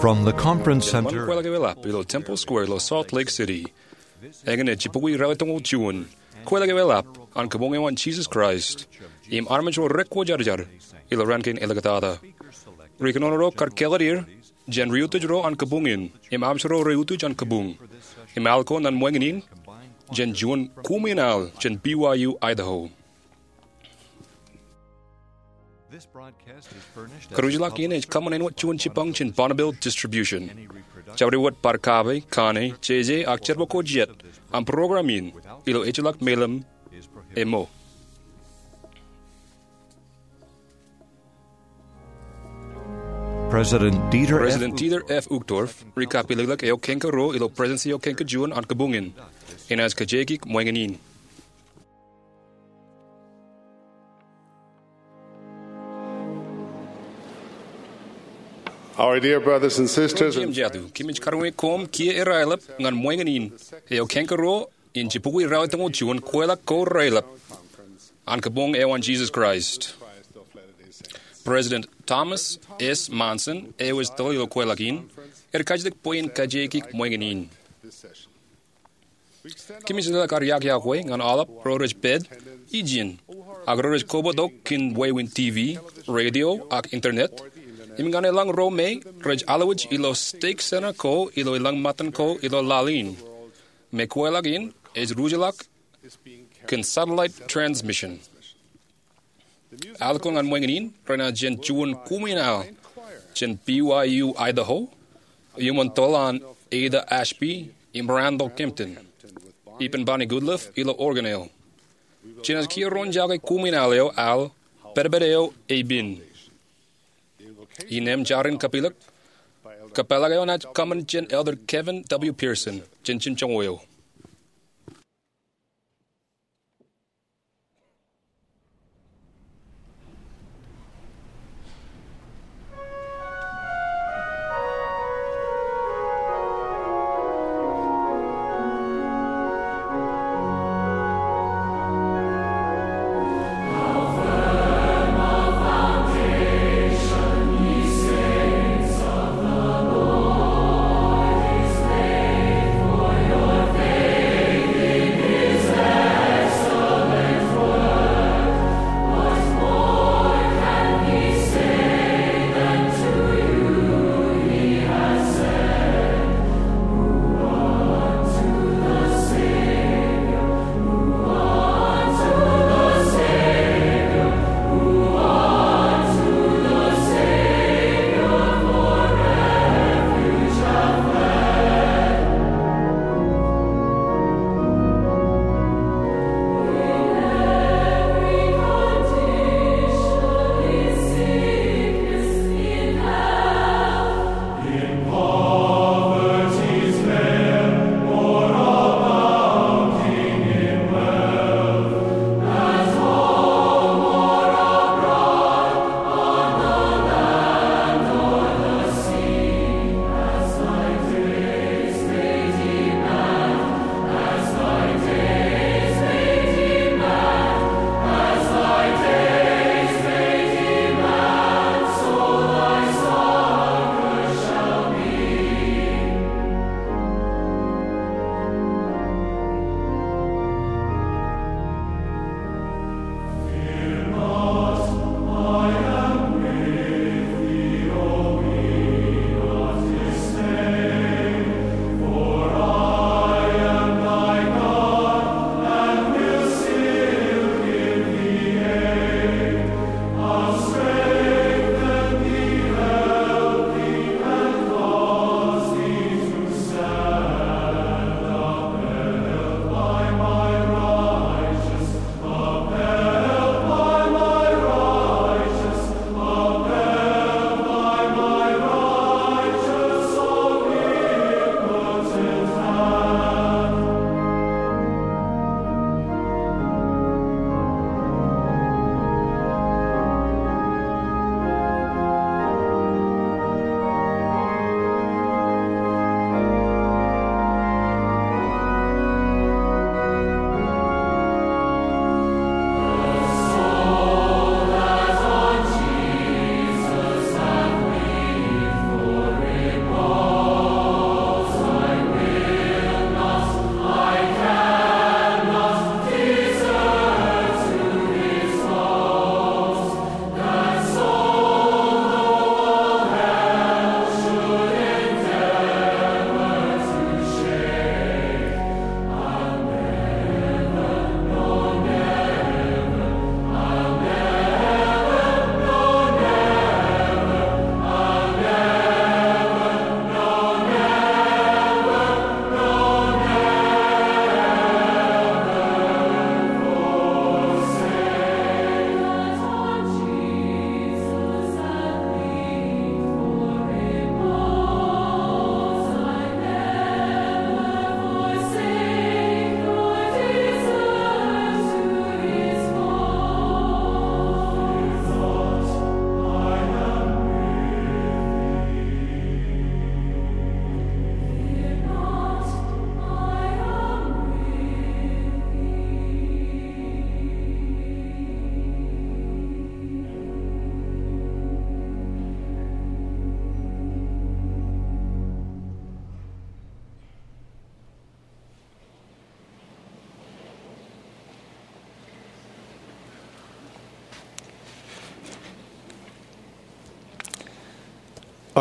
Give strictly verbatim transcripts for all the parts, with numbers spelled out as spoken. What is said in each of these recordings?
From the Conference Center. Kweilọk ewe lab ilo Temple Square ilo Salt Lake City. Eñin ej jibukwi ralitōñoul juon. Kweilọk ewe lab an Kabuñ eo an Jesus Christ im Armej ro rekwōjarjar ilo raan kein āliktata. Ri kōnono ro kar kāālōt er jān ri-utiej ro an kabuñ in im armej ro re-utiej an kabuñ. Im al ko ñan ṃōñā in jān juon kuṃwin al jān B Y U Idaho. Karujlọk in ej kōṃṃan āinwōt juon jibboñ jān Bonneville Distribution. Jabdewōt bar kape, kane, jeje, ak jerbal ko jet an program in ilo ejjeḷọk melim eo. President Dieter F. President Dieter F. Uchtdorf, ri kapilōklōk eo kōnke ruo ilo Presidenti eo kōnke juon an kabuñ in, enaaj kajekik ṃōñā in. Our dear brothers and sisters, Koṃ jatu, kōmij karuñe koṃ kiiō aelep ñan ṃōñā in eo kōnke ruo in jibukwi ralitōñoul juon kweilọk ko raelep an Kabuñ eo an Jesus Christ. President Thomas S. Monson, eo ej tōl ilo kweilọk in, ej kajjitōk bwe in kajekik ṃōñā in. Kōmij leḷọk ad iọkwe ñan aolep ro rej pād ijin, ak ro rej kobatok kōn wāween T V, radio, ak internet, im ñan elōñ ro me rej alwōj ilo stek center ko ilo elōñ ṃōttan ko ilo laḷ in, me kweilọk in ej ruj ḷọk kōn satellite transmission. Al ko ñan ṃōñā in renaaj jān juon kuṃwin al jān B Y U Idaho, iuṃwin toḷ an Ada Ashby im Randall Kempton, ippān Bonnie Goodliffe ilo organ eo. Jenaaj kiiō roñjake kuṃwin al eo al Pedped Eo Eipin. Innām jar in kapilōk, kōpeḷḷọk eo enaaj kōṃṃan jān Elder Kevin W. Pearson jān jimjuonñoul eo.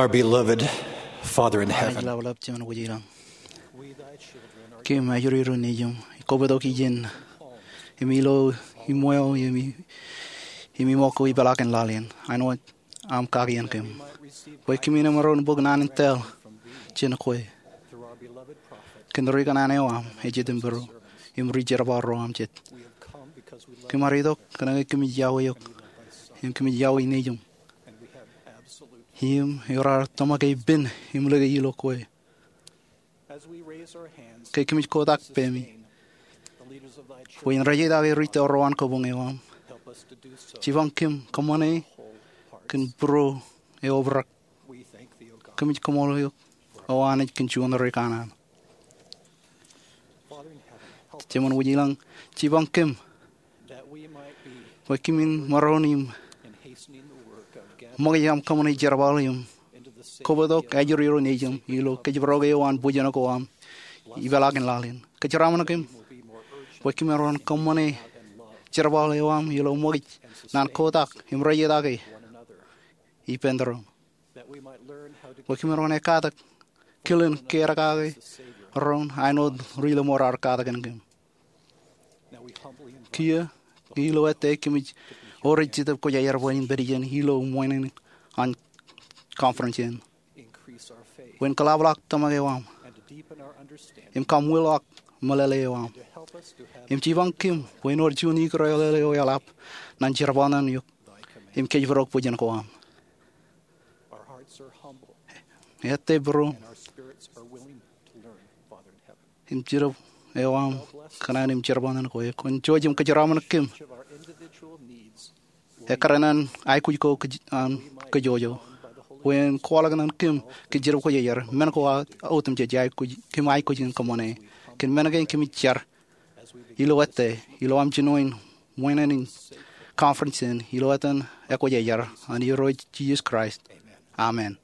Our beloved Father in heaven, Anij ḷapḷap, Jemān wōj ilañ. Kōm ajri ro nejūṃ, kobatok ijin, im ilo iṃweo, im i-, im iṃōk ko ipeḷaakin laḷ in, āinwōt aṃ kakien kōm, bwe kōmin maroñ bōk naan in tōl jān kwe kōn rikōṇaan eo aṃ ej itok būruō im ri-jerbal ro aṃ jet. Kōm ar itok kōnke kōmij iọkwe eok im kōmij iọkwe nejūṃ. Im eo raar tōmak epen im lōke ilo kwe. Ke kōmij kotak pemi bwe en rejjitōk ri tōl ro an kabuñ eo aṃ, jipañ kōm kōṃṃane kōn būruō eo obrak. Kōmij koṃṃool eok, O Anij, kōn juon rikōṇaan. Jemān wōj ilañ, jipañ kōm bwe kōmin maroñ im ṃōkaj aṃ kōṃṃane jerbal im kobatok ajri ro nejūṃ ilo kōjparok eo an bōjrak ko aṃ ipeḷaakin laḷ in. Kōjeraaṃṃan kōm bwe kōmin maroñ kōṃṃane jerbal eo aṃ ilo ṃōkaj naan kotak im rejjitōk ippān doon, bwe kōmin maroñ ekkatak kilen kear kake doon āinwōt ri-lọmọọr raar katak kōn kōm. Kiiō, ilo ettā kōmij ewōr ej Jetōb Kwōjarjar bwe en pād ijeṇ ilo ṃweiṇein an conference in, bwe en kōḷapḷọk tōmak eo aṃ im kaṃwilọk meḷeḷe eo aṃ, im jipañ kōm bwe en wōr juon ikūrelele eo eḷap ñan jerbal ṇe eok im kōjparok bōjrak ko aṃ. Ettā būruō im Jetōb eo aṃ kōṇaan im jerbal ṇe kwe. Kwōn jouj im kōjeraaṃṃan kōm ekkar an aikuj ko kōj, an kōjwōj, bwe en kwaḷọk ñan kōm kōn Jetōb Kwōjarjar, men ko aō otemjej aikuj, kōm aikuj in kōṃṃane. Kōn men kein kōmij jar ilo ettā, ilo aṃ jinoin ṃweiṇein conference in, ilo etan ekwōjarjar an Irooj Jisōs Kraist. Amen.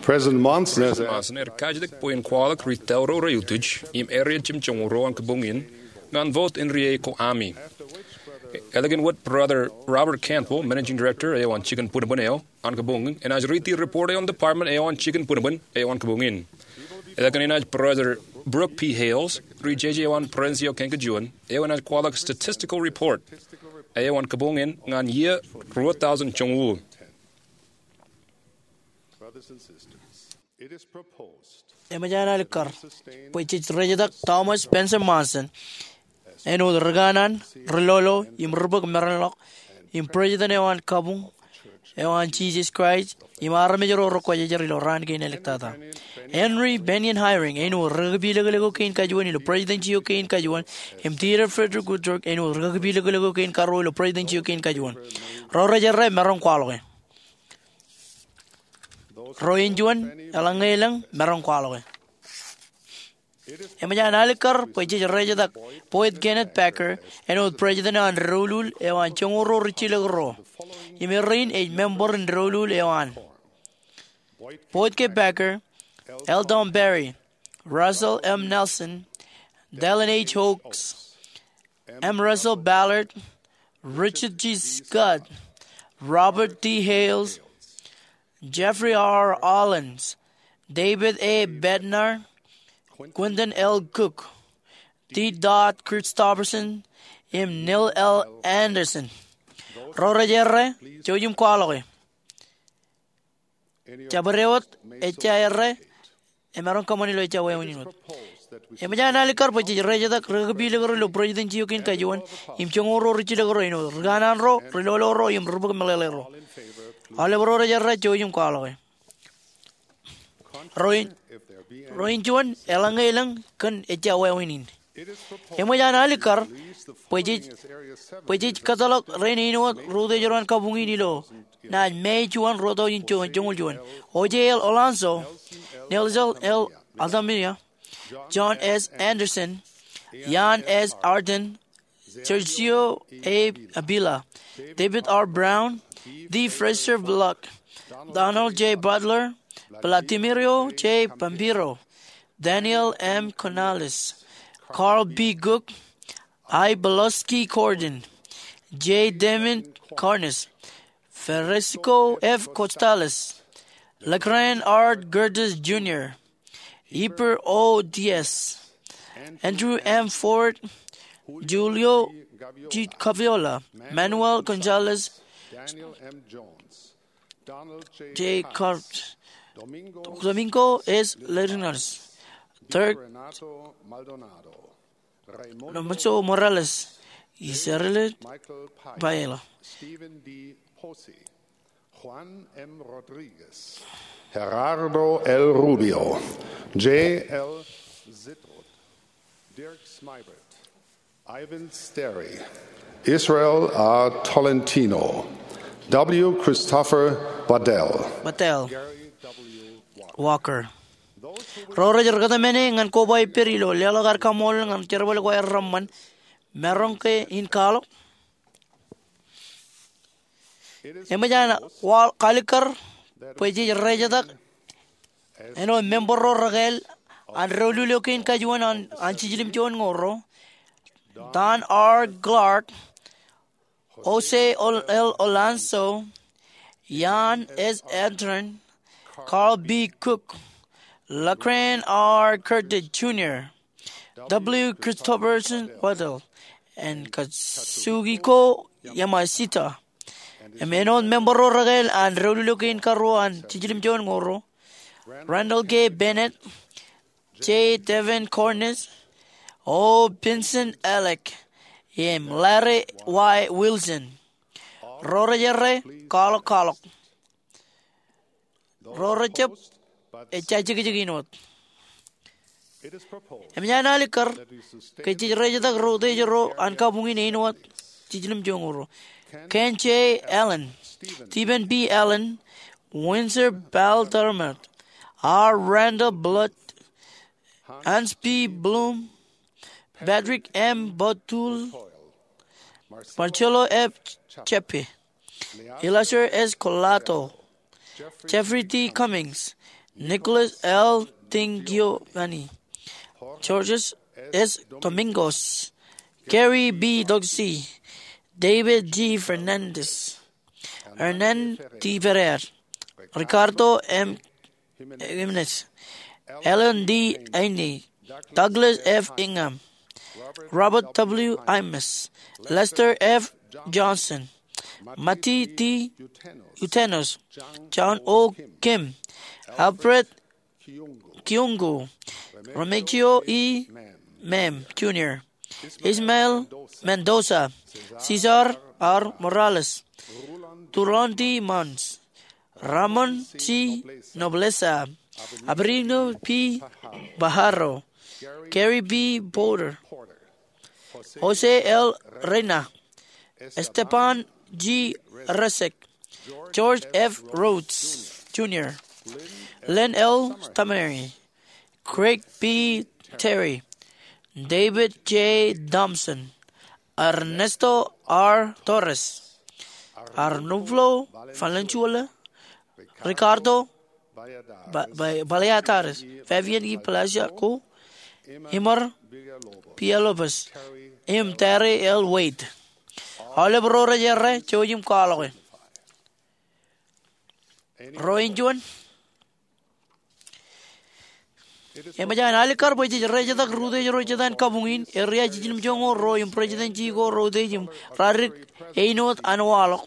President Monson has President Monson ear kajidik bwe en kwaḷọk ri tōl ro rej utiej im area jimjuonñoul ruo an kabuñ in ñan vote in riei ko ami. Ālikin wōt, Brother Robert Cantwell, Managing Director eo an jikin bwinbwin eo an kabuñ in, enaaj riiti report eo an department eo an jikin bwinbwin eo an kabuñ in. Ālikin enaaj Brother Brooke P. Hales, ri-jeje eo an Presidenshiō kein kajuon, eo enaaj kwaḷọk statistical report eo an kabuñ in ñan iiō ruo thousand joñoul. Brothers and sisters, it is proposed Eṃōj an alikkar bwe jej rejetak Thomas Spencer Monson āinwōt rikōṇaan, ri-lolo, im ri-bōk meranḷọk, im President eo an kabuñ eo an Jisōs Kraist im armej ro rekwōjarjar ilo raan kein āliktata. Henry Bennion Eyring āinwōt rikakipilōklōk eo kein kajuon ilo Presidenshiō kein kajuon, im Theodore Frederick Woodshark āinwōt rikakipilōklōk eo kein karuo ilo Presidenshiō kein kajuon. Ro rej errā, maroñ kwaḷọke. Ro in juon, eḷaññe elōñ, maroñ kwaḷọke. Eṃōj an alikkar bwe jej rejetak Boyd Kenneth Packer āinwōt President eo an doulul eo an joñoul ruo rijjilōk ruo, im erein ej member in doulul eo an: Boyd K. Packer, L. Tom Perry, Russell M. Nelson, Dallin H. Oaks, M. Russell Ballard, Richard G. Scott, Robert D. Hales, Jeffrey R. Holland, David A. Bednar, Quentin L. Cook, D. Todd Christofferson, im Neil L. Andersen. Ro rej errā, jouj im kwaḷọke. Jabdewōt ejja errā, emaroñ kōṃṃan ilo ejja wāween in wōt. Eṃōj an alikkar bwe jej rejetak rikakipilōk ro ilo Presidenshiō kein kajuon im joñoul ruo rijjilōk ruo āinwōt rikōṇaan ro, ri-lolo ro, im ri-bōk meḷeḷe ro. Aolep ro rej errā, jouj im kwaḷọke. Ro in, ro in juon, eḷaññe elōñ, kōn ejja wāween in. Eṃōj an alikkar bwe jej, bwe jej kōtḷọk rein āinwōt ri-utiej ro an kabuñ in ilo naaj May juon, ruo thousand joñoul juon: O J L Alonso, Nelson L. Altamira, John S. Andersen, Jan S. Arden, Sergio A. Avila, David R. Brown, D. Fraser Pollock, Donald J. Butler, Vladimiro J. Pampiro, Daniel M. Canales, Carl B. Cook, I. Pulaski Gordon, J. Damon Karnes, Francisco F. Gonzalez, Lagran R. Curtis Junior, Heber O. Diaz, Andrew M. Ford, Julio G. Gaviola, Manuel Gonzalez, Daniel M. Jones, Donald J. J. Hart, Domingo S. Linares, Dirk Renato Maldonado, Raymundo Morales, Israel Paella, Stephen D. Posey, Juan M. Rodriguez, Gerardo L. Rubio, J. L. Zittruth, Dirk Smeibart, Ivan Sterry, Israel A. Tolentino, W. Christopher Waddell, Waddell Walker. Ro rej kōtmāne ñan koba ippād ilo leḷọk aer kaṃṃoolol ñan jerbal ko aer reṃṃan, maroñ ke in kwaḷọk? Eṃōj an kwaḷọk alikkar bwe jej rejetak āinwōt member ro rekāāl an doulul eo kein kajuon an, an jiljilimjuonñoul ruo: Don R. Clark, Jose L. Alonso, Jan S. Anton, Carl B. Cook, Lagran R. Curtis Junior, W. Christopherson Waddell, and Kazuhiko Yamashita. Im āinwōt member ro rekāāl an doulul eo kein karuo an jiljilimjuonñoul ruo: Randall K. Bennett, J. Devin Cornish, O. Benson Alec, im Larry Y. Wilson. Ro rej errā, kwaḷọk, kwaḷọk. Ro rejjab, ejja jekjek in wōt. Eṃōj an alikkar ke jej rejetak ro utiej ro an kabuñ in āinwōt jiljilimjuonñoul ruo: Ken J. Allen, Stephen B. Allen, Windsor Baldermot, R. Randall Blood, Hans B. Blum, Patrick M. Botul, Marcelo F. Chepe, Eleazar S. Collato, Jeffrey D. Cummings, Nicholas L. Di Giovanni, George S. Domingos, Gary B. Doxey, David G. Fernandez, Hernán D. Ferrer, Ricardo M. Jiménez, Alan D. Aine, Douglas F. Ingham, Robert W. Imus, Lester F. Johnson, Matti T. Jutenos, John O. Kim, Alfred Kyungu, Remigio E. Mem Junior, Ismael Mendoza, Cesar R. Morales, Tulon D. Mons, Ramon C. Nobleza, Abrino P. Pajaro, Gary B. Porter, Jose L. Reina, Esteban G. Resek, George F. Rhodes Junior, Len L. Tameri, Craig B. Terry, David J. Thompson, Ernesto R. Torres, Arnulfo Valenzuela, Ricardo Ba-, Ba-, Baleares, Fabian E. Blasco, Emer Villalobos, im Terry L. Wade. Aolep ro rej errā, jouj im kwaḷọke. Ro in juon. Eṃōj an alikkar bwe jej rejetak ro utiej ro jet an kabuñ in, eria jiljilimjuonñoul ruo im presidentsi ko ro utiej im radik āinwōt an waḷọk.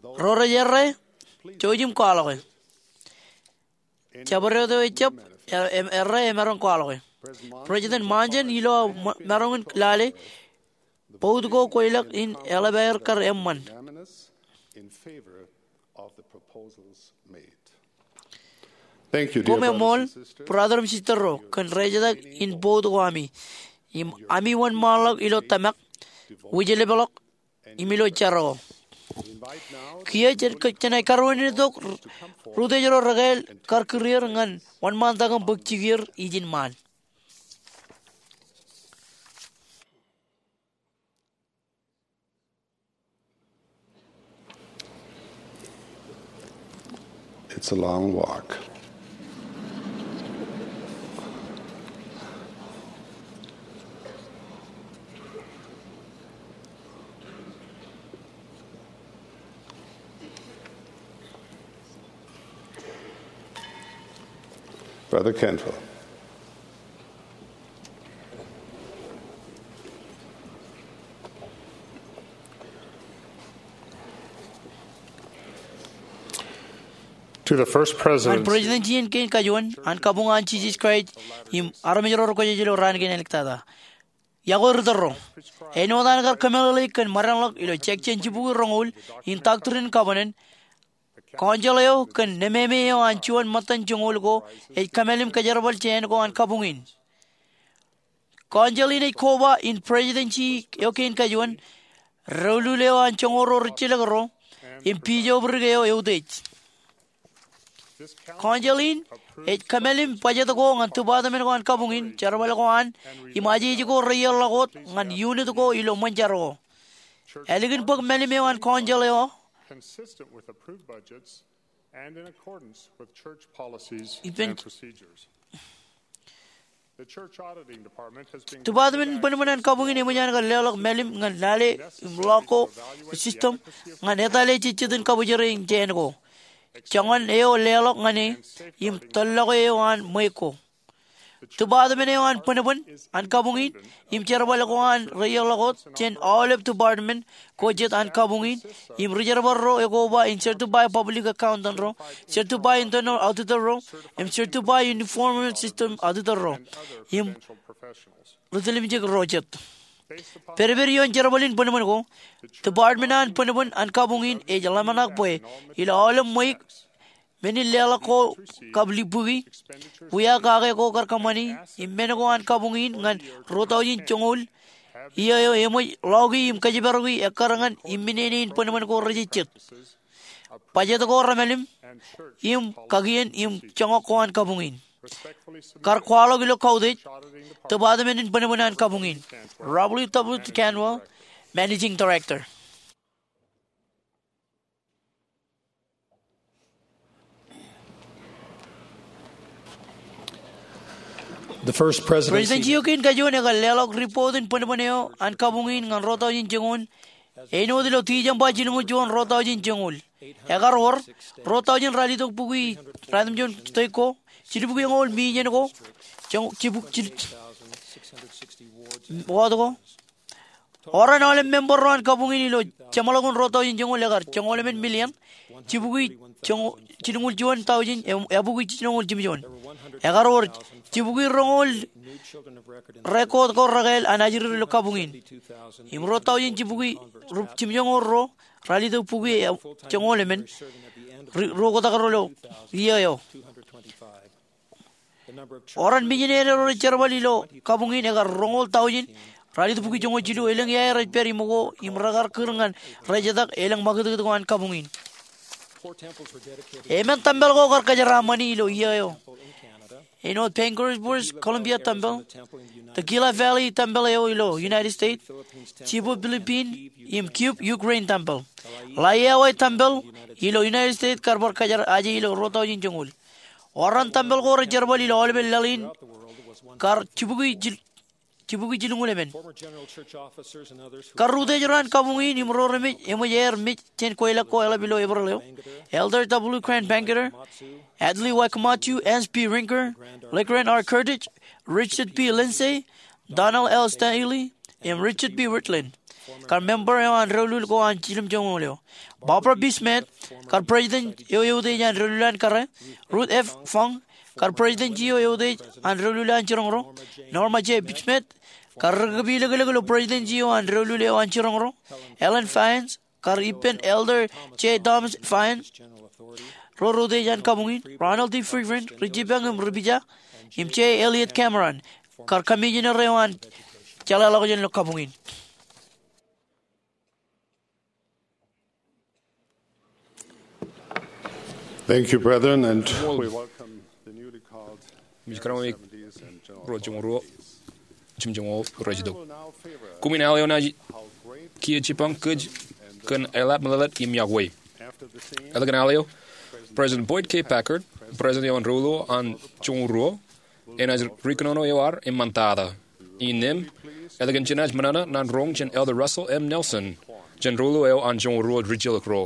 Ro rej errā, jouj im kwaḷọke. Jabdewōt eo ejjab, e-, em-, errā emaroñ kwaḷọke. President Monson ilo aō ma-, maroñ in lale, bout ko kweilọk in eḷap aer kar eṃṃan. Koṃṃool, brother im sister ro, kōn rejetak in bout ko ami. Im ami wōnṃaanḷọk ilo tōmak, wūjlepḷọk, im ilo jerọwiwi. Kiiō jen, jen aikuj karuwainene tok ro utiej ro rekāāl kar kūr er ñan wōnṃaantak im bōk jikier ijin ṃaan. It's a long walk. Brother Cantwell. To the First Ñan President, President iien kein kajuon an kabuñ an Jisōs Kraist im armej ro rekwōjarjar ilo raan kein āliktata. Iọkwe ri tōl ro. Āinwōt an kar kōmeḷeḷeik kōn ṃōdeḷọk ilo section jibukwi roñoul in Doctrine and Covenants, council eo kōn nememe eo an juon ṃōttan joñoul ko ej kōmālim kōjerbal jāān ko an kabuñ in. Council in ej koba in presidency eo kein kajuon, doulul eo an joñoul ro rijjilōk ro, im bishopric eo eutiej. Council in ej kōmālim budget ko ñan department ko an kabuñ in, jerbal ko an, im ajeje ko reiier ḷọk wōt ñan unit ko ilo ṃōn jar ko. Ālikin bōk mālim eo an council eo, consistent with approved budgets and in accordance with church policies ippān and procedures. Department in bōnbōn an kabuñ in eṃōj an kar leḷọk mālim ñan lale im ḷọk ko system ñan etale jejjet in kabōjrāān jāān ko, joñan eo leḷọk ñan e, im tōllọke eo an ṃweiuk ko. Department eo an bōnbōn an kabuñ in im jerbal ko an reiier ḷọk wōt jān aolep department ko jet an kabuñ in, im ri-jerbal ro ekoba in certify public accountant ro, certify internal auditor ro, im certify uniform system auditor ro, im ri-tilimjek ro jet. Pedped ioon jerbal in bōnbōn ko, department an bōnbōn an kabuñ in ej ḷōmṇak bwe ilo aolep ṃweiuk, men in leḷọk ko kab libukwi, wia kake ko kar kōṃṃani, im men ko an kabuñ in ñan ruo tọujin joñoul, iiō eo eṃōj ḷọki im kōjparoki ekkar ñan imminene in bōnbōn ko rejejjet, budget ko remālim, im kakien im joñak ko an kabuñ in. Kar kwaḷọk ilo kautiej, department in bōnbōn an kabuñ in. Robert W. Cantwell, Managing Director. The first presidency. Presidency eo kein kajuon ekar leḷọk report in bōnbōn eo an kabuñ in ñan ruo tọujin joñoul, āinwōt ilo December jilñuul juon ruo tọujin joñoul. Ekar wōr ruo tọujin ralitōk bukwi ratimjuon state ko, jilbukwi eñoul million ko, joñ-, jibuk-, jil-, wōt ko. Oran aolep member ro an kabuñ in ilo jeṃḷọkin ruo tọujin joñoul ekar joñoul emān million, jibukwi joñ-, jilñuul juon tọujin, e-, ebukwi jilñuul jimjuon. Ekar wōr jibukwi roñoul record ko rekāāl an ajri ro ilo kabuñ in. Im ruo tọujin jibukwi ru-, jimjoñoul ruo, ralitōk bukwi e-, joñoul emān, ri-, ruo oktak ro ilo iiō eo. Oran missionary ro rej jerbal ilo kabuñ in ekar roñoul tọujin, ralitōk bukwi joñoul jilu, elōñ iaer ej pād iṃōk ko im rekar kūr ñan rejetak elōñ ṃakūtkūt ko an kabuñ in. Emān tempel ko kar kōjeraaṃṃani ilo iiō eo, āinwōt Bangerz, British Columbia Tempel, the Gila Valley Tempel eo ilo United States, Cebu, Philippines, im Kyiv, Ukraine Tempel. Laie Hawaii Tempel ilo United States kar bar kōjeraaṃṃan ilo ruo tọujin joñoul. Oran tempel ko rej jerbal ilo aolepen laḷ in kar jibukwi jil-, jibukwi jilñuul emān. Kar utiej ro an kabuñ in im ro remej, eṃōj aer mej jān kweilọk ko eḷap ilo Eprel eo, Elder W. Grant Bangerter, Adlai Y. Camacho, Hans P. Rinker, LeGrand R. Curtis, Richard P. Lindsay, Donald L. Stanley, im Richard P. Wirthlin, kar member eo an doulul ko an jiljilimjuon eo. Barbara B. Smith, kar president eo eutiej an doulul an kōrā. Ruth F. Funk, kar president eo eutiej an doulul an jiroñ ro. Norma J. Smith, kar ri-kōpilōklōk ilo president eo an doulul eo an jiroñ ro. Ellen Fyans, kar ippān Elder J. Thomas Fyans, ro rej utiej an kabuñ in. Ronald D. Friedman, ri-jipañ im ri-pija, im J. Elliot Cameron, kar commissioner eo an jeḷāḷọkjeṇ ilo kabuñ in. Thank you, brethren, and we welcome the newly called Ij kōrā ṃōk ruo joñoul ruo, jimjuon ro rej itok. Koṃwin al eo naaj kiiō jipañ kōj kōn eḷap meḷeḷe im iọkwe. Etke kōn al eo? President Boyd K. Packer, president eo an doulul an joñoul ruo, enaaj ri kōnono eo ad eṃṃantata. Innām, etke kōn jenaaj ṃōṇōṇō naan roñ jān Elder Russell M. Nelson, jān doulul eo an joñoul ruo rijjilōk ro.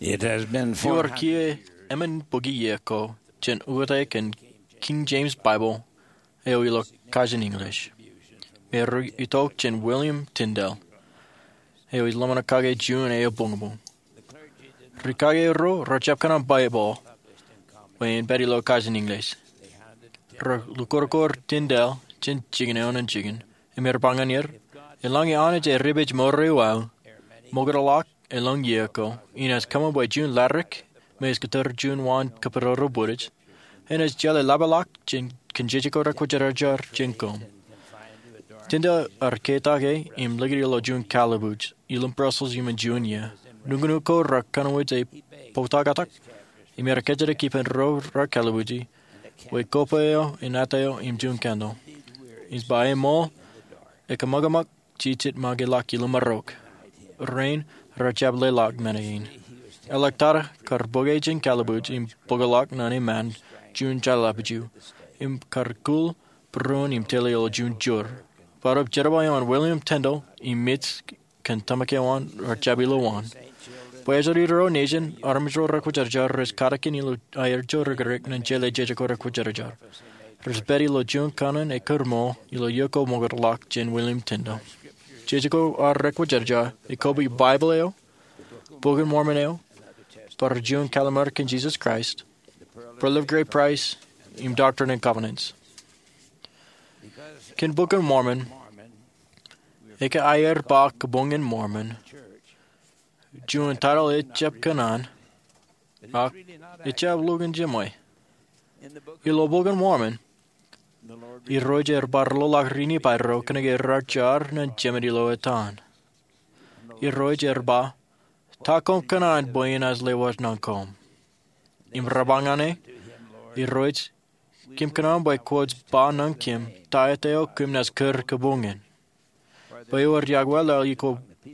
Ewōr kiiō emān bukwi iiō ko jān ukōte kōn King James Bible eo ilo kajin English, me rej itok jān William Tyndale, eo ej ḷōmṇak kake juon eoon buñbuñ. Ri kake ro rejjab kōṇaan Baibōḷ bwe en pād ilo kajin English. Rej lukkuun Tyndale jān jikin eo ñan jikin im rej ba ñan er, eḷaññe Anij ej ripeje mour eo aō, ṃokta ḷọk elōñ iiō ko, inaaj kōṃṃan bwe juon ladik me ej kōttar juon waan kōpooro bwidej, enaaj jeḷā ḷapḷọk jān kōn jeje ko rekwōjarjar jān koṃ. Tyndale ear ketak e im likūt ilo juon kalbuuj ilowaan Brussels iṃōn juon iiō. Nuknuk ko rej kōnwōj e poutakatak im ear kōjatdikdik ippān ro rej kalbuuji bwe koba eo in āt eo im juon kandle. Ij ba eṃool, ekōṃakōṃak jijet make ḷọk ilo marok. Rein rejjab leḷọk men kein. Āliktata kar bōke jān kalbuuj im bōkḷọk ñan eṃṃan juon jeḷāḷọkjeḷā im kar kūl būruon im tele ilo juon joor. Barāinwōt jerbal eo an William Tyndale im mej kōn tōmak eo an rejjab ilowaan. Bwe ejjeḷọk ro nejin, armej ro rekwōjarjar rej katakin ilo aer joor ri kōrā ñan jeḷā jeje ko rekwōjarjar. Rej pād ilo juon kōṇaan ekkar ṃool ilo iiō ko ṃokta ḷọk jān William Tyndale. Jeje ko ar rekwōjarjar ekobwi Baibōḷ eo, Bok in Mormon eo, bar juon kallim̧ur kōn Jisōs Kraist, Pearl of Great Price, im Doctrine and Covenants. Kōn Bok in Mormon, eke aer ba Kabuñ in Mormon, juon taitōḷ ejjab kōṇaan, ak ejjab lukkuun jiṃwe. Ilo Bok in Mormon, Irooj ear bar loḷọk ri Nifai ro kōnke rar jar ñan jemān ilo etan. Irooj ear ba, ta koṃ kōṇaan bwe inaaj lewōj ñan koṃ? Im rej ba ñan e, Irooj, kōm kōṇaan bwe kwōj ba ñan kōm ta etaer eo kōm naaj kūr kabuñ in. Bwe ewōr iakwōl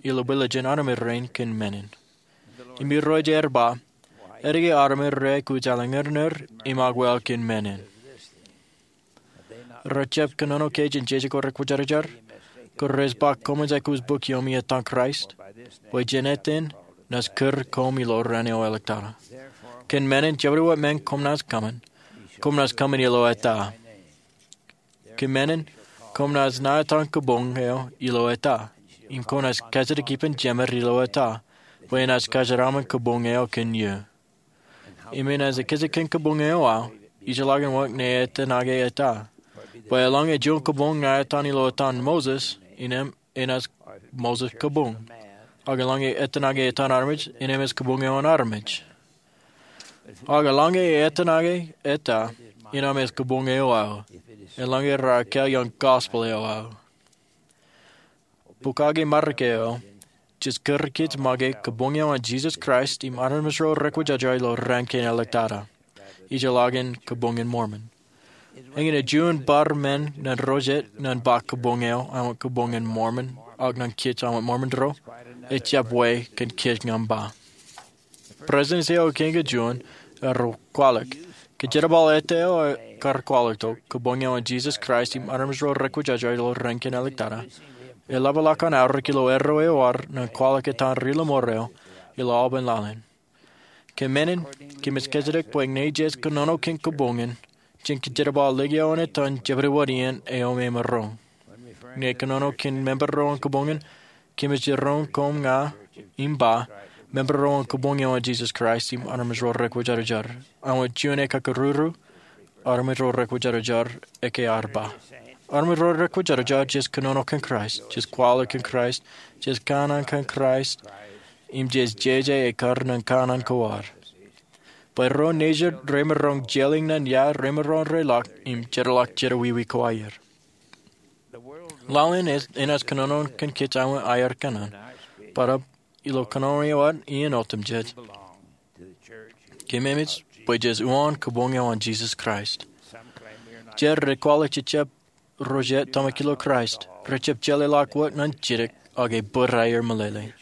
ilo bwilōñ jān armej rein kōn menin. Im Irooj ear ba, etke armej rej aikuj alen ñan er im akwōl kōn menin? Rejjab kōnono ke jān jeje ko rekwōjarjar? Ko rej ba koṃij aikuj bōk iiō im etan Kraist? Bwe jān etan naaj kūr koṃ ilo raan eo āliktata. Kōn menin jabdewōt men koṃ naaj kōṃṃan, koṃ naaj kōṃṃan ilo eta. Kōn menin koṃ naaj ṇa etan kabuñ eo ilo eta, im koṃ naaj kajjitōk ippān jemād ilo eta, bwe enaaj kajjitōk aṃ kabuñ eo kōn eō. Im enaaj kajjitōk kabuñ eo aō, ijellọkin wōt ñe etan ake eta. Bwe eḷaññe juon kabuñ ṇa etan ilo etan Moses, innem enaaj Moses kabuñ. Ak eḷaññe etan ake etan armej, innem ej kabuñ eo an armej. Ak eḷaññe etan ake eta, innem ej kabuñ eo aō, eḷaññe raar kāāl iaan gospel eo aō. Bukake Mariko ej kūr kōj make kabuñ eo an Jisōs Kraist im armej ro rekwōjarjar ilo raan kein āliktata. Ijellọkin Kabuñ in Mormon. Eñin ej juon bar men ñan ro jet ñan ba kabuñ eo āinwōt Kabuñ in Mormon, ak ñan kōj āinwōt Mormon ro, ejjab wōt kōn kōj ñan ba. Presidents eo kein kajuon ear kwaḷọk, kōjerbal eta eo kar kwaḷọk tok, Kabuñ eo an Jisōs Kraist im armej ro rekwōjarjar ilo raan kein āliktata, eḷapḷọk an aorōk ilo erro eo ad ñan kwaḷọk etan ri-lọmọọr eo ilo aolepen laḷ in. Kōn menin, kōmij kajjitōk bwe ñe jej kōnono kōn kabuñ in, jen kōjerbal likao in etan jabdewōt iien eo emaroñ. Ñe kōnono kōn member ro an kabuñ in, kōmij jiroñ koṃ ña im ba, member ro an Kabuñ eo an Jisōs Kraist im armej ro rekwōjarjar. Āinwōt juon ekkakūrūrū, armej ro rekwōjarjar, eke ad ba. Armej ro rekwōjarjar jej kōnono kōn Kraist, jej kwaḷọk kōn Kraist, jej kanaan kōn Kraist, im jej jeje ekkar ñan kanaan ko ad. Bwe ro nejid remaroñ jeḷā ñan ia remaroñ reḷọk im jeorḷọk jedewiwi ko aer. Laḷ in enaaj kōnono kōn kōj āinwōt aer kōṇaan, bōtab ilo kōnono eo ad iien otemjej, kōmemej bwe jej uwaan Kabuñ eo an Jisōs Kraist. Jet rej kwaḷọk jejjab ro jet tōmak ilo Kraist, rejjab jeḷāḷọk wōt ñan jidik ak ebōd aer meḷeḷe.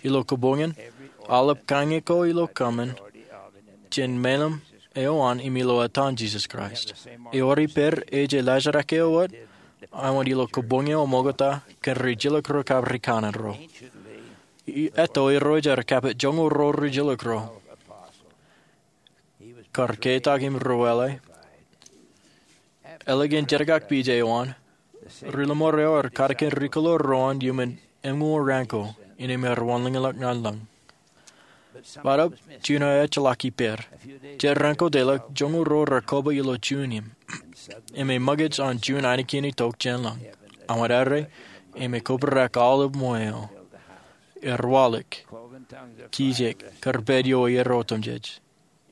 Ilo kabuñ in, aolep kaññe ko ilo kōṃṃan jān meḷeḷe eo an im ilo etan Jisōs Kraist. Ewōr ippād ej laajrak eo wōt, āinwōt ilo kabuñ eo ṃokta kōn rijilōk ro kab rikanaan ro. Etto Irooj ear kapit joñoul ro rijilōk ro. kar ketak im ruwaḷe. Ālikin jenkakpeje eo an, ri-lōṃoor eo ear katakin rikuḷo ro an iuṃwin eñoul raan ko innām ear wanlōñḷọk ñan lañ. Bōtaab juon eo ejjeḷọk ippāer. Jet raan ko deḷọñ joñoul ruo raar koba ilo juon im, im eṃōkaj an juon ainikien itok jān lañ. Aṃ ad arre, im ekobrak aolep ṃweo, ear waḷọk, kijek kar pād ioon iiō otemjej.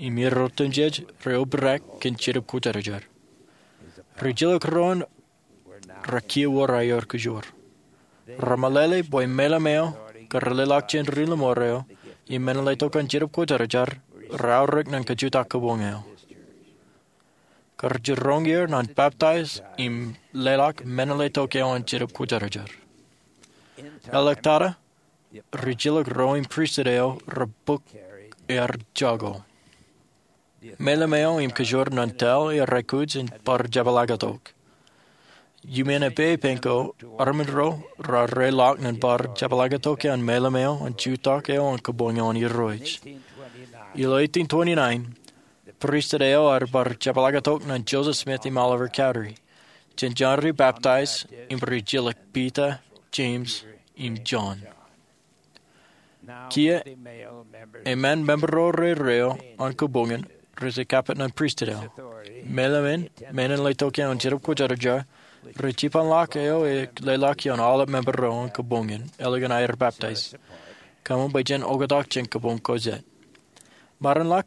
Im iiō otemjej reobrak kōn Jetōb Kwōjarjar. Rijilōk ro an rekiiō wōr aer kōjoor. Remeḷeḷe bwe meḷeḷe eo kar leḷọk jān ri-lōṃoor eo im men in letok an Jetōb Kwōjarjar reaorōk ñan kajutak kabuñ eo. Kar jiroñ er ñan baptize im leḷọk men in letok eo an Jetōb Kwōjarjar. Āliktata, rijilōk ro im pristut eo rej bōk aer jako. Meḷeḷe eo im kōjoor ñan tōl er aikuj in bar jepḷaaktok. Iuṃwin epāpān ko, armej ro raar reḷọk ñan bar jepḷaaktok an meḷeḷe eo an jutak eo an kabuñ eo an Irooj. Ilo eighteen twenty-nine, pristut eo ear bar jepḷaaktok ñan Joseph Smith im Oliver Cowdery, jān jar ri-baptize im rijilōk Piter, Jemes, im Jon. Kiiō, eṃṃan member ro rerreo an kabuñ in rej kappet ñan pristut eo. Meḷeḷe in men in letok eo an Jetōb Kwōjarjar rej jipañlọk eo ej leḷọk ioon aolep member ro an kabuñ in ālikin aer baptize, kōṃṃan bwe jen oktak jān kabuñ ko jet. Maroñḷọk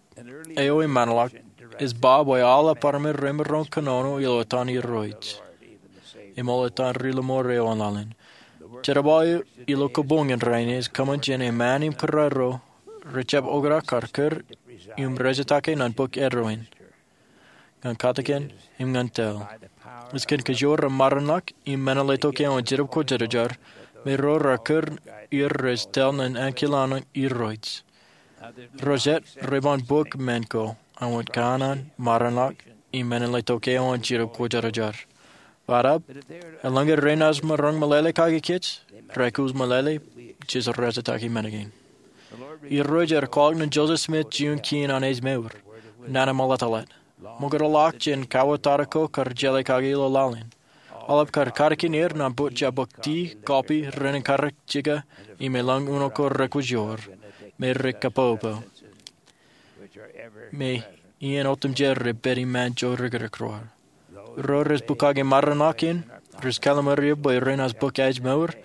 eo eṃṃanḷọk ej ba bwe aolep armej remaroñ kōnono ilo etan Irooj, eṃool etan ri-lōṃoor eo an laḷ in. Jerbal eo ilo kabuñ in rainin ej kōṃṃan jān eṃṃan im kūraro rejjab oktak kar kūr im rejetake ñan bōk eddo in, ñan katakin, im ñan tōl. Ej kōn kōjoor ro maroñḷọk im men in letok eo an Jetōb Kwōjarjar, me ro raar kūr er rej tōl ñan ankilaan Irooj. Ro jet reban bōk men ko an wōt kōṇaan, maroñḷọk, im men in letok eo an Jetōb Kwōjarjar. Bōtaab, eḷaññe renaaj maroñ meḷeḷe kake kōj, rekūj meḷeḷe, jej rejetaki men kein. Irooj ear kwaḷọk ñan Joseph Smith juon kien an ājmour, nana ṃōḷatāḷ. Ṃōkaj ḷọk jān kauwōtata ko kar jeḷā kake ilo laḷ in. Aolep kar katakin er ñan bōk, jab bōk tii, kọọpi, ren in karōk jika, im eḷaññe uno ko rekwōj joor, me rej kapopo, me iien otemjej rej pād iṃaan jorikrōk ro. Ro rej bōk kake maroñḷọk in, rej kallimur er bwe renaaj bōk ājmour,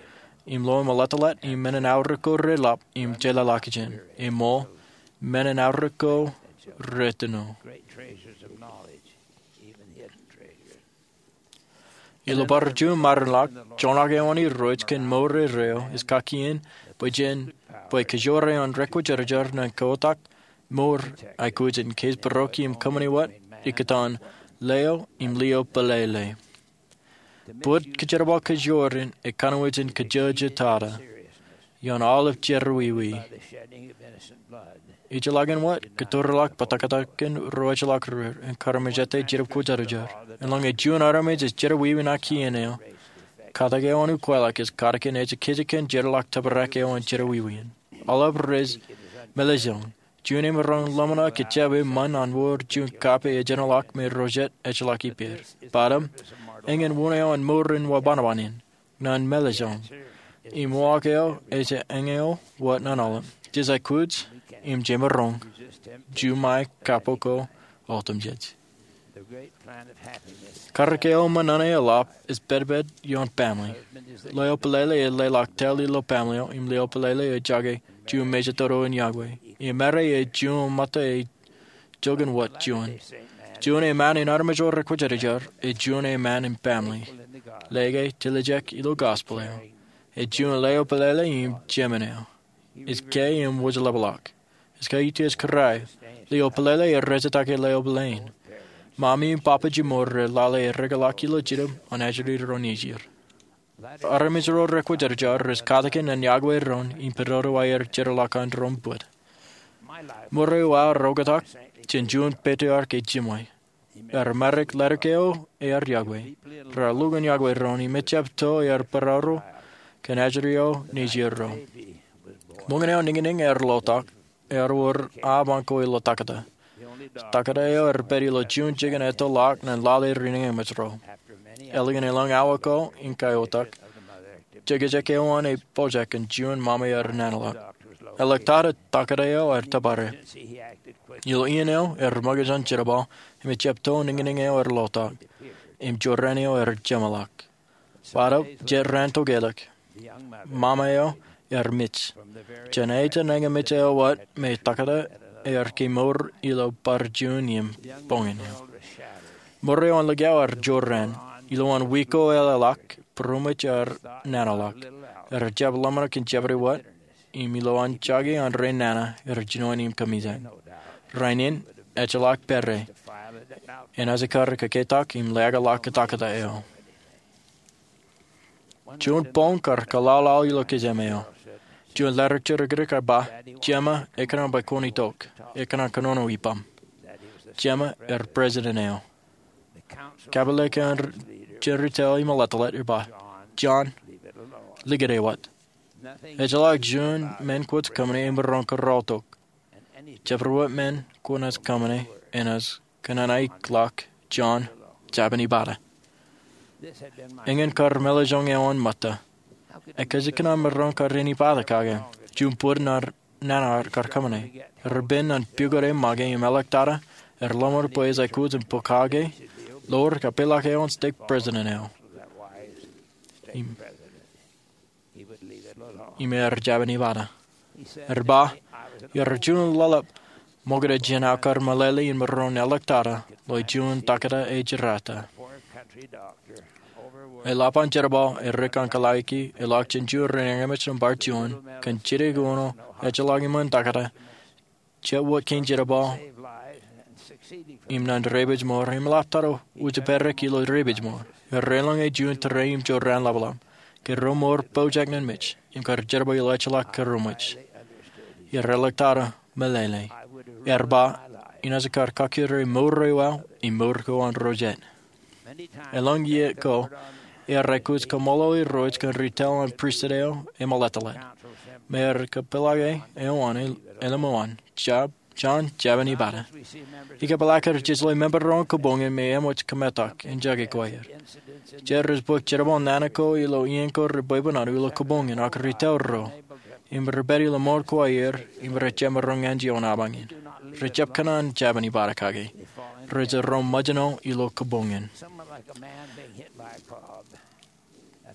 im lowaan ṃōḷatāḷ, im men in aorōk ko reḷap, im jeḷāḷọkjeṇ, eṃool, men in aorōk ko retino. Ilo bar juon maroñḷọk, joñak eo an Irooj kōn mour rerreo ej kakien bwe jen, bwe kōjoor eo an Rekwōjarjar ñan kautiej mour aikuj in kōjparok im kōṃṃani wōt ikōtaan leo im lio pālele. Bōd kōjerbal kōjoor in ekanooj in kōjojitata ioon aolep jerọwiwi. Ejjeḷọkin wōt, kōtōrḷọk bōtōktōkin ro ejjeḷọk ro im kar mejate Jetōb Kwōjarjar. Eḷaññe juon armej ej jerọwiwi ṇa kien eo, katak eo an ukwaḷọk ej katakin ejekjek kōn jeorḷọk tōprak eo an jerọwiwi in. Aolep rej meḷeḷein. Juon emaroñ ḷōmṇak ej jab eṃṃan an wōr juon kape ejjeḷọk me ro jet ejjeḷọk ippāer. Bōtaab, eñin wōn eo an mour in wōnṃaanṃaan in ñan meḷeḷein. Im uwaak eo ej eñeo wōt ñan aolep. Jej aikuj im jemaroñ juṃae kappok ko otemjej. Karōk eo ṃōṇōṇō eḷap ej pedped ioon family. Leo pālele ej leḷọk tōl ilo family eo, im lio pālele ej jake juon mejatoto in yokwe. Im ṃare ej juon ṃōtta ej joñan wōt juon. Juon eṃṃan in armej ro rekwōjarjar, ej juon eṃṃan in family. Lōke, tiljek ilo gospel eo. Ej juon leo pālele im jemān eo. Ej ke im wōjḷapḷọk. Ej ke utiej kōrā. Lio pālele ej rejetake leo pāleen. Mami im papa jiṃor rej lale erekeḷọk ilo jinōb an ajri ro nejid. Armej ro rekwōjarjar rej katakin ñan yokwe doon im pād ilo aer jeorḷọk an doon bōd. Ṃure uwaak eo rej oktak jān juon patriarch ej jiṃwe. Ear maroñ letok eo ear yokwe. Raar lukkuun yokwe doon im ejjab to ear barāro kōn ajri ro nejid ro. Ṃōñā eo niñniñ ear lotak, ear wōr aṃ ko ilo ḷotakta. Taktō eo ear pād ilo juon jikin etto ḷọk ñan lale ri-naan emōj ro. Ālikin elōñ awa ko in kaiotak, jekjek eo an ej pojak kōn juon ṃaṃa ear nanaḷọk. Eḷḷọk ta eo taktō eo ear tōpare. Ilo iien eo ear ṃōkaj an jerbal, im ejjab to niñniñ eo ear ḷotak, im jorrāān eo ear jeṃḷọk. Bōtaab jet raan tokālik, ṃaṃa eo ear mej. Jān ejān ñe mej eo wōt me taktō ear kemour ilo bar juon iien boñōn eo. Mour eo an likao ear jorrāān. Ilowaan wiik ko eḷḷọk, būroṃōj ear nanaḷọk. Ear jab ḷōmṇak in jeopardy wōt, im ilowaan jaki an rein nana ear jinoin im kamijak. Rainin, ejjeḷọk pere, enaaj kar kōketak im leḷọk taktō eo. Juon boñ kar kōḷaḷḷaḷ ilo kijem eo. Juon letter jidikdik ear ba, Jema, ekōṇaan bwe kwōn itok. Ekōṇaan kōnono ippām. Jema ear president eo. Kapeḷḷọk eo jān ri-tōl im eḷḷātḷọk ear ba, John, likūt e wōt. Ejjeḷọk juon men kwōj kōṃṃane emaroñ kōrọọltok. Jabdewōt men kwōnaaj kōṃṃane enaaj kōnono ḷọk, John, jabōn ibadah. Eñin kar meḷeḷe joñan ṃōtta. Ekōjkan an maroñ kar in ibadah kake? Juon bōd nana ear kar kōṃṃane. Ear pen ñan pukot e make im eḷḷọk tata, ear ḷōmṇak bwe ej aikuj in pokake, lowaan kapeḷḷọk eo an stake president eo. Im im ear jabōn ibadah. Ear ba, iar juon ḷōḷḷap ṃokta jān aō kar meḷeḷe in maroñ eḷḷọk tata ḷọk juon taktō ej jerata. Eḷap an jerbal, erik an kōḷḷāiki, eḷak jān juon ri-naan emōj bar juon, kōn jidik uno, ejjeḷọk iṃaan taktō, jet wōt kein jerbal, im ñan repeej mour, im eḷap tata ujepedek ilo repeej mour. Ear eḷaññe juon tōre im jorrāān ḷapḷap. Ke ro mour pojak ñan mej, im kar jerbal ilo ejjeḷọk kōrọọlmwōj. Ear eḷḷọk tata meḷeḷe. Ear ba, inaaj kar kakkure mour eo aō, im mour ko an ro jet. Elōñ iiō ko, ear aikuj kōṃṃoolol irooj kōn ri-tōl an pristut eo im eḷḷātḷọk. Me ear kapeḷḷọk e eo an, elōñ eo an, jab, John, jabōn ibadah. Ikōpālak ear jejeḷā member ro an kōboñ in me eṃōj kōmetak in jake ko aer. Jet rej bōk jerbal nana ko ilo iien ko rej bwebwenato ilo kōboñ in ak ri-tōl ro im rej pād ilo ṃool ko aer im rej jab maroñ ñan juon apañ in. Rej jab kōṇaan jabōn ibadah kake. Rej roñ ṃōjṇo ilo kōboñ in.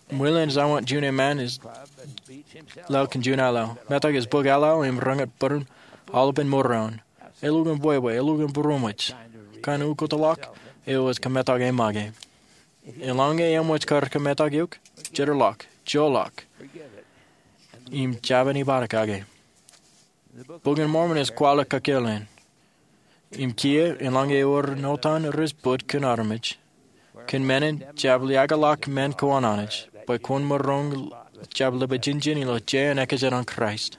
Ṃwilen ej āinwōt juon eṃṃan ej laḷ kōn juon aḷaḷ. Metak ej bōk aḷaḷ im reñin bōran aolepān mour eo an. Elukkuun bwebwe, elukkuun būroṃōj. Kain ukōtḷọk eo ej kōmetak e make. Eḷaññe eṃōj kar kōmetak eok, jeorḷọk, joḷọk, im jabōn ibadah kake. Bok in Mormon ej kwaḷọk kōkōḷḷe in. Im kiiō, eḷaññe ewōr ṇotan rej bōd kōn armej, kōn men in jab liaakḷọk men ko an Anij, bwe kwōn maroñ jab lōbijinjin ilo ejjeḷọk ekajet an Kraist.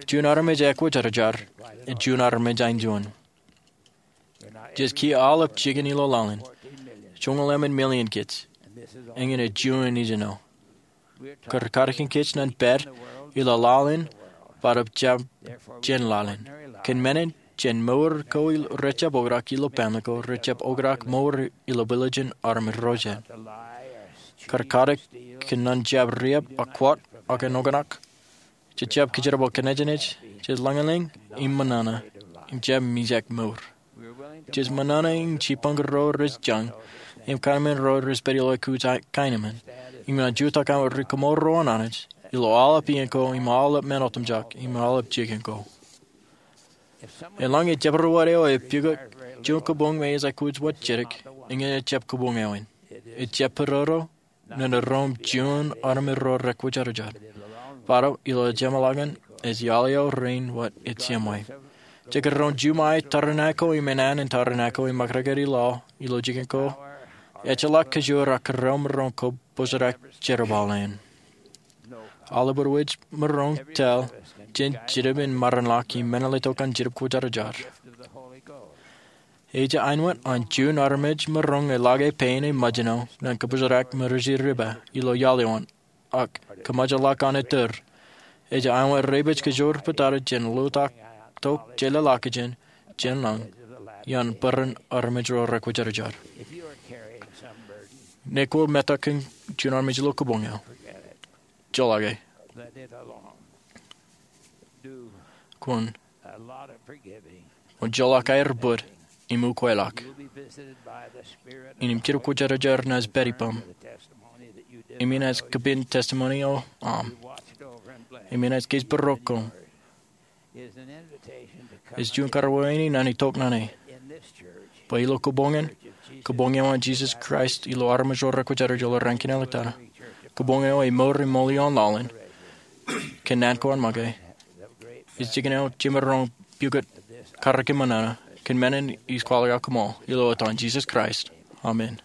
Juon armej ekwōjarjar, im juon armej āinjuon. Jej kiiō aolep jikin ilo laḷ in. Joñoul emān million kōj. Eñin ej juon ijin eo. Kar kadkōn kōj ñan pād ilo laḷ in, bōtaab jab jān laḷ in. Kōn men in, jān mour ko rejjab oktak ilo pālle ko, rejjab oktak mour ilo bwiljin armej ro jet. Kar kadkōn ñan jab riab ak kwōt ak enoknak. Jej jab kōjerbal kōnejnej, jej lañlōñ im ṃōṇōṇō, im jab mijak mour. Jej ṃōṇōṇō in jipañ ro rej jañ, im kaṇ men ro rej pād ilo aikuj kaenōṃṃan. Im ñan jutak aṃ ri-koṃṃool ro an Anij, ilo aolep iien ko, im aolep men otemjak, im aolep jikin ko. Eḷaññe jabdewōt eo ej pukot juon kōboñ me ej aikuj wōt jidik, eñin ejjab kōboñ eo in. Ejjab pedodo, ñan roñ juon armej ro rekwōjarjar. Bōtaab ilo jeṃḷọkin ej iaḷ eo rein wōt ej jeṃḷọkin. Jej kar roñ juṃae tabernacle im enana in tabernacle im ṃōkdōkdōk ilo, ilo jikin ko. Ejjeḷọk kōjoor ak kōrreoṃ maroñ kōpooj jerbal in. Aolep wōj maroñ tōl jān jitōb in maroñ ḷọk im men eo ej itok an jitōb kwōjarjar. Ej āinwōt an juon armej maroñ eḷake pein eṃōjṇo ñan kōpooj ṃōrjej riba ilo iaḷ eo an, ak kōṃōjḷọk an ettōr. Ej āinwōt repeej kōjoor pād tata jān ḷotak tok jeḷāḷọkjeṇ, jān lañ iaan bōran armej ro rekwōjarjar. Ñe kwō metak kōn juon armej ilo kabuñ eo, joḷọk e. Kwōn, kwōn joḷọk aer bōd im ukweḷọk. Innem jidik kwōjarjar naaj pād ippaṃ im inaaj kōpin testimony eo aṃ im inaaj kōjparok koṃ. Ej juon karuwaini ñan itok ñan e bwe ilo kabuñ in, kabuñ eo an Jisōs Kraist ilo armej ro rekwōjarjar ilo raan kein āliktata, kabuñ eo emour im ṃool ioon laḷ in kōn naan ko an make, ej jikin eo jemaroñ pukot karōk im ṃōṇōṇō. Kōn men in ij kwaḷọk aō koṃṃool ilo etan Jisōs Kraist, amen.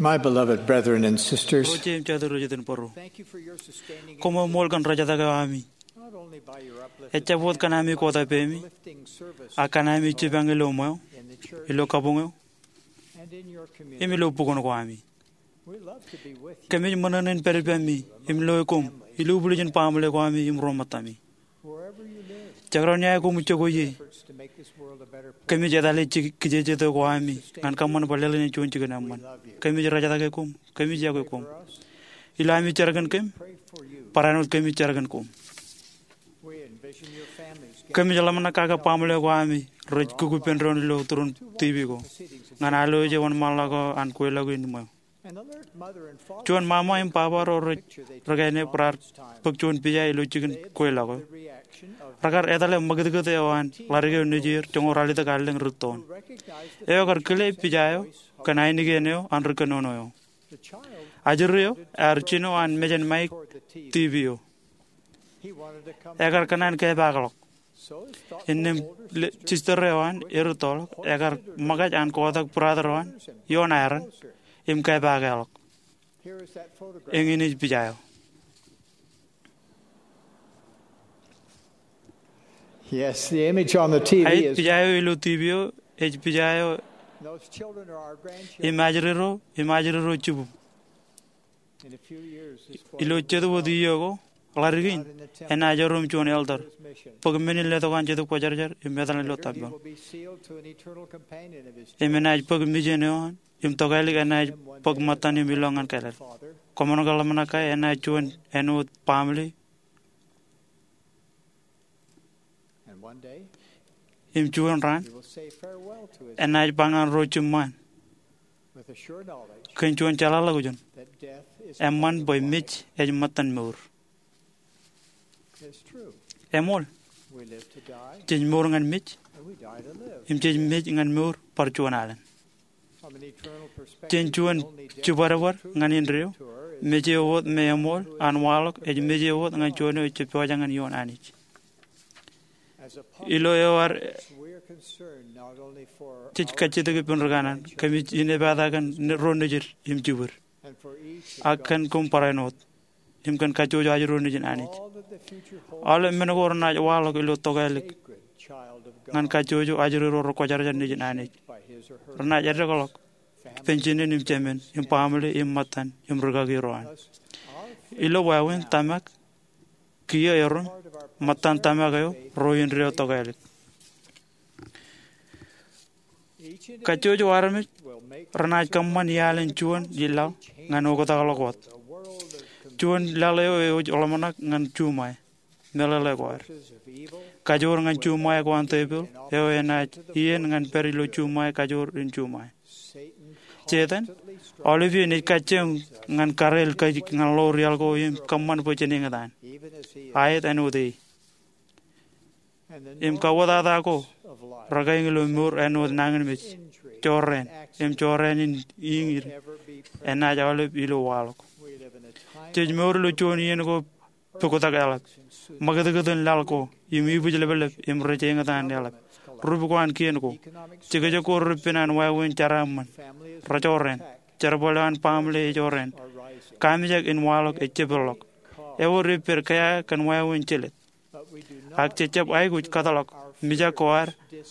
My beloved brethren and sisters, Ro jeiū im jatū ro jet in bōro, koṃ eṃṃool kōn rejtak eo ami. Ejjab wōt kōn ami kōtā pemi, ak kōn ami jipañ ilo ṃweo, ilo kabuñ eo, im ilo bukwōn ko ami. Kōmij ṃōṇōṇō in pād ippaṃ im loe koṃ, ilo ubōl ijin baaṃle ko ami im ro ṃōttami. Jekdọọn ia koṃij jokwe ie, kōmij etale kijejeto ko ami ñan kōṃṃan bwe ḷeḷ in ej juon jikin eṃṃan. Kōmij rejtake koṃ. Kōmij iọkwe koṃ. Ilo ami jar kōn kōm, barāinwōt kōmij jar kōn koṃ. Kōmij ḷōmṇak kake baaṃle ko ami rej kukkupen doon ilo turin TV ko ñan alwōj eo wōnṃaanḷọk eo an kweilọk in ṃweo. Juon mama im baba ro rej rikāne raar bōk juon pija ilo jikin kweilọk eo. Rekar etale ṃakūtkūt eo an ḷadik eo nejier joñoul ralitōk allōñ rittoon. Eo ekar kile pija eo kōn ainikien eo an ri kōnono eo. Ajri eo ear jino an mejān maik TV eo. Ekar kōṇaan kepaakḷọk. Innām sister eo an erittoḷọk, ekar ṃōkaj an kotak brother eo an ioon aeran im kepaakḷọk. Eñin ej pija eo. Yes, the image on the TV is. Ej pija eo ilo TV eo, ej pija eo. Those children are our grandchildren. Im ajri ro, im ajri ro jibūb. Ilo jet wōt iiō ko, ḷadik in enaaj erom juon elder bōk men in letok an Jetōb Kwōjarjar im etal ilo tempel. Im enaaj bōk mijen eo an im tokālik enaaj bōk ṃōttan im ilọk ñan kāālōt. Koṃ ṇe ke ḷōmṇak ke enaaj juon āinwōt baaṃle. Im juon raan enaaj ba ñan ro jiṃṃaan kōn juon jeḷāḷọkjeṇ eṃṃan bwe mej ej ṃōttan mour. Eṃool. Jej mour ñan mej im jej mej ñan mour bar juon alen. Jān juon jibadbad ñan indeeo, mej eo wōt me eṃool an waḷọk ej mej eo wōt ñan juon eo ejjab pojak ñan ioon Anij. Ilo eo ad, jej kajjitōk ippān ri kanaan, kōmij inepata kōn ro nejid im jibwid, ak kōn koṃ barāinwōt im kōn kajjojo ajri ro nejin Anij. Aolep men ko renaaj waḷọk ilo tokālik ñan kajjojo ajri ro rekwōjarjar nejin Anij. Renaaj eddekḷọk penjinen im jemān im baaṃle im ṃōttan im rikaki ro an. Ilo wāween tōmak kiiō erom, ṃōttan tōmak eo ro indeeo tokālik. Kajjojo armej renaaj kōṃṃan iaḷ in juon laḷ ñan oktakḷọk wōt. Juon laḷ eo ej ḷōmṇak ñan juṃae, meḷeḷe ko ad. Kajoor ñan juṃae ko an tepil eo enaaj iien ñan pād ilo juṃae kajoor in juṃae. Setan, aolep iien ej kajjioñ ñan kareel kōj ñan ḷoor iaḷ ko im kōṃṃan bwe jen eñtaan, aet āinwōt e. Im kauwōtata ko rekaeñ ilo mour āinwōt nañinmej, jorrāān, im jorrāān in iiñ in enaaj aolep ilo waḷọk. Jej mour ilo juon iien ko puktak eḷap. Ṃakūtkūt in laḷ ko im ibwijlepḷep im rej eñtaan eḷap. Rup ko an kien ko, jekjek ko repen an wāween jeraaṃṃan, rejorrāān. Jerbal eo an baaṃle ej jorrāān. Kaamijak in waḷọk ej jepeḷḷọk. Ewōr ippād kea kōn wāween jelōt. Ak je jab aikuj kōtḷọk mijak ko ad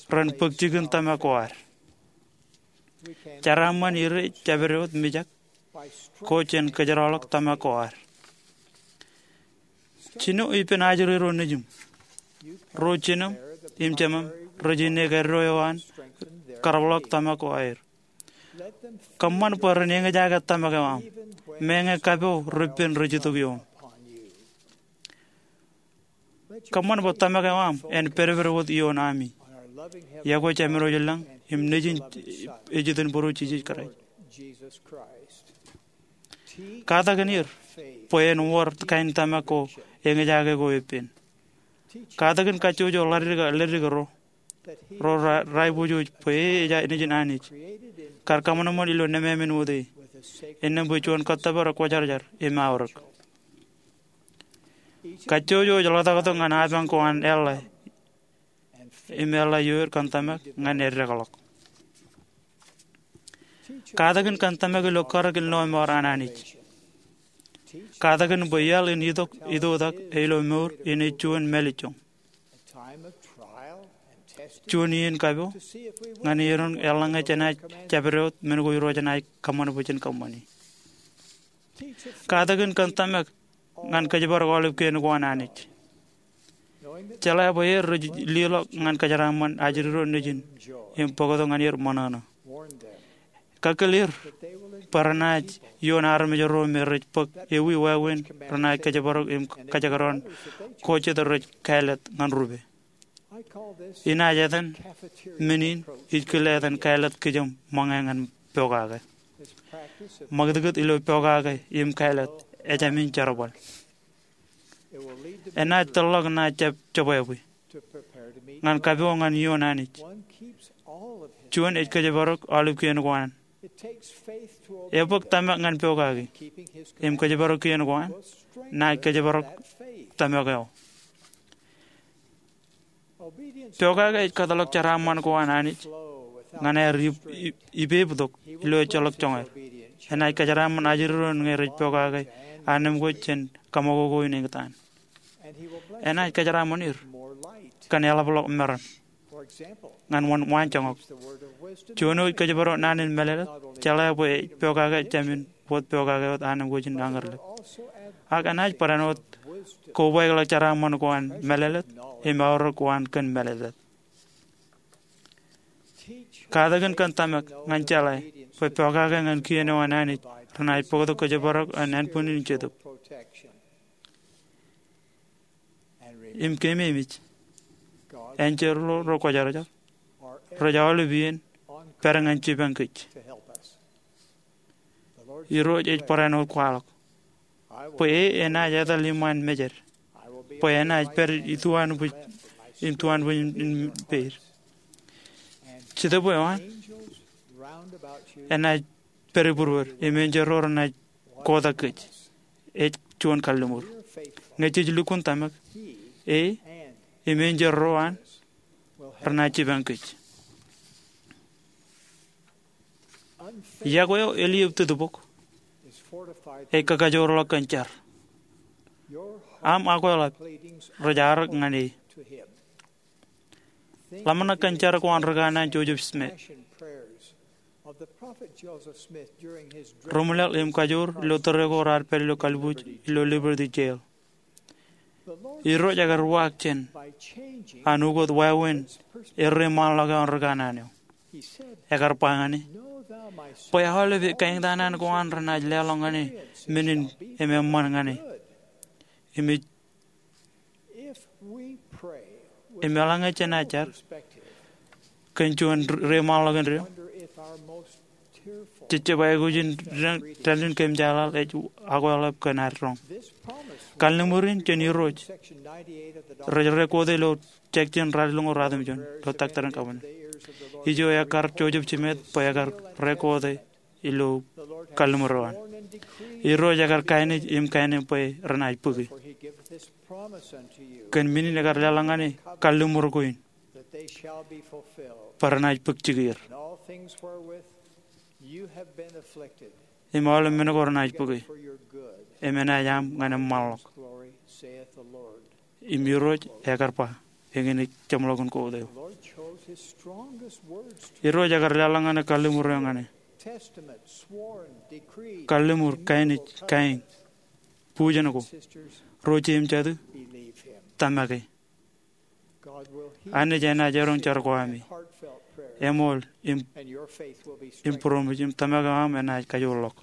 ren bōk jikin tōmak ko ad. Jeraaṃṃan ire jabdewōt mijak ko jān kōjeraḷọk tōmak ko ad. Jino ippān ajri ro nejiṃ. Ro jinem im jemem rej inne kōddo eo an kōrōḷọk tōmak ko aer. Kōṃṃan bwe ren eñjake tōmak eo aṃ, meñe kapo repen rej itok ioṃ. Kōṃṃan bwe tōmak eo aṃ en pedped wōt ioon ami. Iọkwe Jemem eo ilañ im Nejin ej itok Būruo Jisōs Kraist. Katakin er bwe en wōr kain tōmak ko eñjake ko eppān. Katakin kajjojo ḷadik ḷadik ro ro ra, raipojoj bwe e ej Nejin Anij, kar kōṃanṃan ilo nemāmein wōt e, innām bwe juon kōttōpar ekwōjarjar im aorōk. Kajjojo ej ḷotaktok ñan apañ ko an eḷḷā im eḷḷā ioer kōn tōmak ñan eddekḷọk. Katakin kōn tōmak ilo karōk in lọmọọr an Anij. Katakin bwe iaḷ in itok itoitak ilo mour in ej juon mālejjoñ, juon iien kapo ñan erom eḷaññe jenaaj jabdewōt men ko Irooj enaaj kōṃṃan bwe jen kōṃṃani. Katakin kōn tōmak ñan kōjparok aolep kien ko an Anij, jeḷā bwe er rej leḷọk ñan kōjeraaṃṃan ajri ro nejin im bōktok ñan er ṃōṇōṇō. Kakkōl er bwe renaaj ioon armej ro me rej bōk ewi wāween renaaj kōjparok im kōjekdọọn ko jet rej kāālōt ñan rupe. Inaaj etan men in ij kile etan kāālōt kijem ṃōñā ñan pokake. Ṃakūtkūt ilo pokake im kāālōt ejāmin jerbal. Enaaj tōrḷọk naaj jab jebwābwe ñan kapo ñan ioon Anij. Juon ej kōjparok aolep kien ko an. Ebōk tōmak ñan pokake im kōjparok kien ko an naaj kōjparok tōmak eo. Pokake ej kōtḷọk jeraaṃṃan ko an Anij ñan aer ip, ip, ipeiptok ilo ejjeḷọk joñaer. Enaaj kōjeraaṃṃan ajri ro ñe rej pokake anemkwōj jān kaṃakoko in eñtaan. Enaaj kōjeraaṃṃan er kōn eḷapḷọk meram ñan waan, waanjoñak. Juon eo ej kōjparok naan in mālōtlōt, jeḷā bwe ej pokake jāmin wōt pokake wōt anemkwōj in añōrlep. Ak enaaj barāinwōt kobaikḷọk jeraaṃṃan ko an mālōtlōt im aorōk ko an kōn mālōtlōt. Katakin kōn tōmak ñan jeḷā bwe pokake ñan kien eo an Anij renaaj bōktok kōjparok an ānbwinnin Jetōb. Im keememej, enjeḷ ro rekwōjarjar rej aolep iien pād ñan jipañ kōj. Irooj ej barāinwōt kwaḷọk bwe e enaaj etal iṃaan mejed, bwe enaaj pād ituanbwij im tuanbwij in peid. Jetōb eo an enaaj pād ibūruod im enjeḷ ro renaaj kotak kōj. Ej juon kalliṃur. Ñe jej lukkuun tōmak, e im enjeḷ ro an renaaj jipañ kōj. Iọkwe eo eliōb tūtbok ej kakajoorḷọk kōn jar. Aṃ akweḷap rej arōk ñan e. Ḷōmṇak kōn jar ko an ri kanaan Joseph Smith. Ri-ṃwilaḷ im kajoor ilo tōre ko raar pād ilo kalbuuj ilo Liberty Jail. Irooj ekar uwaak jān an ukōt wāween erreṃaanḷọk eo an ri kanaan eo. Ekar ba ñan e, bwe aolep kaeñtaan ko an renaaj leḷọk ñan e men in eṃṃan ñan e. Im ej Im eḷaññe jenaaj jar kōn juon reṃaanḷọk indeeo, jej jab aikuj in dānde in kōmjaaḷaḷ ej akweḷap kōn ad roñ. Kalliṃur in jān Irooj rej rekoode ilo section ralitōñoul ratimjuon ilo Doctrine and Covenants. Ijo ekar Joseph Smith bwe ekar rekoode ilo kalliṃur eo an. Irooj ekar kainej im kained bwe renaaj bōke. Kōn men in ekar leḷọk ñan e kalliṃur ko in, bar enaaj bōk jikier. Im aolep men ko renaaj bōke, im enaaj aṃ ñan eṃṃanḷọk. Im Irooj ekar ba, eñin ej jeṃḷọkin kout eo. Irooj ekar leḷọk ñan e kalliṃur eo ñan e. Kalliṃur, kainij, kaeñ, bujen ko, ro jeim jatū, tōmak e. Anij enaaj eroñ jar ko ami. Eṃool im būroṃōj im tōmak eo aṃ enaaj kajoorḷọk.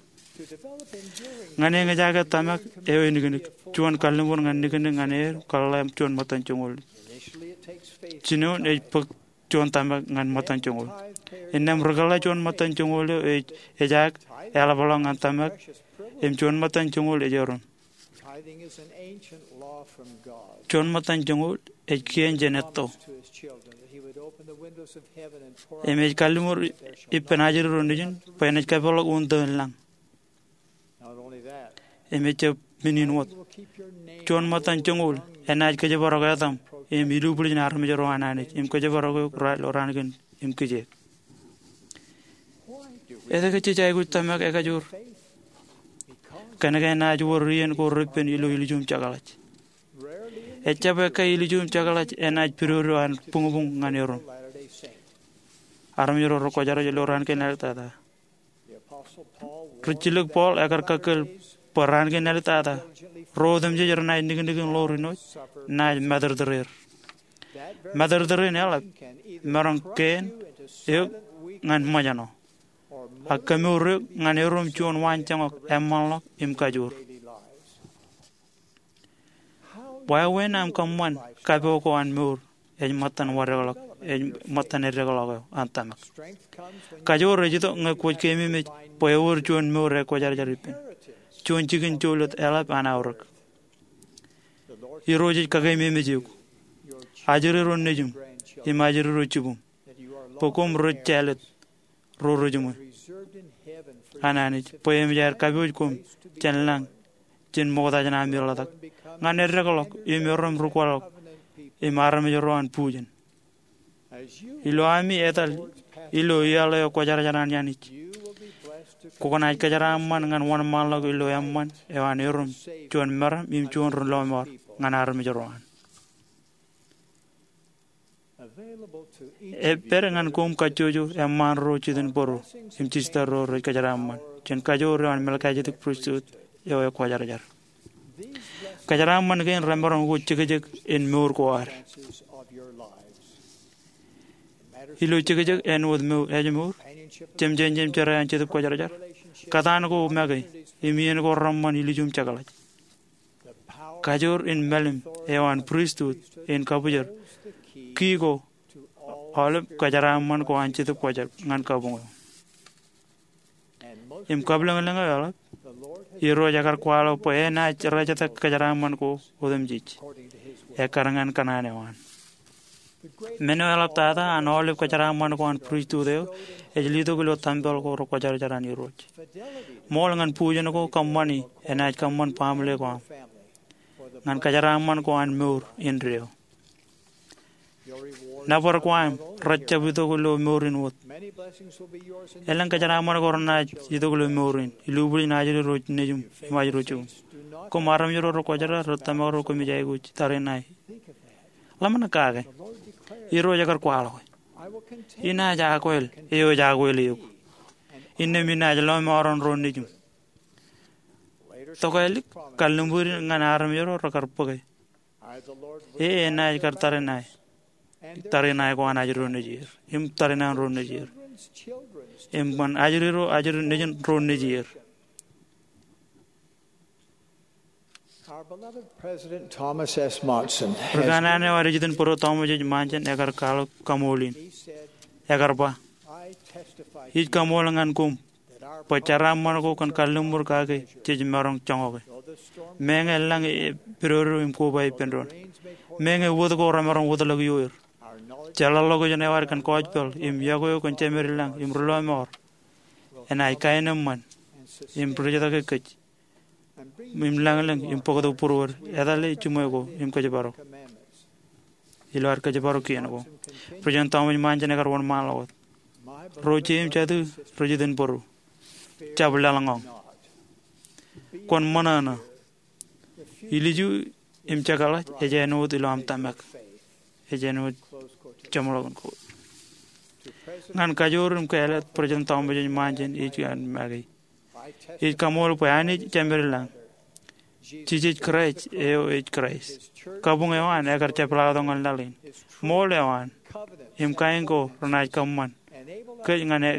Ñan eñjake tōmak eo eniknik, juon kalliṃur ñan niknik ñan er kōḷḷā juon ṃōttan joñoul. Jinoin ej bōk juon tōmak ñan ṃōttan joñoul. Innām ri kōḷḷā juon ṃōttan joñoul eo ej ejaak eḷapḷọk ñan tōmak, im juon ṃōttan joñoul ej erom. Juon ṃōttan joñoul ej kien jān etto. Im ej kalliṃur ippān ajri ro nejin bwe enaaj kapeḷḷọk un tōn lañ. Im ejjab men in wōt, juon ṃōttan joñoul enaaj kōjparok etaṃ im ilubwiljin armej ro an Anij im kōjparok eok ilo raan kein im kijeek. Etke jej aikuj tōmak ekajoor? Kōnke enaaj wōr iien ko repen ilo ilju im jekḷaj. Ejjab ekkae ilju im jekḷaj enaaj pidodo an buñbuñ ñan erom. Armej ro rekwōjarjar ilo raan kein āliktata, rijjilōk Paul ekar kakkōl bwe raan kein āliktata ro otemjej renaaj niknik in ḷoor inooj naaj matōrtōr er. Matōrtōr in eḷap maroñ keen eok ñan ṃōjṇọ, ak kemour eok ñan erom juon waanjoñak eṃṃanḷọk im kajoor. Wāween aṃ kōṃṃan kapo ko an mour ej ṃōttan eddekḷọk, ej ṃōttan eddekḷọk eo an tōmak. Kajoor ej itok ñe kwōj keememej bwe ewōr juon mour ekwōjarjar ippān, juon jikin jolōt eḷap an aorōk. Irooj ej kakeememej eok, ajri ro nejūṃ, im ajri ro jibūṃ, bwe koṃ ri-jālōt ro rejiṃwe an Anij, bwe eṃōj aer kapooj koṃ jān lañ jān ṃokta jān ami ḷotak, ñan eddekḷọk im erom ri-kwaḷọk im armej ro an bujen. Ilo ami etal ilo iaḷ eo kwōjarjar an Anij, kwō naaj kōjeraaṃṃan ñan wōnṃaanḷọk ilo eṃṃan eo an erom juon meram im juon ri-lọmọọr ñan armej ro an. Epād ñan koṃ kajjojo eṃṃaan ro jitin bōro im jistar ro rej kōjeraaṃṃan jān kajoor eo an Melchizedek Pristut eo ekwōjarjar. Kōjeraaṃṃan kein remaroñ ko jekjek in mour ko ad. Ilo jekjek āinwōt mour, ājmour, jemjein im jerā an Jetōb Kwōjarjar, kōtaan ko make im iien ko reṃṃan ilju im jekḷaj. Kajoor in mālim eo an pristut in kabwijer ki ko aolep kōjeraaṃṃan ko an Jetōb Kwōjarjar ñan kabuñ eo. Im kabwilōñlōñ eo eḷap, Irooj ekar kwaḷọk bwe enaaj rejetak kōjeraaṃṃan ko otemjej ekkar ñan kōṇaan eo an. Men eo eḷaptata an aolep kōjeraaṃṃan ko an pristut eo ej letok ilo tempel ko rekwōjarjar an Irooj. Ṃool ñan bujen ko kōṃṃani enaaj kōṃṃan baaṃle ko aṃ ñan kōjeraaṃṃan ko an mour indeeo. Nōbar ko aṃ rej jab itok ilo mour in wōt. Elōñ kōjeraaṃṃan ko renaaj itok ilo mour in, ilubwiljin ajri ro nejūṃ im ajri ro jibūṃ. Koṃ armej ro rekwōjarjar, ri tōmak ro koṃij aikuj tariṇae. Ḷōmṇak kake. Irooj ekar kwaḷọke, inaaj akwāāl eo ej akwāāl eok, innām inaaj lọmọọren ro nejūṃ. Tokālik, kalliṃur in ñan armej ro rekar bōke, e enaaj kar tariṇae, tariṇae ko an ajri ro nejier im tariṇae ro nejier im ñan ajri ro ajri nejin ro nejier. Ri kanaan eo ad ej itok bōro Thomas S. Monson ekar kwaḷọk kaṃool in. Ekar ba, ij kaṃool ñan koṃ bwe jeraaṃṃan ko kōn kalliṃur kake jej maroñ joñoke. Meñe lañ e pidodo im koba ippān doon, meñe wōt ko remaroñ wōtlọk ioer, jeḷāḷọkjeṇ eo ad kōn gospel im yokwe eo kōn jemedlañ im ri-lọmọọr enaaj kaenōṃṃan im rijitōke kōj im lañlōñ im bōktok būruod, etale jiṃwe ko im kōjparok ilo ad kōjparok kien ko. President Talmage Monson ekar wōnṃaanḷọk wōt, ro jeiū im jatū rej iten būru. Jab laḷñọñ. Kwōn ṃōṇōṇō. Ilju im jekḷaj ej āinwōt ilo aṃ tōmak. Ej āinwōt jeṃḷọkin ko. Ñan kajoor im kāālōt President Talmage Monson ij kōn make. Ij kaṃool bwe Anij Jemedlañ. Jisōs Kraist eo ej Kraist. Kabuñ eo an ekar jepḷaaktok ñan laḷ in. Ṃool eo an im kain ko renaaj kōṃṃan kōj ñan e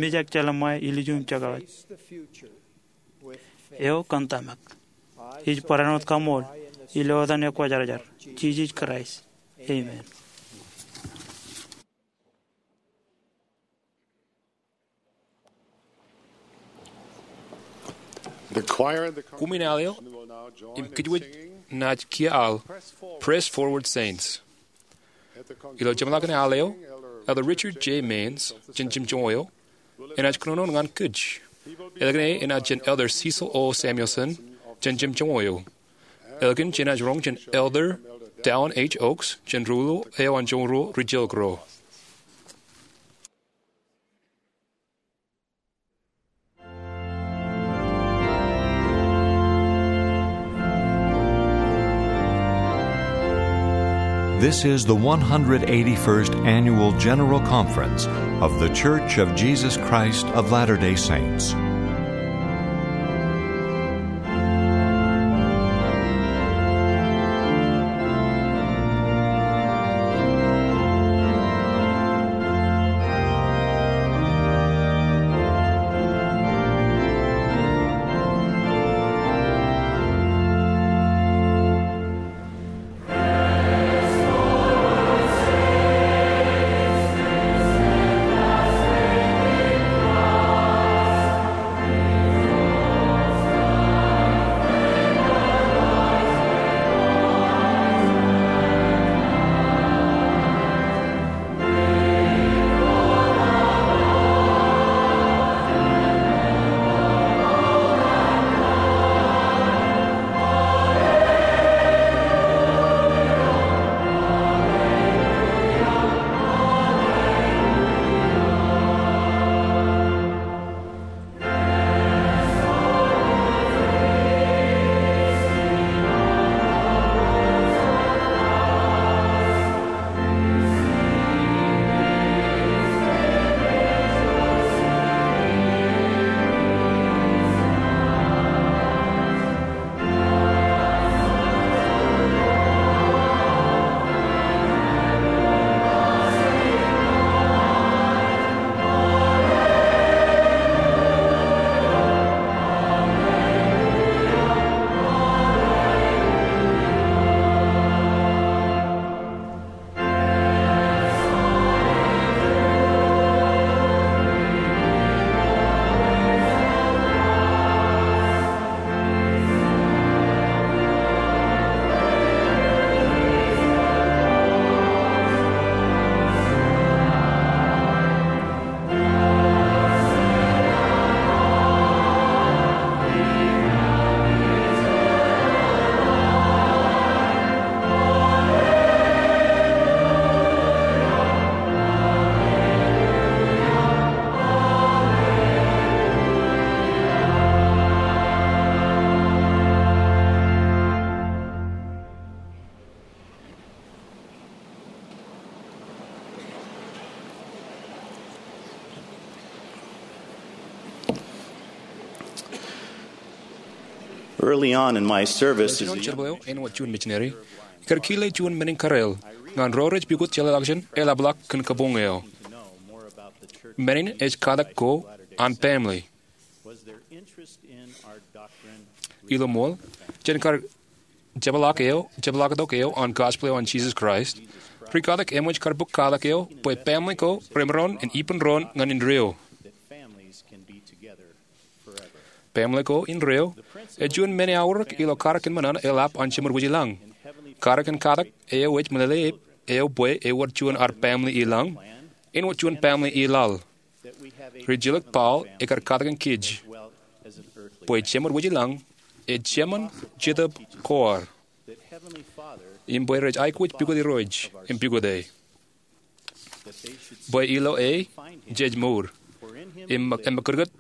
mijak jelṃae ilju im jekḷaj eo kōn tōmak. Ij barāinwōt kaṃool ilo etan ekwōjarjar, Jisōs Kraist. Amen. Koṃwin al eo im kōjwōj naaj kiiō al Press Forward, Saints. Ilo jeṃḷọkin al eo, Elder Richard J. Maynes jān Jemjoñoul enaaj kōnono ñan kōj. Ālikin e enaaj jān Elder Cecil O. Samuelson jān Jemjoñoul. Ālikin jenaaj roñ jān Elder Dallin H. Oaks jān Ruo eo an Joñoul Rijilōk ro. This is the one hundred eighty-first Annual General Conference of The Church of Jesus Christ of Latter-day Saints. Early on in my service as a young missionary, ikar kile juon men in kōrā ñan ro rej pukot jeḷāḷọkjeṇ eḷapḷọk kōn kabuñ eo. Men in ej katak ko an baaṃle. Ilo ṃool, jān kar jepḷaak eo, jepḷaaktok eo an gospel eo an Jesus Christ, ri katak eṃōj kar bōk katak eo bwe baaṃle ko remaroñ in ippānroñ ñan indeeo. Baaṃle ko indeeo ej juon men eaorōk ilo katak in ṃōṇōṇō eḷap an Jemān wōj i lañ. Katak in katak eo ej meḷeḷe eo bwe ewōr juon ad baaṃle i lañ, āinwōt juon baaṃle i laḷ. Rijilōk Paul ekar katakin kōj bwe Jemān wōj i lañ ej jemān Jetōb ko ad, im bwe rej aikuj pukot Irooj im pukot e, bwe ilo e jej mour, im emmekūtkūt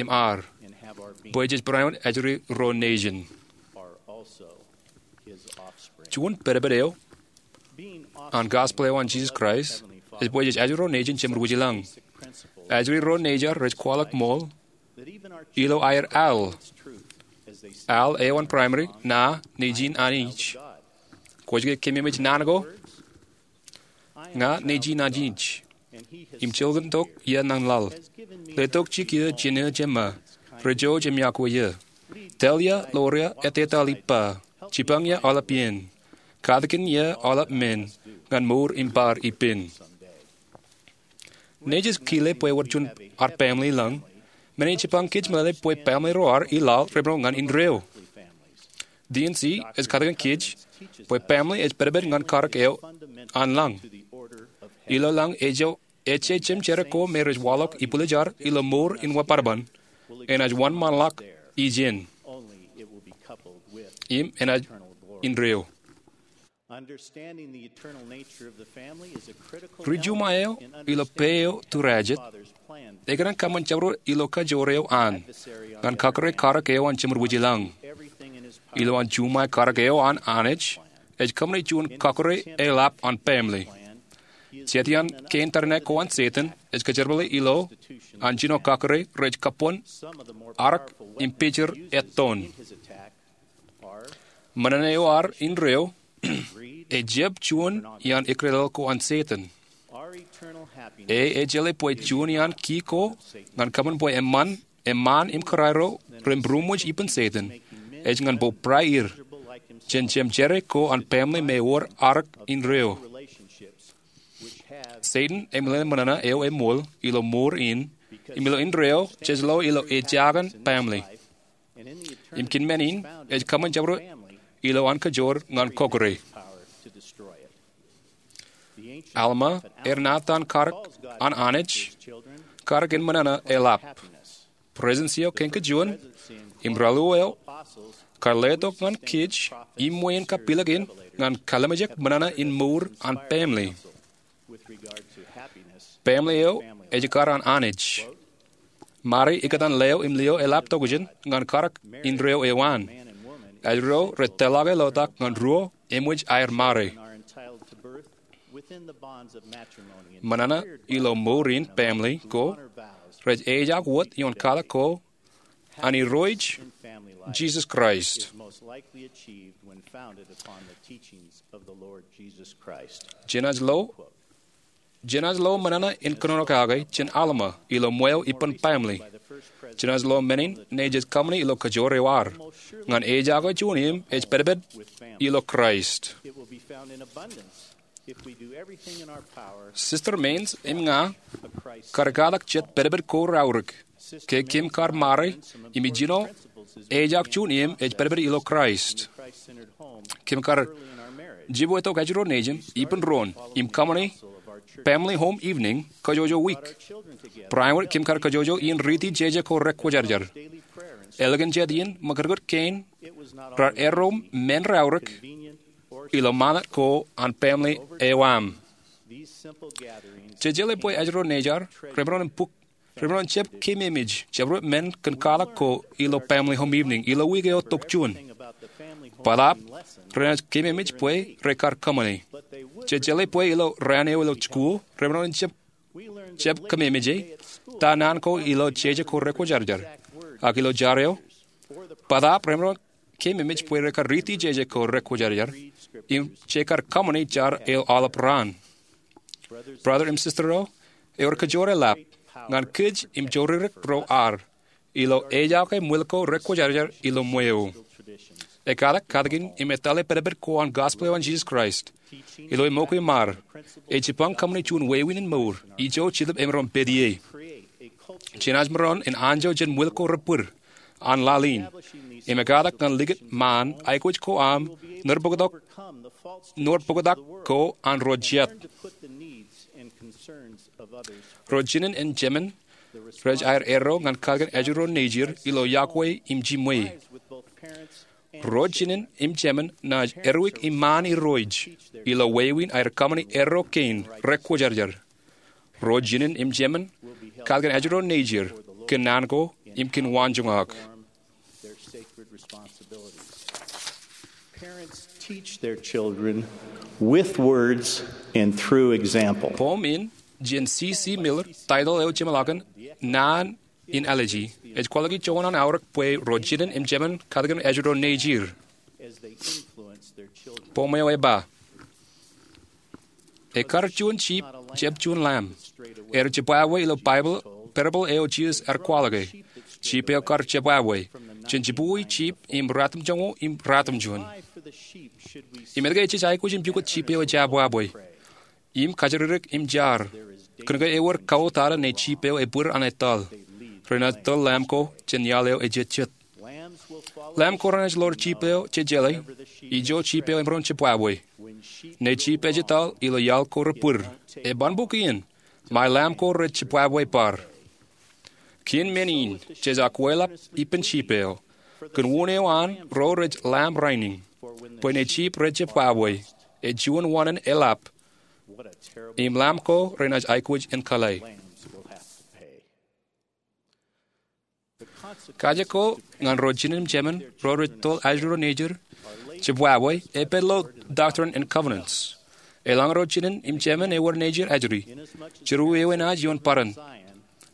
im ad, bwe jej barāinwōt ajri ro nejin. Juon pedped eo an gospel eo an Jisōs Kraist ej bwe jej ajri ro nejin Jemān wūjlañ. Ajri ro nejier rej kwaḷọk ṃool ilo aer al. Al eo an primary, Na nejin Anij. Kwōj ke keememej naan ko? Ña nejin Anij, im jilkintok Iien ñan laḷ. Letok jikiō jineeṃ jemān, rej jouj im yokwe eō. Tōl eō ḷoor eō ettetaḷ ippa. Jipañ eō aolep iien. Katakin eō aolep men ñan mour im bar ippān. Nejū ej kile bwe ewōr juon ad family lañ. Men in jipañ kōj meḷeḷe bwe family ro ad i laḷ remaroñ ñan indeeo. D and C ej katakin kōj bwe family ej pedped ñan karōk eo an lañ. Ilo lañ ej ejje jemjerā ko me rej waḷọk ibwiljad ilo mour in wōt bōtaab, enaaj wōnṃaanḷọk ijin, im enaaj indeeo. Ri-juṃae eo ilo pā eo tūrājet ekōṇaan kōṃṃan jabdewōt ilo kajoor eo an ñan kakōrā karōk eo an Jemān wūjlañ. Ilo an juṃae karōk eo an Anij ej kōṃṃane juon kakōrā eḷap an family. Jet iaan kein tariṇae ko an Setan ej kōjerbale ilo an jino kakōrā rej kabuñ, arōk im pejir ettoon. Ṃōṇōṇō eo ad indeeo ejjab juon iaan ekdetail ko an Setan. E ej jeḷā bwe juon iaan ki ko ñan kōṃṃan bwe eṃṃan, eṃṃaan im kōrā ro ren būroṃōj ippān Setan ej ñan bōbrae er jān jemjerā ko an family me ewōr arōk indeeo. Setan eṃōṇōṇō eo eṃool ilo mour in im ilo indeeo jej lo ilo ejaak in family. Im kōn men in ej kōṃṃan jabdewōt ilo an kajoor ñan kakōrā. Alma ear ṇa etan karōk an Anij karōk in ṃōṇōṇō eḷap. Presidency eo kein kajuon im raelio eo kar letok ñan kōj iṃwe in kapilōk in ñan kallimjek ṃōṇōṇō in mour an family. Family eo ej ekkar an Anij. Mari ikōtaan leo im lio eḷap tokjān ñan karōk indeeo eo an. Ajri ro rej tōlḷọke lotak ñan ruo eṃōj aer mari. Ṃōṇōṇō ilo mour in family ko rej ejaak wōt ioon kwaḷọk ko an Irooj Jisōs Kraist. Jenaaj lo, jenaaj lo ṃōṇōṇō in kōnono kake jān Alma ilo ṃweo ippān family. Jenaaj lo men in nejū ej kōṃṃani ilo kajoor eo ad ñan ejaake juon im ej pedped ilo Kraist. Sister Manes im ña kar katak jet pedped ko raorōk ke kōm kar mari im ijjino ejaak juon im ej pedped ilo Kraist. Kōm kar jibwe tok ajri ro nejin ippān doon im kōṃṃani family home evening kajjojo wiik. Barāinwōt kōm kar kajjojo iien riiti jeje ko rekwōjarjar. Ālikin jet iien ṃakūtkūt kein raar erro men raorōk ilo ṃanit ko an family eo aṃ. Jej jeḷā bwe ajri ro nejier remaroñ in bōk, remaroñ in jab keememej jabdewōt men kōn kwaḷọk ko ilo family home evening ilo wiik eo tokjān. Bōtaab renaaj keememej bwe rekar kōṃṃane. Jej jeḷā bwe ilo raan eo ilo jikuuḷ remaroñ in jab, jab keememej ta naan ko ilo jeje ko rekwōjarjar. Ak ilo jar eo, bōtaab remaroñ keememej bwe rekar riiti jeje ko rekwōjarjar im jekar kōṃṃani jar eo aolep raan. Brother im sister eo, ewōr kajoor eḷap ñan kōj im joririk ro ad ilo ejaake ṃwil ko rekwōjarjar ilo ṃweo. Ekkatak katakin im etale pedped ko an gospel eo an Jisōs Kraist ilo eṃōkwe im ad, ej jipañ kōṃṃani juon wāween in mour ijo Jetōb emaroñ pād ie. Jenaaj maroñ in anjọ jān ṃwil ko rebbūd an laḷ in im ekkatak ñan likūt ṃaan aikuj ko aṃ nōr poktak, nōr poktak ko an ro jet. Ro jinen im jemān rej aer erro ñan katakin ajri ro nejier ilo yokwe im jiṃwe. Ro jinen im jemān naaj erwik iṃaan irooj ilo wāween aer kaṃṃani erro kein rekwōjarjar. Ro jinen im jemān katakin ajri ro nejid kōn naan ko im kōn waanjoñak. Parents teach their children with words and through example. Poem in jān C C Miller, title eo jemḷọkin Naan in Āliji, ej kwaḷọk juon an aorōk bwe ro jinen im jemān katakin ajri ro nejid. Poem eo ej ba, Ekkar juon jip jab juon lamb. Ear jibwābwe ilo Baibōḷ parable eo Jisōs ear kwaḷọke. Jip eo kar jibwābwe. Jen jibukwi jip im ratimjuonñoul im ratimjuon. Im etke ejjab aikuj in pukot jip eo ejabwābwe im kajjirikdik im jar? Kōnke ewōr kautata ne jip eo ebwir an etal. Renaaj tōl lamb ko jān iaḷ eo ejejjet. Lamb ko renaaj ḷoor jip eo jejeḷā, ijo jip eo emaroñ jibwābwe. Ne jip ej etal ilo iaḷ ko rebwir, eban bōk iien ṃae lamb ko rej jibwābwe bar. Kien men in jej akwālap ippān jip eo, kōn wūn eo an ro rej lamb rainin. Bwe ne jip rej jibwābwe, ej juon wāween eḷap, im lamb ko renaaj aikuj in kale. Kaje ko ñan ro jinen im jemān ro rej tōl ajri ro nejid jibwābwe epād ilo Doctrine and Covenants. Eḷaññe ro jinen im jemān ewōr nejid ajri, jilu enaaj ioon bōran.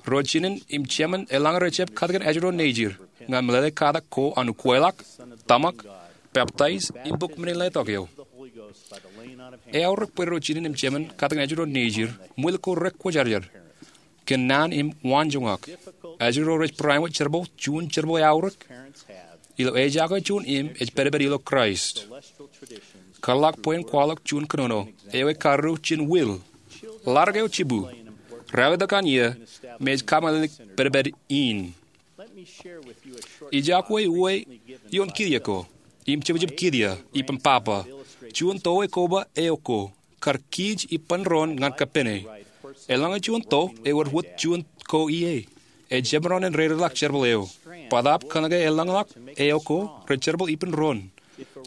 Ro jinen im jemān eḷaññe rejjab katakin ajri ro nejid ñan meḷeḷe katak ko an ukwālọk, tōmak, peptaij im bōk men in letok eo. Eaorōk bwe ro jinen im jemān katakin ajri ro nejid ṃwil ko rekwōjarjar kōn naan im waanjoñak. Ajri ro rej bareinwōt jerbal juon jerbal eaorōk. Ilo ejako juon im ej pedped ilo Kraist. Kōḷḷọk bwe in kwaḷọk juon kōnono eo ej karreo jān will. Ḷadik eo jibū. Ralitōk an iiō me ej kameḷeḷeik pedped in. Ij iọkwe uwe ioon kiiō ko im jebjeb kiiō, ippān papa, juon tō eo koba eo ko kar kij ippān doon ñan kappene. Eḷaññe juon tō ewōr wōt juon ko ie, ejjab maroñ in dedeḷọk jerbal eo. Bōtaab kōnke elōñḷọk eo ko rej jerbal ippān doon,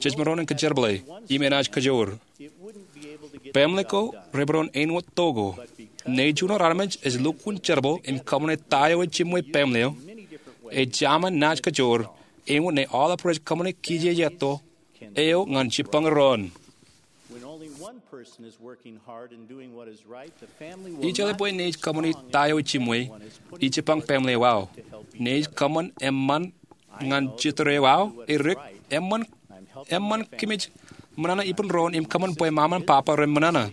jej maroñ in kōjerbale im enaaj kajoor. Baaṃle ko remaroñ āinwōt tō ko. Ṇe juon armej ej lukkuun jerbal im kōṃṃane ta eo ej jiṃwe baaṃle eo, ej jaṃaan naaj kajoor āinwōt ṇe aolep rej kōṃṃane kijejeto eo ñan jibbañe doon. Ijeḷā bwe ṇe ej kōṃṃane ta eo ej jiṃwe, ij jibbañ baaṃle eo aō. Ṇe ej kōṃṃan eṃṃan ñan jittōr eo aō, edik, eṃṃan, eṃṃan kōmij ṃōṇōṇō ippān doon im kōṃṃan bwe ṃaṃa im papa ren ṃōṇōṇō.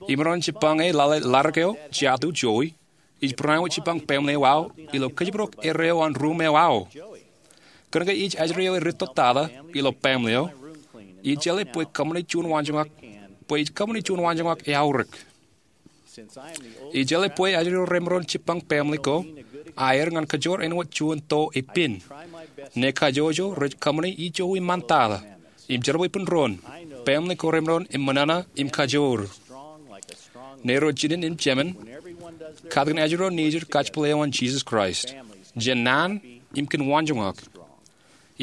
Imaroñ jibbañe lale ḷadik eo jatū jowi. Ij bareinwōt jibbañ baaṃle eo aō ilo kōjparok erreo an ruum eo aō. Kōnke ij ajri eo eritto tata ilo baaṃle eo, ijeḷā bwe kōṃṃane juon waanjoñak, bwe ij kōṃṃane juon waanjoñak eaorōk. Ijeḷā bwe ajri eo remaroñ jibbañ baaṃle ko aer ñan kajoor āinwōt juon tō epen. Ṇe kajjojo rej kōṃṃane ijo iṃaan tata im jerbal ippān doon, baaṃle ko remaroñ in ṃōṇōṇō im kajoor. Ṇe ro jinen im jemān katakin ajri ro nejid kajepel eo an Jisōs Kraist jān naan im kōn waanjoñak.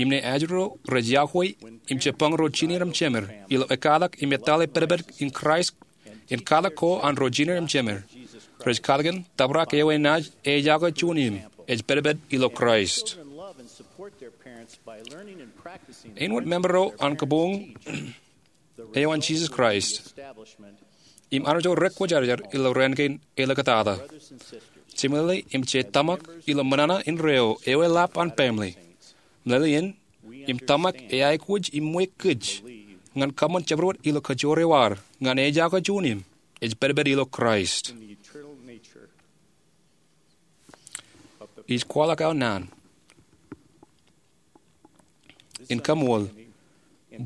Im ṇe ajri ro rej iọkwe im jibbañ ro jined im jemed ilo ekkatak im etale pedped in Kraist in katak ko an ro jined im jemed, rej katakin tōprak eo enaaj ejako juon im ej pedped ilo Kraist. Āinwōt member ro an kabuñ eo an Jisōs Kraist im armej ro rekwōjarjar ilo raan kein eḷḷoñtata, jemeḷeḷe im je tōmak ilo ṃōṇōṇō indeeo eo eḷap an baaṃle. Meḷeḷein im tōmak eaikuj iṃwe kōj ñan kōṃṃan jabdewōt ilo kajoor eo ad ñan ejako juon im ej pedped ilo Kraist. Ij kwaḷọk aō naan in kaṃool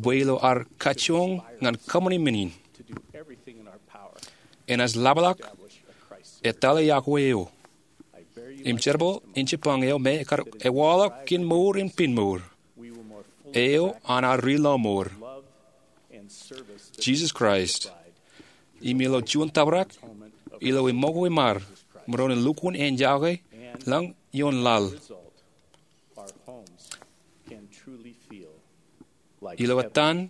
bwe ilo ad kajjoñ ñan kōṃṃani men in, enaaj ḷapḷọk etale iọkwe eo im jerbal in jibbañ eo me ekar ewaḷọk kōn mour in piin mour eo an ad ri lọmọọr, Jisōs Kraist, im ilo juon tōprak ilo eṃṃakwe im ad maroñ in lukkuun ejake lañ ioon laḷ. Ilo etan,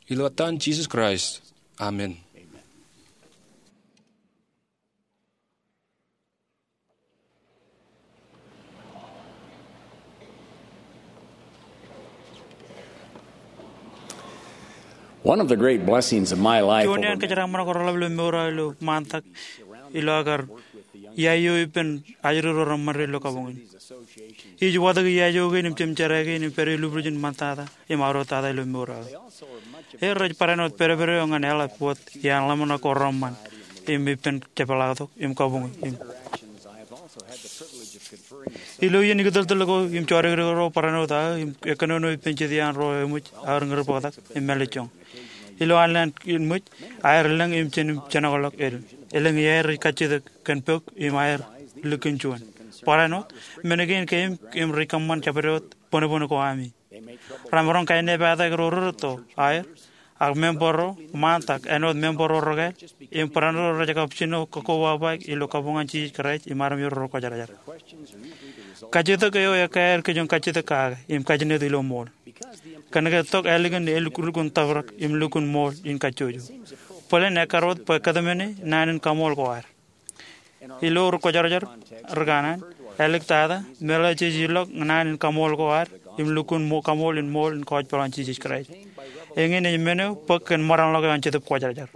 ilo etan Jisōs Kraist. Amen. One of the great blessings of my life Juon iaan over kōjeraaṃṃan ko reḷap ilo mour eo ilo ṃaantak ilo aō kar iaio ippān ajri ro reṃṃan ilo kabuñ in. Ij watōk iaio kein im jemjerā kein im pād ilo būrijin ṃaantata im aorōktata ilo mour eo aō. Ej rej barāinwōt pedped eo ñan eḷap wōt iaan ḷōmṇak ko reṃṃan im ippān jepḷaaktok im kabuñ im Ilo iien ikōtōltōl ko im jodikdik ro barāinwōt aō im ekkōnono ippān jet iaan ro eṃōj aō ri ñūr bōktak im mālejjoñ. Ilo an lowaan in ṃōj, aer lōñ im jen im jenokḷọk el. Elōñ iaer rej kajjitōk kōn pok im aer likin juon. Barāinwōt, men kein keememej im rej kōṃṃan jabdewōt bōnbōn ko ami. Remaroñ kaenepata ro rūtto aer, ak member ro ṃaantak āinwōt member ro rekāāl, im barāinwōt rej kab jino kakkobaba ilo kabuñ an Jisōs Kraist im armej ro rekwōjarjar. Kajjitōk eo ekkā aer kōj kajjitōk kake im kajjitōk ilo ṃool. Kōnke tok ālikin elukkuun tōprak im lukkuun ṃool in kajjojo. Bōlen ekkar wōt bwe kōtmāne naan in kaṃool ko ad. Ilo rekwōjarjar ri kanaan, āliktata, meḷeḷe jej ilọk naan in kaṃool ko ad im lukkuun kaṃool in ṃool in kōjpeḷ an Jisōs Kraist. Eñin ej men eo bōk kōn ṃōraṇḷọk eo an Jetōb Kwōjarjar.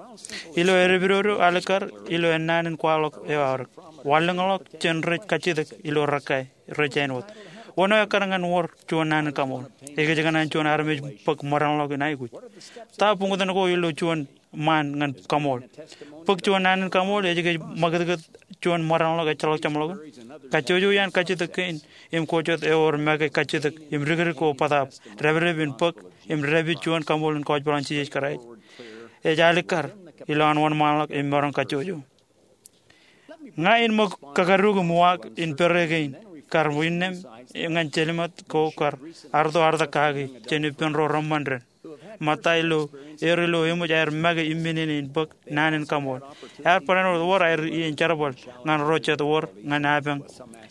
Ilo edepidodo alikkar ilo ennaan in kwaḷọk eo aorōk, wanlōñḷọk jān rej kajjitōk ilo rekā rej āinwōt. Wōn eo ekkar ñan wōr juon naan in kaṃool? Ekōjkan an juon armej bōk ṃōraṇḷọk in aikuj. Ta buñtōn ko ilo juon ṃaan ñan kaṃool? Bōk juon naan in kaṃool ej kōj ṃakūtkūt juon ṃōraṇḷọk ejjeḷọk jeṃḷọkin? Kajjojo iaan kajjitōk kein im ko jet ewōr make kajjitōk im dikdik ko bōtaab dāpdep in bōk im dāpij juon kaṃool in kōjpeḷ an Jisōs Kraist ej alikkar ilo an wōnṃaanḷọk im maroñ kajjojo. Ña in ṃōk kakaduk im uwaak in pere kein kar innām ñan jelṃaat ko kar arto artak kaki jān ippān ro reṃṃan dān. Ṃōtta ilo er ilo eṃōj aer make im men in bōk naan in kaṃool. Ear barāinwōt wōr aer iien jerbal ñan ro jet wōr ñan apañ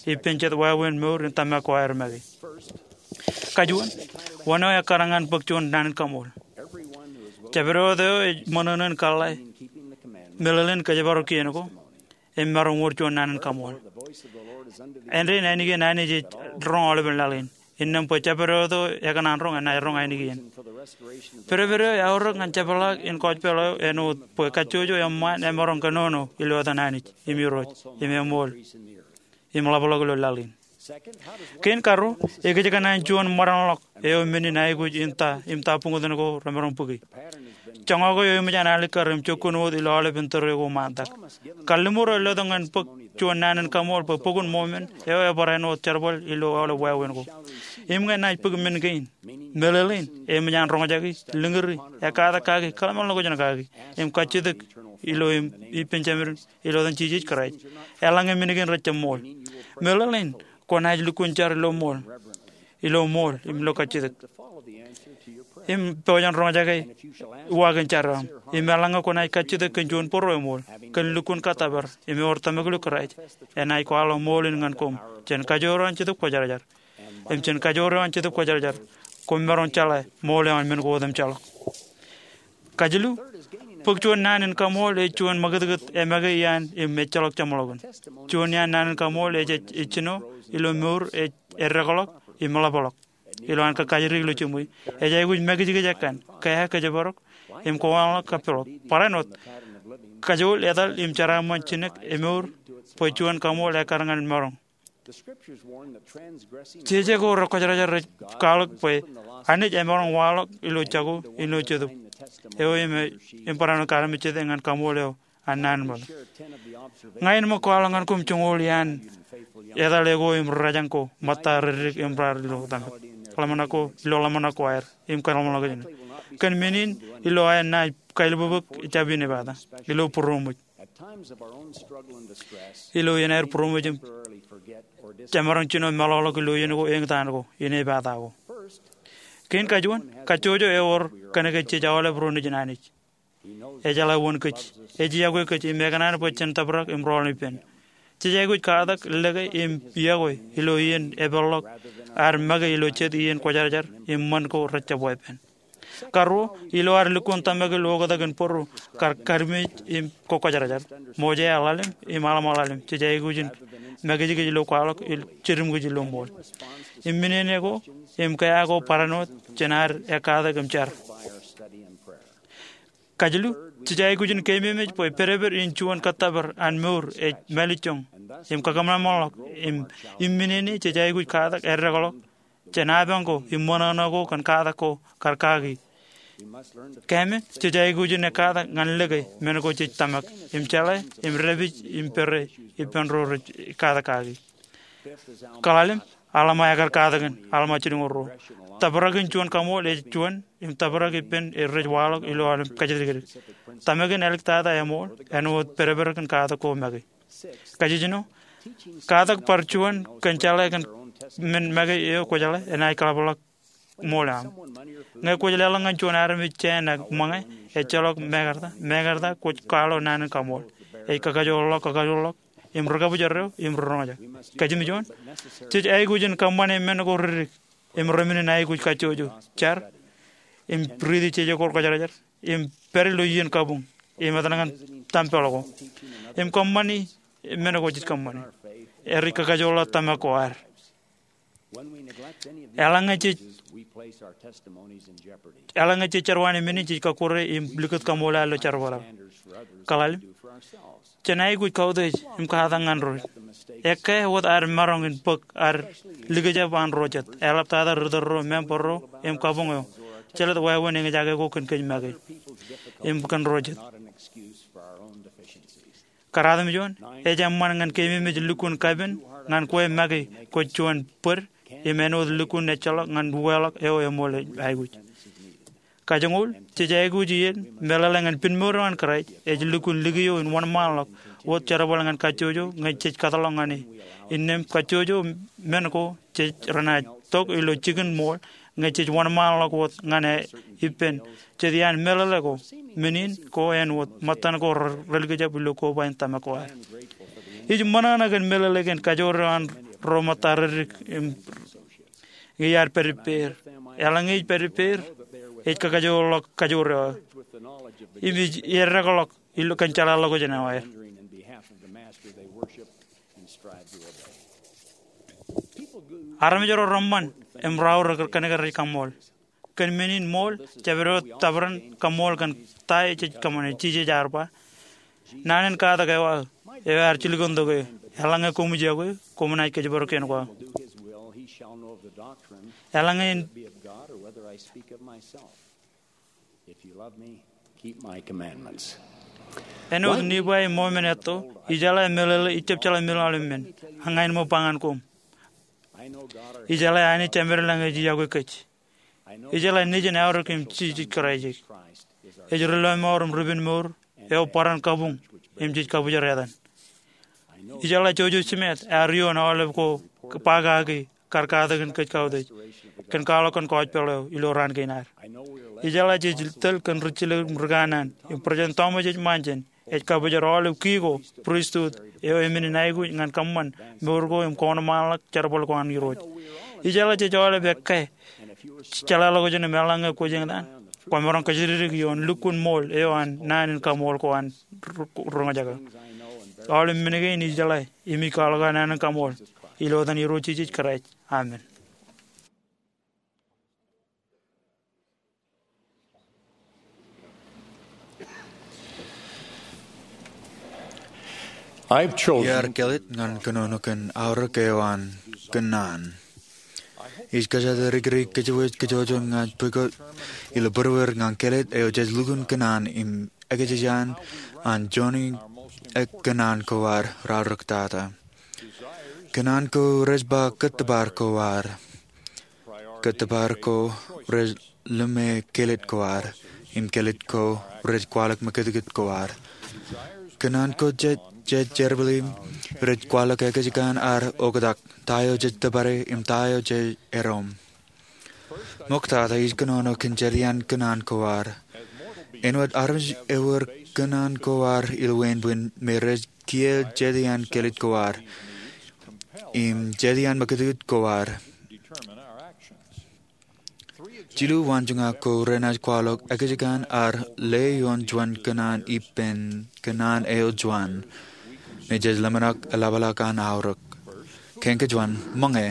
ippān jet wāween mour in tōmak ko aer make. Kajuon, wōn eo ekkar ñan bōk juon naan in kaṃool? Jabdewōt eo ej ṃōṇōṇō in kōḷḷā meḷeḷein kōjparok kien ko im maroñ wōr juon naan in kaṃool. Āindein ainikien Anij ej roñ aolepen laḷ in. Innām bwe jabdewōt eo ekōṇaan roñ enaaj roñ ainikien. Pedped eo eaorōk ñan jepḷaak in kōjpeḷ eo āinwōt bwe kajjojo eṃṃaan emaroñ kōnono ilo etan Anij im Irooj im eṃool im ḷapḷọk ilo laḷ in. Kein karuo, ekōjkan an juon ṃōraṇḷọk eo men in aikuj in ta im ta buñtōn ko remaroñ bōki? Joñak eo eṃōj an alikkar im jokkuun wōt ilo aolepen tōre ko ṃaantak. Kalliṃur eo letok ñan bōk juon naan in kaṃool bwe Bok in Mōmon eo ebarāinwōt jerbal ilo aolep wāween ko. Im ñe enaaj bōk men kein, meḷeḷein, eṃōj an roñjaki, lōñri, ekkatak kaki, kōḷmānḷọkjeṇ kaki, im kajjitōk ilo im ippān Jemān ilo etan Jisōs Kraist, eḷaññe men kein rejjab ṃool. Meḷeḷein, kwōnaaj lukkuun jar ilo ṃool, ilo ṃool im ilo kajjitōk im pojak in roñjake uwaak in jar eo aṃ. Im eḷaññe kwōnaaj kajjitōk kōn juon bōro eṃool, kōn lukkuun kōttōpar im ewōr tōmak ilo Kraist, enaaj kwaḷọk ṃool in ñan koṃ jān kajoor eo an Jetōb Kwōjarjar. Im jān kajoor eo an Jetōb Kwōjarjar, koṃ maroñ jeḷā ṃool eo an men ko otemjeḷọk. Kajilu, bōk juon naan in kaṃool ej juon ṃakūtkūt emake iaan im ejjeḷọk jeṃḷọkin. Juon iaan naan in kaṃool ej ej ijjino ilo mour ej eddekḷọk im ḷapḷọk ilo an kōkajjitōk ilo jiṃwe. Ej aikuj makijkij ekkan, kea kōjparok im kōwōnḷọk kappilọk. Barāinwōt, kajool etal im jeraaṃṃan jinek emour bwe juon kaṃool ekkar ñan maroñ. Jeje ko rekwōjarjar rej kwaḷọk bwe Anij emaroñ waḷọk ilo jako ilo Jetōb eo im, im barāinwōt kar mejete ñan kaṃool eo an naan in ṃōttan. Ña in ṃōk kwaḷọk ñan koṃ joñoul iaan etal eo ko im rōjañ ko ṃōtta reddik im raar ilo tōmak. Ḷōmṇak ko, ilo ḷōmṇak ko aer im kōḷmānḷọkjeṇ. Kōn men in ilo aer naaj kailbōbōk jab inepata ilo būroṃōj. Ilo iien aer būroṃōj im jemaroñ jino meḷọkḷọk ilo iien ko, eñtaan ko, inepata ko. Kein kajuon, kajjojo ewōr kōnke jej aolep ro nejin Anij. Ejeḷā wōn kōj. Ej yokwe kōj im ekōṇaan bwe jen tōprak im rọọl ippān. jej aikuj katak, lōke im yokwe ilo iien epeḷḷọk ad make ilo jet iien kwōjarjar im ṃan ko rejjab weeppān. Karuo, ilo ad lukkuun tōmak ilo oktak in būruo kar kadmej im kwōjarjar, Mosea ḷalem im Alma ḷalem jej aikuj in makijkij ilo kwaḷọk im jidim kōj ilo ṃool. Im men eo ko im kea ko barāinwōt jān ad ekkatak im jar. Kajilu, jej aikuj in keememej bwe pedped in juon kōttōpar an mour ej mālejjoñ im kakōṃanṃanḷọk. Im men eo jej aikuj katak eddekḷọk jān apañ ko im ṃōṇōṇō ko kōn katak ko kar kaki. Kōmij, jej aikuj in ekkatak ñan lōke men ko jej tōmak im jeḷā im dāpij im pere ippān ro rej katak kaki. Kōḷalem, Alma ekar katakin, Alma jilñuul ruo. Tōprak in juon kaṃool ej juon im tōprak ippān rej waḷọk ilo aolep kajjitōk. Tōmak in āliktata eṃool āinwōt pedped kōn katak ko make. Kajjino, katak bar juon kōn jeḷā kōn men make eo kwōjeḷā enaaj kaḷapḷọk ṃool eo aṃ. Ñe kwōj leḷọk ñan juon armej jāān ak ṃōñā, ejjeḷọk mekarta, mekarta kwōj kwaḷọk naan in kaṃool. Ej kakajoorḷọk, kakajoorḷọk im ri kabōjrak eo im ri roñjake. Kajjimjuon, jej aikuj in kōṃṃane men ko ri dik im remenin aikuj kajjojo, jar im riiti jeje ko kwōjarjar im pād ilo iien kabuñ im etal ñan tempel ko im kōṃṃani men ko jej kōṃṃani. Ej kakajoorḷọk tōmak ko ad. Eḷaññe jej, eḷaññe jej jerwaan men in, jej kọkkure im likūt kaṃool ad ilo jerbal aō. Kōḷalem, jen aikuj kautiej im katak ñan ro. Ekkā wōt ad maroñ in bōk ad likjab an ro jet, eḷaptata ri tōl ro, member ro im kabuñ eo. Jelōt wāween eñjake ko kōn kōj make im kōn ro jet. Kōrā im juon, ej eṃṃan ñan keememej lukkuun kapen ñan kwe make kwōj juon bōd im āinwōt lukkuun ejjeḷọk ñan uweḷọk eo eṃool aikuj. Kajoñoul, jej aikuj iien meḷeḷe ñan pinmour eo an Kraist ej lukkuun likio in wōnṃaanḷọk wōt jerbal ñan kajjojo ñe jej kōtḷọk ñan e. Innām kajjojo men ko jej renaaj tok ilo jikin ṃool ñe jej wōnṃaanḷọk wōt ñan e ippān jet iaan meḷeḷe ko, men in ko āinwōt ṃōttan ko relikjab ilo koba in tōmak ko ad. Ij ṃōṇōṇō kōn meḷeḷe kōn kajoor eo an ro ṃōtta reddik im iar pād ippāer. Eḷaññe ej pād ippāer, ej kakajoorḷọk kajoor eo aō im ej eddekḷọk ilo kōn jeḷāḷọkjeṇ eo aer. Armej ro reṃṃan im raorōk kōnke rej kaṃṃool. Kōn men in ṃool, jabdewōt tōprak in kaṃṃool kōn ta eo jej kōṃṃane. Jisōs ear ba, naan in katak eo aō, eo ear jilkintok eō, eḷaññe koṃij yokwe, koṃ naaj kōjparok kien ko aō. Eḷaññe in Āinwōt Nifai im Mōmen etto, ijeḷā meḷeḷe ijjab jeḷā meḷeḷe men, ak ña āinwōt ba ñan koṃ. Ijeḷā Anij Jemedlañ ej yokwe kōj. Ijeḷā Nejin aorōk im Jisōs Kraist ej ri lọmọọr im ri penmour eo barāinwōt kabuñ im jej kabōjrak etan. Ijeḷā Joseph Smith ear ioon aolep ko ba kaki kar katakin kōj kautiej kōn kwaḷọk kōn gospel eo ilo raan kein ad. Ijeḷā jej tōl kōn ri jilōk im ri kanaan im President Thomas S. Monson ej kabōjrak aolep ki ko pristut eo emenin aikuj ñan kōṃṃan mour ko im kōṇaan ḷọk jerbal ko an Irooj. Ijeḷā jej aolep ekkā jeḷāḷọkjeṇ im eḷaññe kwōj eñtaan, kwōmaroñ kōjatdikdik ioon lukkuun ṃool eo an naan in kaṃool ko an ri roñjake. Aolep men kein ijeḷā im ij kwaḷọk aō naan in kaṃool ilo etan Irooj Jisōs Kraist. Amen. Iar kelōt ñan kōnono kōn aorōk eo an kōnono. Ij kōjatdikdik kōjwōj kōjwōj ñan pukot ilo būruer ñan kelōt eo jej lukkuun kōnono im ekōjkan an joñan kōnono ko ad raorōktata. Kōnono ko rej ba kōttōpar ko ad. Kōttōpar ko rej lōme kelōt ko ad, im kelōt ko rej kwaḷọk mekitkit ko ad. Kōnono ko jej, jej jerbal im rej kwaḷọk ekōjkan ad oktak, ta eo jej tōpare im ta eo jej erom. Ṃoktata ij kōnono kōn jet iaan kōnono ko ad. Āinwōt armej ewōr kōṇaan ko ad ilo wāween bwin me rej kiiō jet iaan kilit ko ad im jet iaan mekūtkūt ko ad. Jilu waanjoñak ko renaaj kwaḷọk ekajekān ad ḷeo ioon juon kōṇaan ippān kōṇaan eo juon me jej ḷōmṇak eḷapḷọk an aorōk. Kein kein juon, ṃōñā.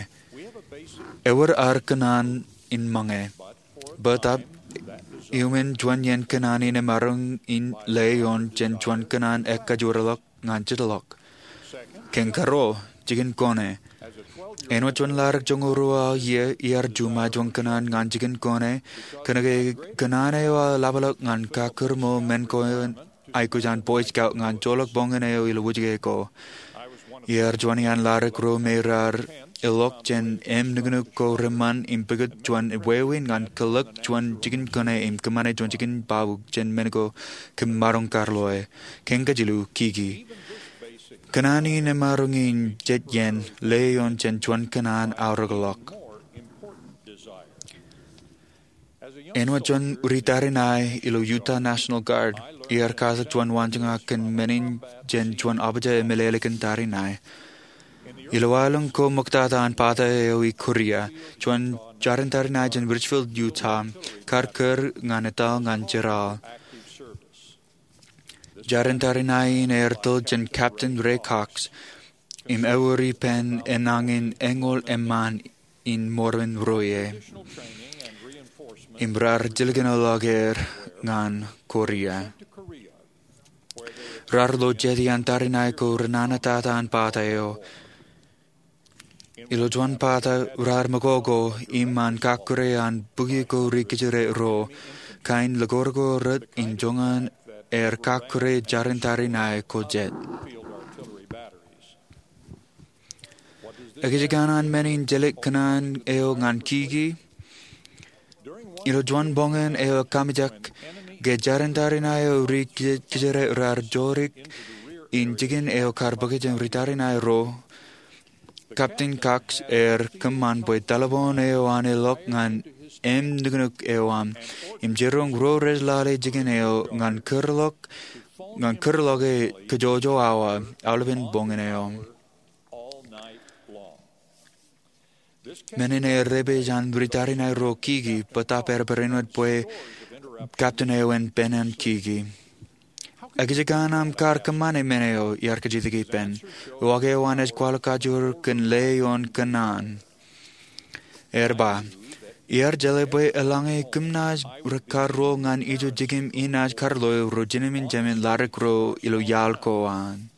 Ewōr ad kōṇaan in ṃōñā. Bōtab, iuṃwin juon iien kōṇaan in emaroñ in ḷeo ioon jān juon kōṇaan ekajoorḷọk ñan jitḷọk. Kein karuo, jikin kōṇā. Āinwōt juon ḷadik joñoul ruo aō iiō, iar juṃae juon kōṇaan ñan jikin kōṇā, kōnke kōṇaan eo aō eḷapḷọk ñan kakkūrṃo men ko aikuj an Boy Scout ñan joḷọk boñōn eo ilo wūjke ko. Iar juon iaan ḷadik ro me raar ilọk jān im nuknuk ko reṃṃan im pukot juon wāween ñan kōḷḷọk juon jikin kōṇā im kōṃṃane juon jikin baabuuk jān men ko kōm maroñ karloe. Kein kajilu, kiki. Kōṇaan in emaroñ in jet iien ḷeo ioon jān juon kōṇaan aorōkḷọk. Āinwōt juon ritariṇae ilo Utah National Guard, iar katak juon waanjoñak kōn men in jān juon abuja emeḷeḷe kōn tariṇae. Ilo aelōñ ko ṃoktata an bata eo i Korea, juon jarin tariṇae jān Richfield, Utah, kar kūr ñan etal ñan jeral. Jarin tariṇae in ear tōl jān Captain Ray Cox im ewōr ippān enañin eñoul eṃṃaan in Mormon ro ie im raar jilkinḷọk er ñan Korea. Raar lo jet iaan tariṇae ko renanatata an bata eo. Ilo juon bata raar mokoko iṃaan kakkure an bukwi ko ri kōjatdikdik ro, kain likūrkūr rot in joñan aer kakkure jarin tariṇae ko jet. Ekajekān an men in jelōt kōṇaan eo ñan kiki. Ilo juon boñōn eo ekamjek, ke jarin tariṇae eo ri kōjatdikdik raar jodik in jikin eo kar bōk jān ritariṇae ro, Captain Cox ear kōṃṃan bwe taḷboon eo an ilọk ñan im nuknuk eo an im jiroñ ro rej lale jikin eo ñan kūrḷọk, ñan kūrḷọk e kōjoojo awa aolepen boñōn eo. Men in ear rej pād jān ritariṇae ro kiki, bōtab ear barāinwōt bwe captain eo en penan kiki. Ekajekān aṃ kar kōṃṃane men eo? Iar kajjitōk ippān. Uwaak eo an ej kwaḷọk kajoor kōn ḷeo ioon kōṇaan. Ear ba, iar jeḷā bwe eḷaññe kōm naaj kar ruo ñan ijo jikiṃ, inaaj kar loe ro jinōmin jemān ḷadik ro ilo iaḷ ko an.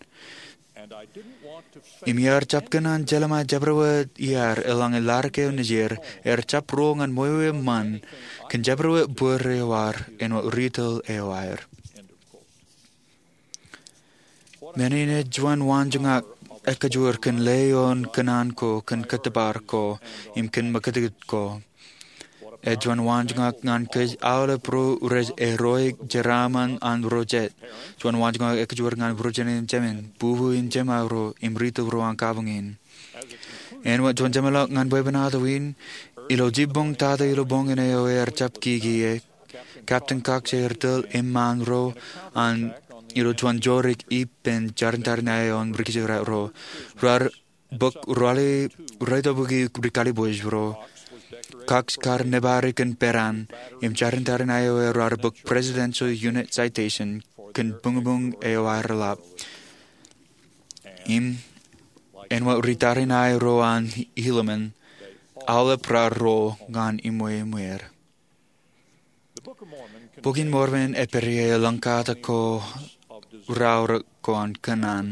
Im iar jab kōṇaan jelṃae jabdewōt iaad eḷaññe ḷadik eo nejier, ear jab ruo ñan ṃweo eṃṃan kōn jabdewōt bōd eo ad āinwōt ri tōl eo aer. Men in ej juon waanjoñak ekajoor kōn ḷeo ioon kōṇaan ko, kōn kōttōpar ko, im kōn mekūtkūt ko. Ej juon waanjoñak ñan kōj aolep ro rej eroik jeraaṃṃan an ro jet. Juon waanjoñak ekajoor ñan ro jinōmin jemān, bubu in jemāro, im ri tōl ro an kabuñ in. Āinwōt juon jeṃḷọk ñan bwebwenato in, ilo jibboñ tata ilo boñōn eo ear jab kiki e, Captain Cox ear tōl eṃṃaan ro an ilo juon jodik ippān jarin tariṇae eo an ri kōjatdikdik ro. Raar bōk ralitōbuki ri kalibwōj ro. Cox kar nōbari kōn peran, im jarin tariṇae eo raar bōk Presidential Unit Citation kōn buñbuñ eo aer ḷap. Im āinwōt ri tariṇae ro an Helaman, aolep raar ruo ñan iṃweiṃwed. Bok in Mormon ej pād ie eḷaññe katak ko raorōk ko an kōṇaan.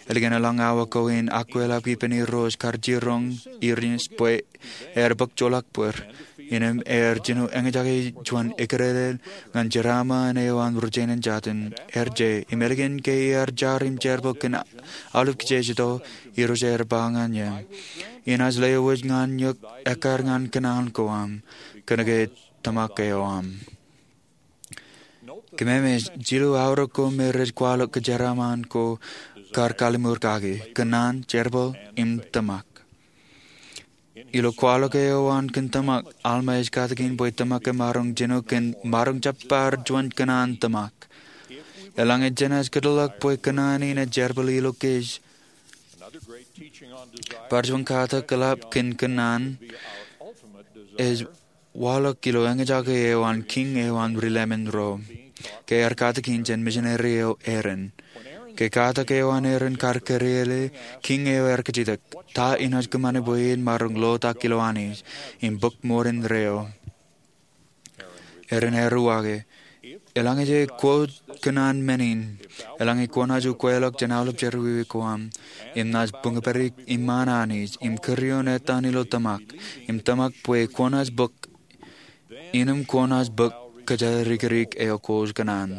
Ālikin eḷaññe awa ko in akwelap ippān Irooj kar jiroñ Irenaeus bwe ear bōk joḷọk bōd, innem ear jino eñjake juon eklele ñan jeraaṃṃan eo an ri jenaaj jatin, ear je, im ālikin ke ear jar im jerbal kōn aolep kijeje ijo, Irooj ear ba ñan e, inaaj lewōj ñan eok ekkar ñan kōṇaan ko aṃ, kōnke tōmak eo aṃ. Kōmāmeḷeḷe, jilu aorōk ko me rej kwaḷọk kōjeraaṃṃan ko kar kalliṃur kaki, kōṇaan, jerbal, im tōmak. Ilo kwaḷọk eo an kōn tōmak, Alma ej katakin bwe tōmak emaroñ jino kōn maroñ jab bar juon kōṇaan tōmak. Eḷaññe jenaaj kōtḷọk bwe kōṇaan in ej jerbal ilo kōj, bar juon katak eḷap kōn kōṇaan ej waḷọk ilo eñjake eo an kiiñ eo an ri-Leman ro, ke ear katakin jān misineri eo Aaron. Ke katak eo an Aaron kar kōrā, kiiñ eo ear kajjitōk, Ta inaaj kōṃṃane bwe in maroñ lotak ilo Anij im bōk ṃoor indeeo? Aaron ear uwaake, Eḷaññe jej quote kōṇaan men in, eḷaññe kwōnaaj ukweḷọk jān aolep jerọwiwi ko aṃ, im naaj buñpadik iṃaan Anij, im kūr ioon etan ilo tōmak, im tōmak bwe kwōnaaj bōk, innem kwōnaaj bōk kōjatdikdik eo kwōj kōṇaan.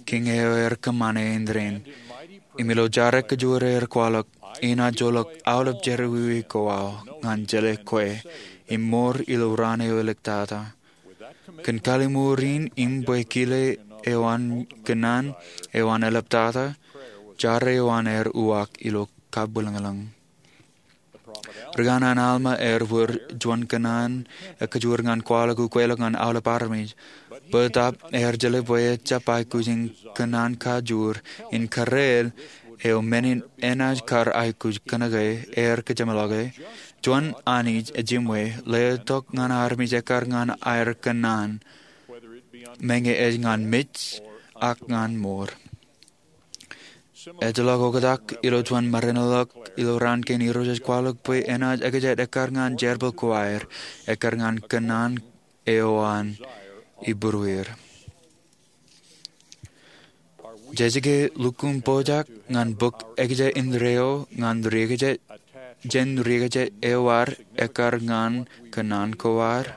Kiiñ eo ear kōṃṃane indeeo, im ilo jar ekajoor ear kwaḷọk, Inaaj joḷọk aolep jerọwiwi ko aō ñan jeḷā kwe, im ṃoor ilo raan eo eliktata. Kōn kalliṃur in im bwe kile eo an kōṇaan eo an eḷaptata, jar eo an ear uwaak ilo kabwilōñlōñ. Ri-kanaan Alma ear wōr juon kōṇaan ekajoor ñan kwaḷọk ukweḷọk ñan aolep armej. Bōtaab ear jeḷā bwe ejjab aikuj in kōṇaan kajoor in kōrā eo men in enaaj kar aikuj kōnke ear kōjeṃḷọke juon Anij ejiṃwe letok ñan armej ekkar ñan aer kōṇaan, meñe ej ñan mej ak ñan ṃoor. Ejjeḷọk oktak ilo juon maroñ ḷọk ilo raan kein, Irooj ej kwaḷọk bwe enaaj ekjat ekkar ñan jerbal ko aer, ekkar ñan kōṇaan eo an ibūrueir. Jej ke lukkuun pojak ñan bōk ekjat indeeo ñan riekjat, jān riekjat eo ad ekkar ñan kōṇaan ko ad?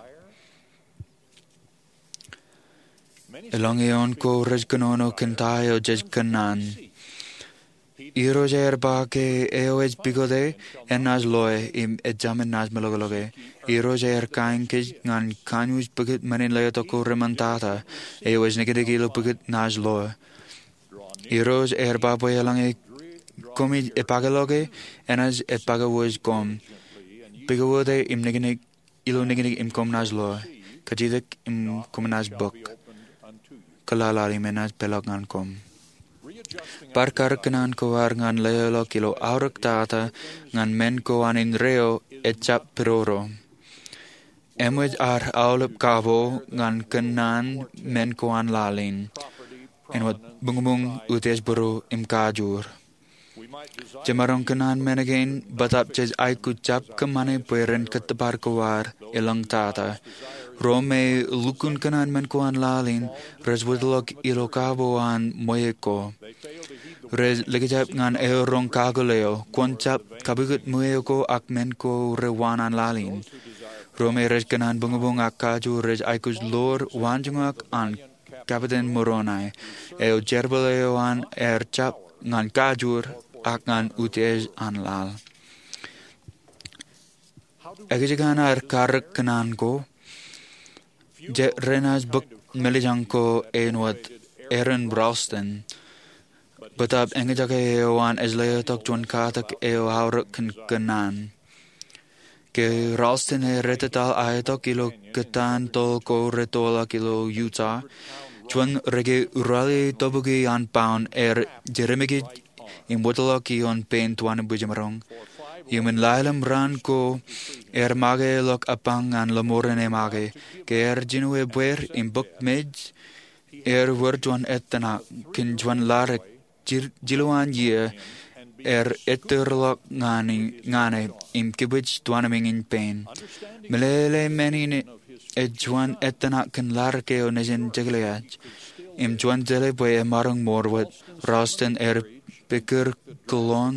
Elōñ eoon ko rej kōnono kōn ta eo jej kōṇaan. Irooj ear ba ke eo ej pukot e, enaaj loe, im ejāmin naaj meḷọkḷọke. Irooj ear kain kōj ñan kanooj pukot men in letok ko reṃṃantata, eo ej niknik ilo pukot naaj loe. Irooj ear ba bwe eḷaññe koṃij epakeḷọke, enaaj epakewōj koṃ. Pukot e im niknik ilo niknik im koṃ naaj loe. Kajjitōk im koṃ naaj bōk. Kōḷaḷḷaḷ im enaaj peḷḷọk ñan koṃ. Bar karōk kōṇaan ko ad ñan leḷọk ilo aorōk tata ñan men ko an indeeo ejjab pidodo. Eṃōj ad aolep kabo ñan kōṇaan men ko an laḷ in, āinwōt buñbuñ, utiej būruō im kajoor. Jemaroñ kōṇaan men kein, bōtaab jej aikuj jab kōṃṃane bwe ren kōttōpar ko ad elōñ tata. Ro me lukkuun kōṇaan men ko an laḷ in rej wōtlọk ilo kabo an ṃweo ko. Rej likjab ñan eoroñ kakōḷḷe eo, kwōn jab kapukot ṃweo ko ak men ko rewaan an laḷ in. Ro me rej kōṇaan buñbuñ ak kajoor rej aikuj ḷoor waanjoñak an Kapiten Moroni, eo jerbal eo an ear jab ñan kajoor ak ñan utiej an laḷ. Ekōjkan ad karōk kōṇaan ko? Jet renaaj bōk melijañ ko āinwōt Aron Ralston, bōtaab eñjake eo an ej letok juon katak eo aorōk kōn kōṇaan. Ke Ralston ear ettetaḷ aetok ilo kōtaan toḷ ko retoḷọk ilo Utah, juon reke ralitōbuki an paun ear jedeṃōj im wōtlọk ioon pein tuan in bwijemaroñ. Iuṃwin laḷ im raan ko ear make ḷọk apañ ñan lọmọọren emake. Ke ear jino ebbeer im bōk mej, ear wōr juon ettōṇak kōn juon ladik jil-, jilu an iiō ear ettōrḷọk ñan e, ñan e im kibwij tuanmiiñ in pein. Meḷeḷe men in ej juon ettōṇak kōn ladik eo nejin jekleaj. Im juon jeḷā bwe emaroñ ṃool wōt, Ralston ear pikkūr kōḷoon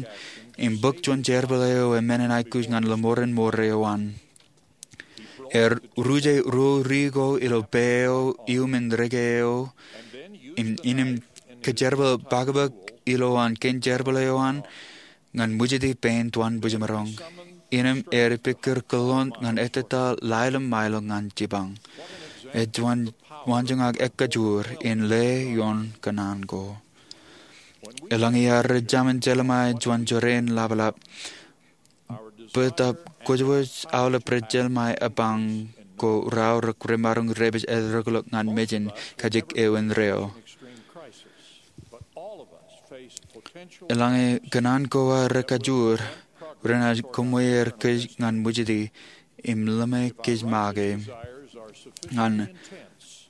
im bōk juon jerbal eo eṃṃan in aikuj ñan lọmọọren ṃool eo an. Ear ruje ruo ri ko ilo pā eo iuṃwin reke eo, im, innem kōjerbal pakpak ilowaan kein jerbal eo an ñan ṃwijiti pein tuan bwijemaroñ. Innem ear pikkūr kōḷoon ñan ettetaḷ laḷ im ṃaeḷ ñan jipañ. Ej juon waanjoñak ekajoor in leḷọk ioon kōṇaan ko. Eḷaññe iar rej jamin jelṃae juon jorrāān laplap, Bōtab kwōjwōj aolep rej jelṃae epañ ko raorōk remaroñ repej erreḷọk ñan mejān kajjik eo indeeo. Eḷaññe kōṇaan ko ad rekajoor, renaaj kōṃṃweer kōj ñan ṃwijiti im ḷōṃe kōj make ñan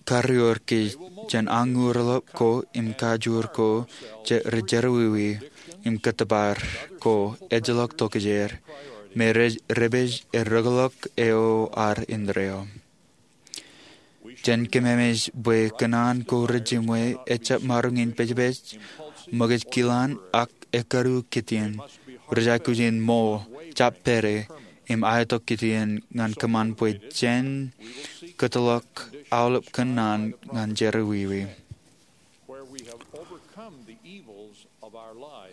karreoer kōj jān añuurḷọk ko im kajoor ko, rej jerọwiwi im kōttōpar ko ejjeḷọk tokjāer me rej repej erreḷọk eo ad indeeo. Jen kememej bwe kōṇaan ko rejiṃwe ejjab maroñ in pejpej, ṃōkaj kilaan, ak ekkadu kittien. Rej aikuj in ṃool, jab pād, im aetok kittien ñan kōṃṃan bwe jen kōtḷọk aolep kōṇaan ñan jerọwiwi.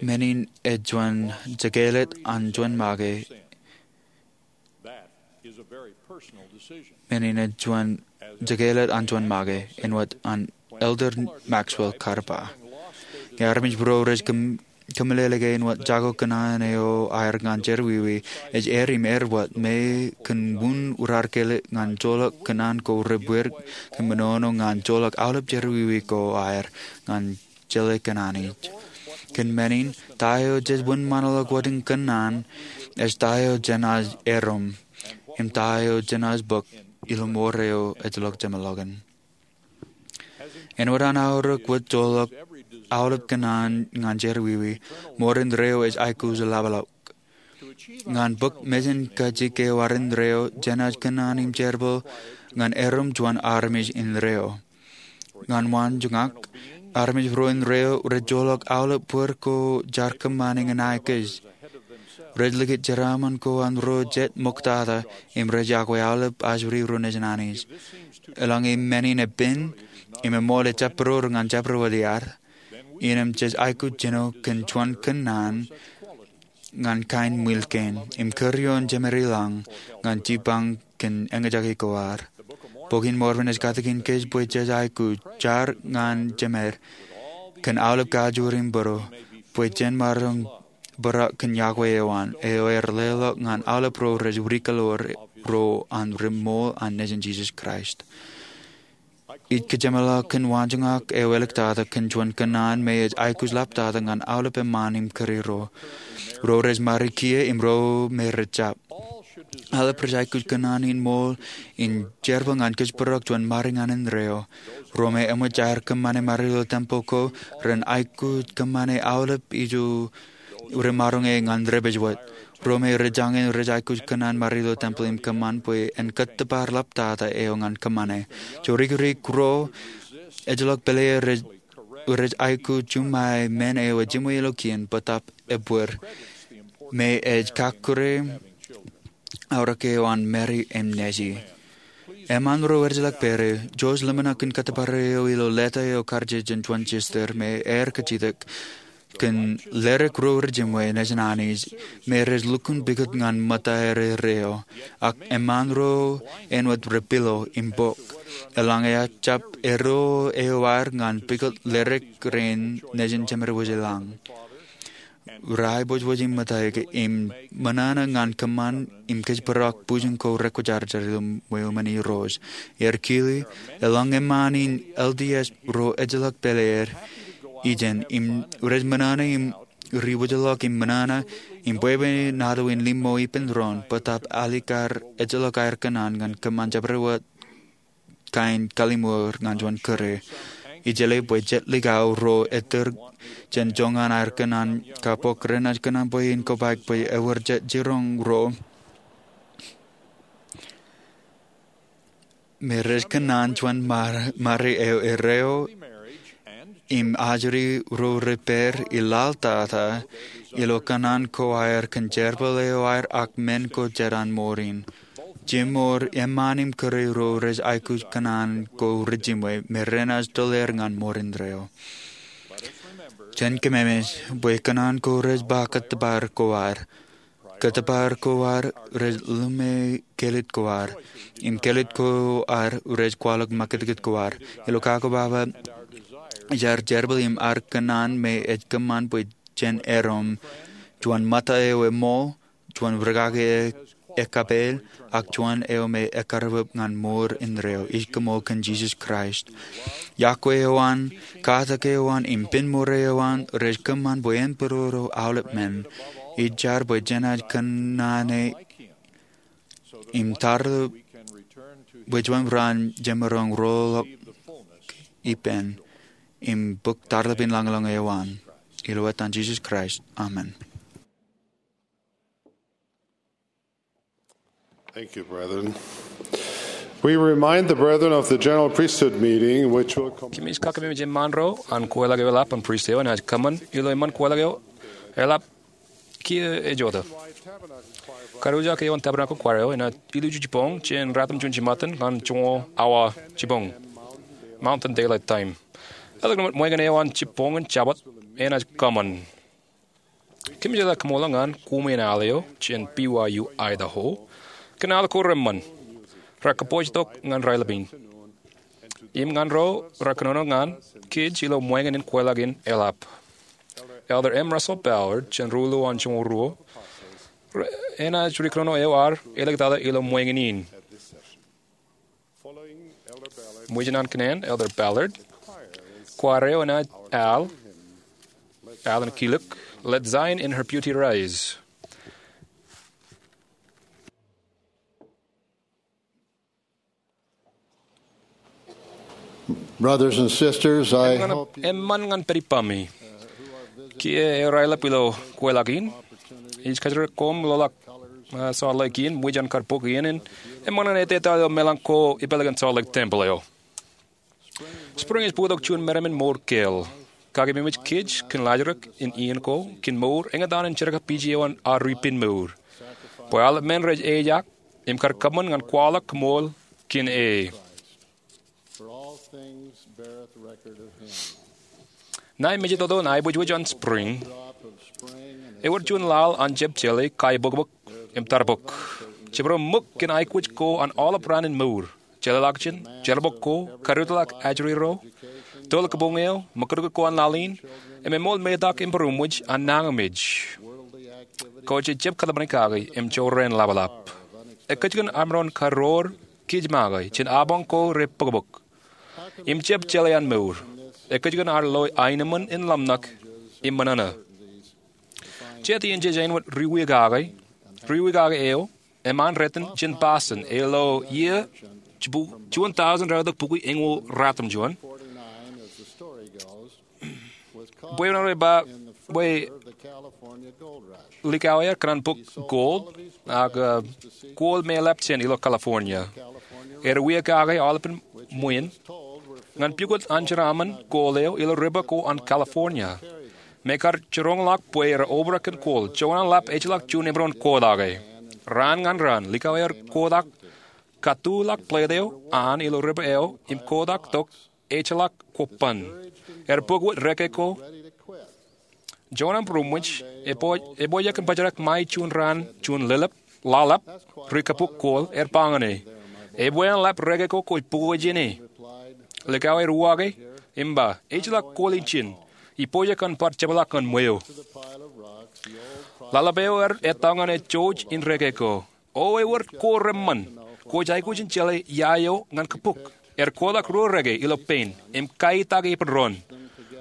Men in ej juon jekāālōt an juon make. Men in ej juon jekāālōt an juon make, āinwōt an Elder Maxwell kar ba. Ñe armej ro rej kōmeḷeḷe ke āinwōt jako kōṇaan eo aer ñan jerọwiwi ej eir im eir wōt, me kōn wūn urarkele ñan joḷọk kōṇaan ko rebwir kōn menono ñan joḷọk aolep jerọwiwi ko aer ñan jeḷā kōṇaan eo. Kōn men in, ta eo jej wōnṃaanḷọk wōt in kōṇaan ej ta eo jenaaj erom im ta eo jenaaj bōk ilo ṃoor eo ejjeḷọk jeṃḷọkin. Āinwōt an aorōk wōt joḷọk aolep kōṇaan ñan jerọwiwi, ṃoor indeeo ej aikuj ḷapḷọk. Ñan bōk mejān kajjik eo ad indeeo, jenaaj kōṇaan im jerbal ñan erom juon armej indeeo. Ñan waanjoñak, armej ro indeeo rej joḷọk aolep bōd ko jaar kōṃṃane ñan aikuj. Rej likūt jeraaṃṃan ko an ro jet ṃoktata im rej yokwe aolep ajri ro nejin Anij. Eḷaññe men in epen im eṃool ejjab būroor ñan jabdewōt iaad, innām jej aikuj jino kōn juon kōṇaan ñan kain ṃwiil kein im kūr ioon jemed ilañ ñan jipañ kōn eñjake ko ad. Bok in Mormon ej katakin kōj bwe jej aikuj jar ñan jemed kōn aolep kajoor im būruō, bwe jen maroñ bōrọk kōn yokwe eo an, eo ear leḷọk ñan aolep ro rej wūrikḷọk ro an ri-ṃool an nejin Jisōs Kraist. Ij kōjeṃḷọk kōn waanjoñak eo āliktata kōn juon kōṇaan me ej aikuj ḷaptata ñan aolep eṃṃaan im kūr ro, ro rej ṃare kiiō im ro me rej jab. Aolep rej aikuj kōṇaan in ṃool in jerbal ñan kōjparok juon ṃare ñan indeeo. Ro me eṃōj aer kōṃṃane ṃare ilo tempel ko ren aikuj kōṃṃane aolep ijo remaroñe ñan repej wōt. Ro me rej jañin rej aikuj kōṇaan ṃare ilo tempel im kōṃṃan bwe en kōttōpar ḷaptata eo ñan kōṃṃane. Jorikirik ro ejjeḷọk pele rej aikuj juṃae men eo ejiṃwe ilo kien bōtab ebbeer me ej kakkure aorōk eo an Meri im Neji. Eṃṃaan ro ejjeḷọk pere, Josh ḷōmṇak in kōttōpar eō ilo leta eo kar jān juon sister me ear kajjitōk kōn ledik ro rejiṃwe nejin Anij me rej lukkuun pukot ñan ṃōtta erreo, ak eṃṃaan ro āinwōt rej pilo im bok. Eḷaññe ejjab erreo eo aer ñan pukot ledik rein nejin jemed wōj ilañ, rej aebōjbōj im ṃōttaik im ṃōṇōṇō ñan kōṃṃan im kōjparok bwijin ko rekwōjarjar ilo ṃweo men Irooj. Ear kile, eḷaññe eṃṃaan in L D S ro ejjeḷọk pele er ijeṇ im rej ṃōṇōṇō im ri wōjḷọk im ṃōṇōṇō im bwebwenato in liṃo ippān doon bōtab alikkar ejjeḷọk aer kōṇaan ñan kōṃṃan jabdewōt kain kalliṃur ñan juon kūr. Ij jeḷā bwe jet likao ro ettōr jān joñan aer kōṇaan kappok renaaj kōṇaan bwe in kobaik bwe ewōr jet jiroñ ro me rej kōṇaan juon ṃare eo erreo im ajri ro rej pād ilaḷtata ilo kōṇaan ko aer kōn jerbal eo aer ak men ko jet an mour in. Jiṃor eṃṃaan im kūr ro rej aikuj kōṇaan ko rejiṃwe me renaaj tōl er ñan ṃoor indeeo. Jen kōmemej bwe kōṇaan ko rej ba kōttōpar ko ad. Kōttōpar ko ad rej ḷōmṇak kāālōt ko ad, im kāālōt ko ad rej kwaḷọk ṃakūtkūt ko ad. Ilo kakobaba, ej ad jerbal im ad kōṇaan me ej kōṃṃan bwe jen erom juon ṃōtta eo eṃool juon rūkaki ekkapeel, ak juon eo me ekkarūpūp ñan mour indeeo. Ij koṃṃool kōn Jisōs Kraist. Iọkwe eo an, katak eo an, im pen mour eo an rej kōṃṃan bwe en pād ilo aolep men. Ij jar bwe jenaaj kōnono im tarlōb bwe juon ran jemaroñ roḷọk ippān im bōk tarlōb in lañlōñ eo an. Ilo etan Jisōs Kraist, amen. Thank you, brethren. We remind the brethren of the general priesthood meeting, which will come. Kōmij kakememej eṃṃaan ro an kweilọk eo eḷap an pristut eo enaaj kōṃṃan ilo eṃṃan kweilọk eo eḷap kiiō ej jota. Kariujak eo an Tabernacle Choir eo enaaj ilju jibboñ jān ratimjuon jiṃṃaten ñan joñoul awa jibboñ, Mountain Daylight Time. Eḷak ṃōñā eo an jibboñ in Jabōt enaaj kōṃṃan. Kōmij jeḷā kaṃṃoolol ñan koṃwin al eo jān B Y U Idaho kōn al ko reṃṃan. Rekapojtok ñan raelep in im ñan ro rekōnono ñan kōj ilo ṃōñā in kweilọk in eḷap. Elder M. Russell Ballard jān Rūḷo an Joñoul Ruo enaaj rikōnono eo ar āliktata ilo ṃōñā in. Ṃōjin an kōnnaan Elder Ballard, choir eo enaaj al, al in kilōk, Let Zion in Her Beauty Rise. Brothers and sisters, I hope you eṃṃan ñan pād ippami. Kiiō eo raelep ilo kweilọk in, ij kajjirere koṃ ḷoḷḷọk, uh, Salt Lake in, ṃōj an kar bōk iien in eṃṃan ñan etetal eo meḷan ko ipālōk in Salt Lake Temple eo. Spring ej bōktok juon meram in mour kāāl. Kakememej kōj kōn laajrak in iien ko kōn mour, eñtaan in jerkakpeje eo an ad ippān mour, bwe aolep men rej ejaak im kar kōṃṃan ñan kwaḷọk koṃṃool kōn e. Ṇae mejatoto ṇae aibwijwij an spring, ewōr juon laḷ an jab jeḷā kaibokbok im tarbok. Jabdewōt ṃōk kōn aikuj ko an aolep raan in mour. Jeḷāḷọkjeṇ, jerbal ko, kariwōjḷọk ajri ro, toḷ kabuñ eo, ṃōkūtkūt ko an laḷ in, im eṃool metak im būroṃōj an nañinmej. Ko jej jab kōtmāne kake im jorrāān ḷapḷap. Ekkejkōn aṃ maroñ karoor kōj make jān apañ ko rej bōkbōk im jab jeḷā an mour. Ekkejkōn ad lo aenōṃṃan in ḷōmṇak im ṃōṇōṇō. Jet iien jej āinwōt ri wiaakake, ri wiaakake eo eṃṃan rot in jān Boston ilo iiō juon thousand ralitōk bukwi eñoul ratimjuon. Bwe ewōr eo ej ba bwe likao eo ekōṇaan bōk gold, ak, uh, gold me eḷap jān ilo California. Ewōr wiaakake aolepān ṃwiin ñan pukot an jeraaṃṃan gold eo ilo river ko an California. Im ekar jiroñḷọk bwe ewōr obrak kōn gold, joñan an ḷap ejjeḷọk juon emaroñ kotak e. Raan ñan raan, likao eo ewōr kotak katuḷọk plate eo an ilo river eo im kotak tok ejjeḷọk kobban. Ewōr bōk wōt reke ko. Joñan an būroṃōj, epojak in bōjrak ṃae juon raan juon ḷōḷḷap, ḷōḷḷap, ri kabuk gold, ewōr ba ñan e, ebwe an ḷap reke ko kwōj bōk wōt jān e? Likao eo ewōr uwaake im ba, ejjeḷọk gold in jān, ipojak an bar jepḷaak ñan ṃweo. Ḷōḷḷap eo ewōr ettā ñan e jouj in reke ko. O ewōr ko reṃṃan. Kwōj aikuj in jeḷā ia eo ñan kabuk. Ewōr kotak ruo reke ilo pein im kaitak ipparoñ.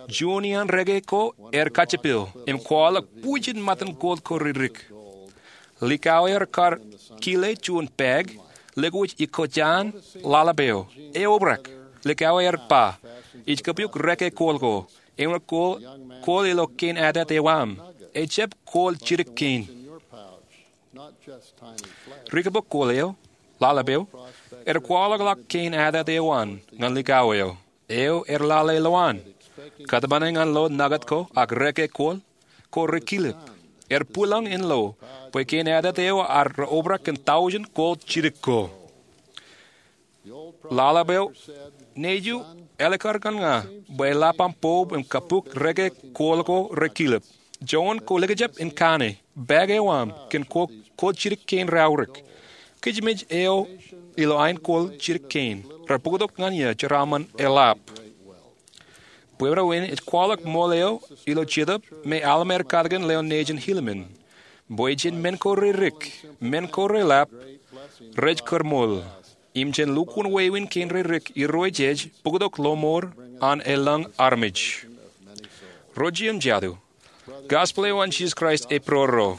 Juon iaan reke ko ewōr kajjipel im kwaḷọk bujen ṃōttan gold ko ririk. Likao eo ewōr kar kile juon pāik, lōke wōj ikōjaan ḷōḷḷap eo. Eobrak. Likao eo ewōr ba, ij kōpuk reke gold ko. Eṃṃan gold ilo kein atet eo aṃ. Ejjab gold jidik kein. Ri kabuk gold eo, ḷōḷḷap eo, ewōr kwaḷọkḷọk kein atet eo an ñan likao eo. Eo ewōr lale ilowaan. Kōtmāne ñan lo nukōt ko ak reke gold ko rekilep. Ewōr bwilōñ in lo bwe kein atet eo ar reobrak kōn tọujin gold jidik ko. Ḷōḷḷap eo, nejiṃ, ālikkar ñan ña bwe eḷap aṃ boob im kabuk reke gold ko rekilep. Joñan kwō likjab in kaane pāik eo aṃ kōn gold jidik kein raorōk. Kōj mej eo ilo ain gold jidik kein. Rej bōktok ñan eō jeraaṃṃan eḷap. Bwebwenato in ej kwaḷọk ṃool eo ilo jetōb me alemān eo katakin lewōj nejin Helaman. Bwe jān men ko rerik, men ko reḷap rej kōrmool, im jān lukkuun wāween kein rerik Irooj ej bōktok lọmọọr an elōñ armej. Ro jeiū im jatū, gospel eo an Jisōs Kraist ej būruōro.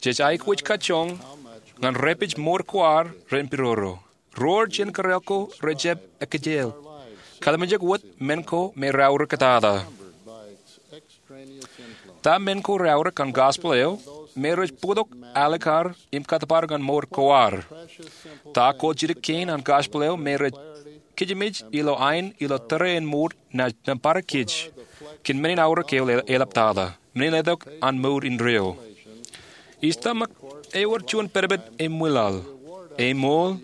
Jej aikuj kajjoñ ñan repej mour ko ad ren būruōro. Roor jān kōrā ko rejjab ekkejel. Kalimjek wōt men ko me raorōk tata. Ta men ko raorōk an gospel eo? Me rej bōktok alikkar im kōttōpar ñan mour ko ad. Ta kōjjitōk kein an gospel eo me rej kijimij ilo ain ilo tōre in mour naaj nōṃba kōj kōn men in aorōk eo eḷaptata, men in letok an mour indeeo. Ij tōmak ewōr juon pedped emmwilaḷ, eṃool,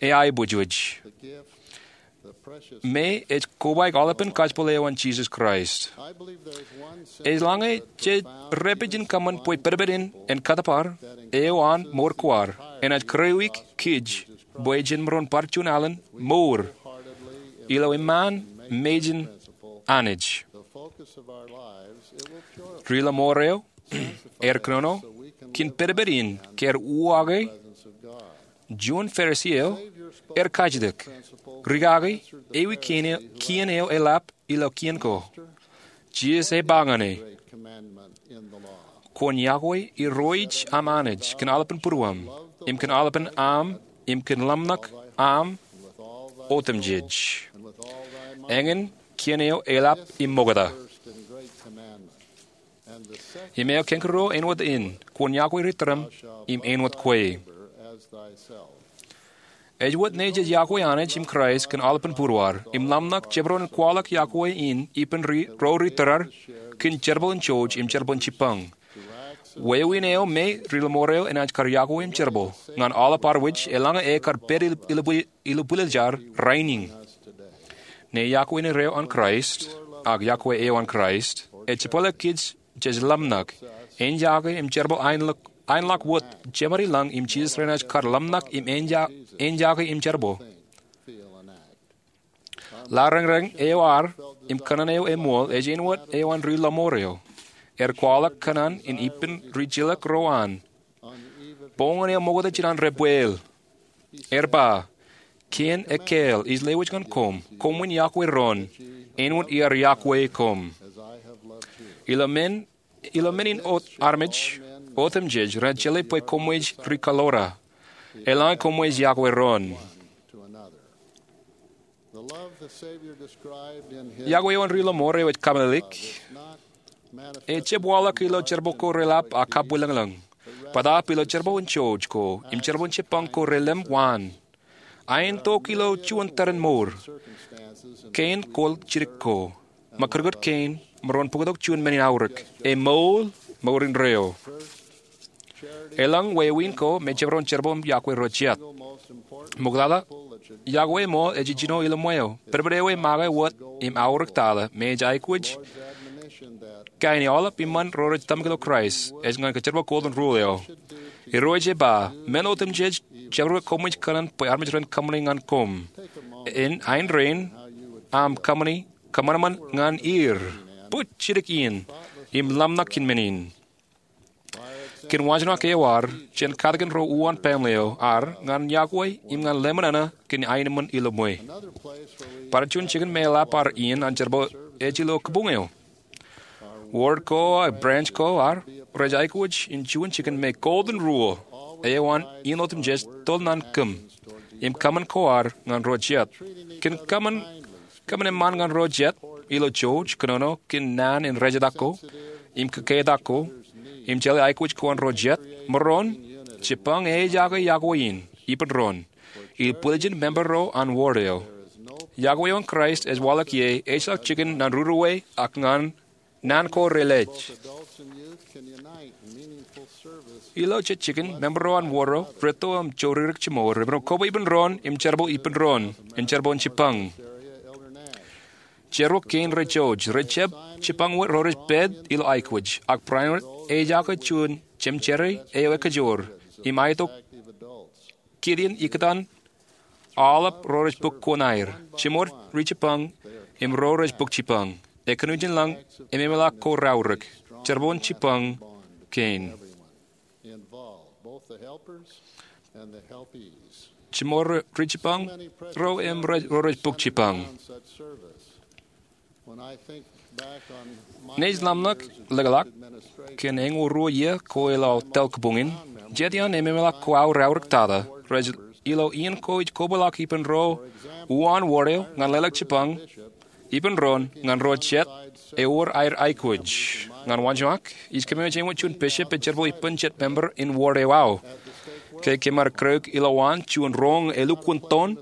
eaiboojoj, me ej kobaik aolepān gospel eo an Jisōs Kraist. Eḷaññe jej repej in kōṃṃan bwe pedped in en kōttōpar eo an mour ko ad, enaaj kūrreoik kōj bwe jen maroñ bar juon alen mour ilo eṃṃaan mejān Anij. Ri-lọmọọr eo er kōnono kōn pedped in kar uwaake juon Farisi eo er kajjitōk, rikaki ewi kien eo eḷap ilo kien ko. Jisōs ej ba ñan e, Kwōn yokwe Irooj aṃ Anij kōn aolepān būruōṃ, im kōn aolepān aṃ, im kōn ḷōmṇak aṃ otemjej. Eñin kien eo eḷap im ṃokta. Im eo kañkūruo āinwōt in, Kwōn yokwe ri tūrōṃ im āinwōt kwe. Ej wōt naaj jej yokwe Anij im Kraist kōn aolepān būruod, im ḷōmṇak jemaroñ in kwaḷọk yokwe in ippān ro ri tōre kōn jerbal in jouj im jerbal in jipañ. Wāween eo me ri-lọmọọr eo enaaj kar yokwe im jerbal ñan aolep ad wōj eḷaññe e kar pād ilubwiljar rainin. Ṇe yokwe indeeo an Kraist, ak yokwe eo an Kraist, ej jepwale kōj jej ḷōmṇak, eñjake im jerbal aenḷọk wōt jemān i lañ im Jisōs renaaj kar ḷōmṇak im eñjake im jerbal. Ḷareñreñ eo ad im kōṇaan eo eṃool ej āinwōt eo an ri-lọmọọr eo. Er kwaḷọk kōṇaan in ippān rijilōk ro an boñōn eo ṃokta jān an rebweel. Er ba, Kien ekkāāl ij lewōj ñan koṃ, koṃwin yokwe doon, āinwōt iar yokwe koṃ. Ilo men in armej otemjej renaaj jeḷā bwe koṃij ri-kaḷoor, eḷaññe koṃij yokwe doon. Yokwe eo an ri-lọmọọr eo ej kaṃōṇōṇō eo ej jab waḷọk ilo jerbal ko reḷap ak kabwilōñlōñ, bōtaab ilo jerbal in jouj ko im jerbal in jipañ ko relem waan. Aentok ilo juon tōre in mour, kein kol jidik ko, ṃakūtkūt kein, maroñ bōktok juon men in aorōk, eṃool, mour indeeo. Elōñ wāween ko me jemaroñ jerbal im yokwe ro jet. Ṃoktata, yokwe eṃool ej ijjino ilo ṃweo. Pedped eo ej make wōt im aorōk tata me ej aikuj kain aolep iṃōn ro rej tōmak ilo Kraist ej ñan kōjerbal Golden Rule eo. Irooj ej ba, Men otemjej jabdewōt koṃij kōṇaan bwe armej ren kōṃṃani ñan koṃ. Ain rein aṃ kōṃṃani kōṃanṃan ñan er. Bōk jidik in im ḷōmṇak kōn men in. Kōn waanjoñak eo ad jān katakin ro uwaan baaṃle eo ad ñan yokwe im ñan lemñoṇe kōn aenōṃṃan ilo ṃwe, bar juon jikin me eḷap ad iien an jerbal ej ilo kabuñ eo. Ward ko ak branch ko ad rej aikuj in juon jikin me Golden Rule eo an in otemjej tōl naan kōm im kōṃṃan ko ad ñan ro jet. Kōn kōṃṃan eṃṃaan ñan ro jet ilo jouj, kōnono kōn naan in rejetak ko im kōketak ko, im jeḷā aikuj ko an ro jet, maroñ jipañ eaake yokwe in ippān doon ilo bwiljin member ro an ward eo. Yokwe eo an Kraist ej waḷọk ie ejjeḷọk jikin naan ruruwe ak naan ko relej. Ilo jet jikin, member ro an ward eo retto im joririk jiṃor im rej kobwe ippān doon im jerbal ippān doon im jerbal in jipañ. Jerbal kein rej jouj, rej jab jipañ wōt ro rej pād ilo aikuj, ak barāinwōt eaake juon cemetery eo ekajoor im aitok kidien ikōtaan aolep ro rej bōk kuṇaer, jiṃor rijipañ im ro rej bōk jipañ. Ekōnooj in lañ ememḷọk ko raorōk, jerbal in jipañ kein. Jiṃor ri jipañ ro im ro rej bōk jipañ. Naij ḷōmṇak ḷōkḷak kōn eñoul ruo iiō ko ilo aō tōl kabuñ in, jet iaan ememḷọk ko aō reaorōk tata rej ilo iien ko ij kobwilọk ippān ro uwaan wōr eo ñan leḷọk jipañ ippān doon ñan ro jet ewōr aer aikuj. Ñan waanjoñak, ij kememej āinwōt juon bishop ej jerbal ippān jet member in wōr eo aō. Ke kōm ar kūr ilo waan juon roñ elukkuun toon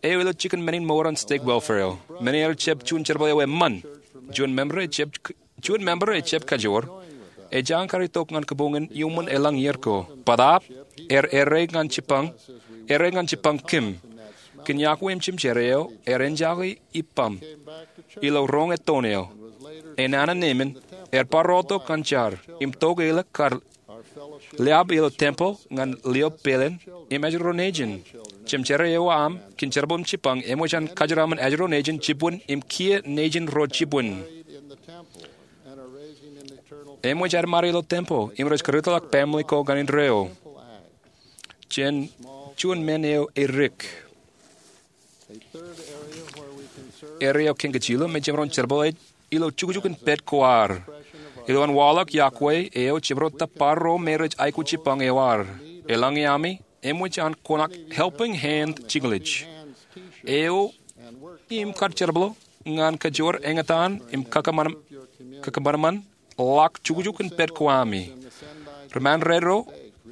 eo ilo jikin men in mour an stake welfare eo, men eo ejjab juon jerbal eo eṃṃan, juon member ejjab kajoor, ej jañin kar itok ñan kabuñ in iuṃwin elōñ iiō ko. Bōtaab, er errā ñan jipañ, errā ñan jipañ kōm. Kōn yokwe im jemjerā eo, er enjake ippaṃ ilo roñ ettoon eo. Enana nemān, er bar rotok ñan jar im tok eḷap kar liab ilo tempeḷ ñan lio peiḷ in im ajri ro nejin. Jemjerā eo aṃ kōn jerbal im jipañ eṃōj an kajeraṃṃan ajri ro nejin jibwin im kiiō nejin ro jibwin. Eṃōj ad ṃade ilo tempeḷ im rej kūrutḷọk baaṃle ko ñan indeeo jān juon men eo edik. Errā eo kōn kōj ilo me jemaroñ jerbal ej ilo jukjuk in pād ko ad. Ilo an waḷọk yokwe eo, jemaroñ tōpar ro me rej aikuj jipañ eo ad. Eḷaññe ami eṃōj an konak Helping Hand jiklij eo im kar jerbal ñan kajoor eñtaan im kakōṃanṃan ḷọk jukjuk in pād ko ami. Ri-Mandarin ro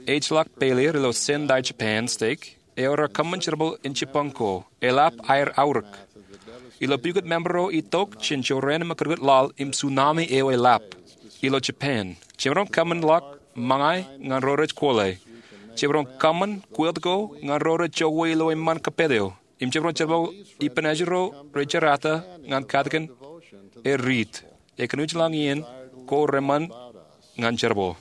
ej ḷọk pāleer ilo Sendai, Japan stake eo raar kōṃṃan jerbal in jipañ ko. Eḷap aer aorōk. Ilo pukot member ro itok jān jorrāān ṃōkūtkūt laḷ im tsunami eo eḷap ilo Japan, jemaroñ kōṃṃan ḷọk ṃōñā ñan ro rej kole. Jemaroñ kōṃṃan kweilọk ko ñan ro rej jokwe ilo eṃṃan kōppād eo. Im jemaroñ jerbal ippān ajri ro rej jerata ñan katakin er riit. Ekōnuj lañ iien ko reṃṃan ñan jerbal.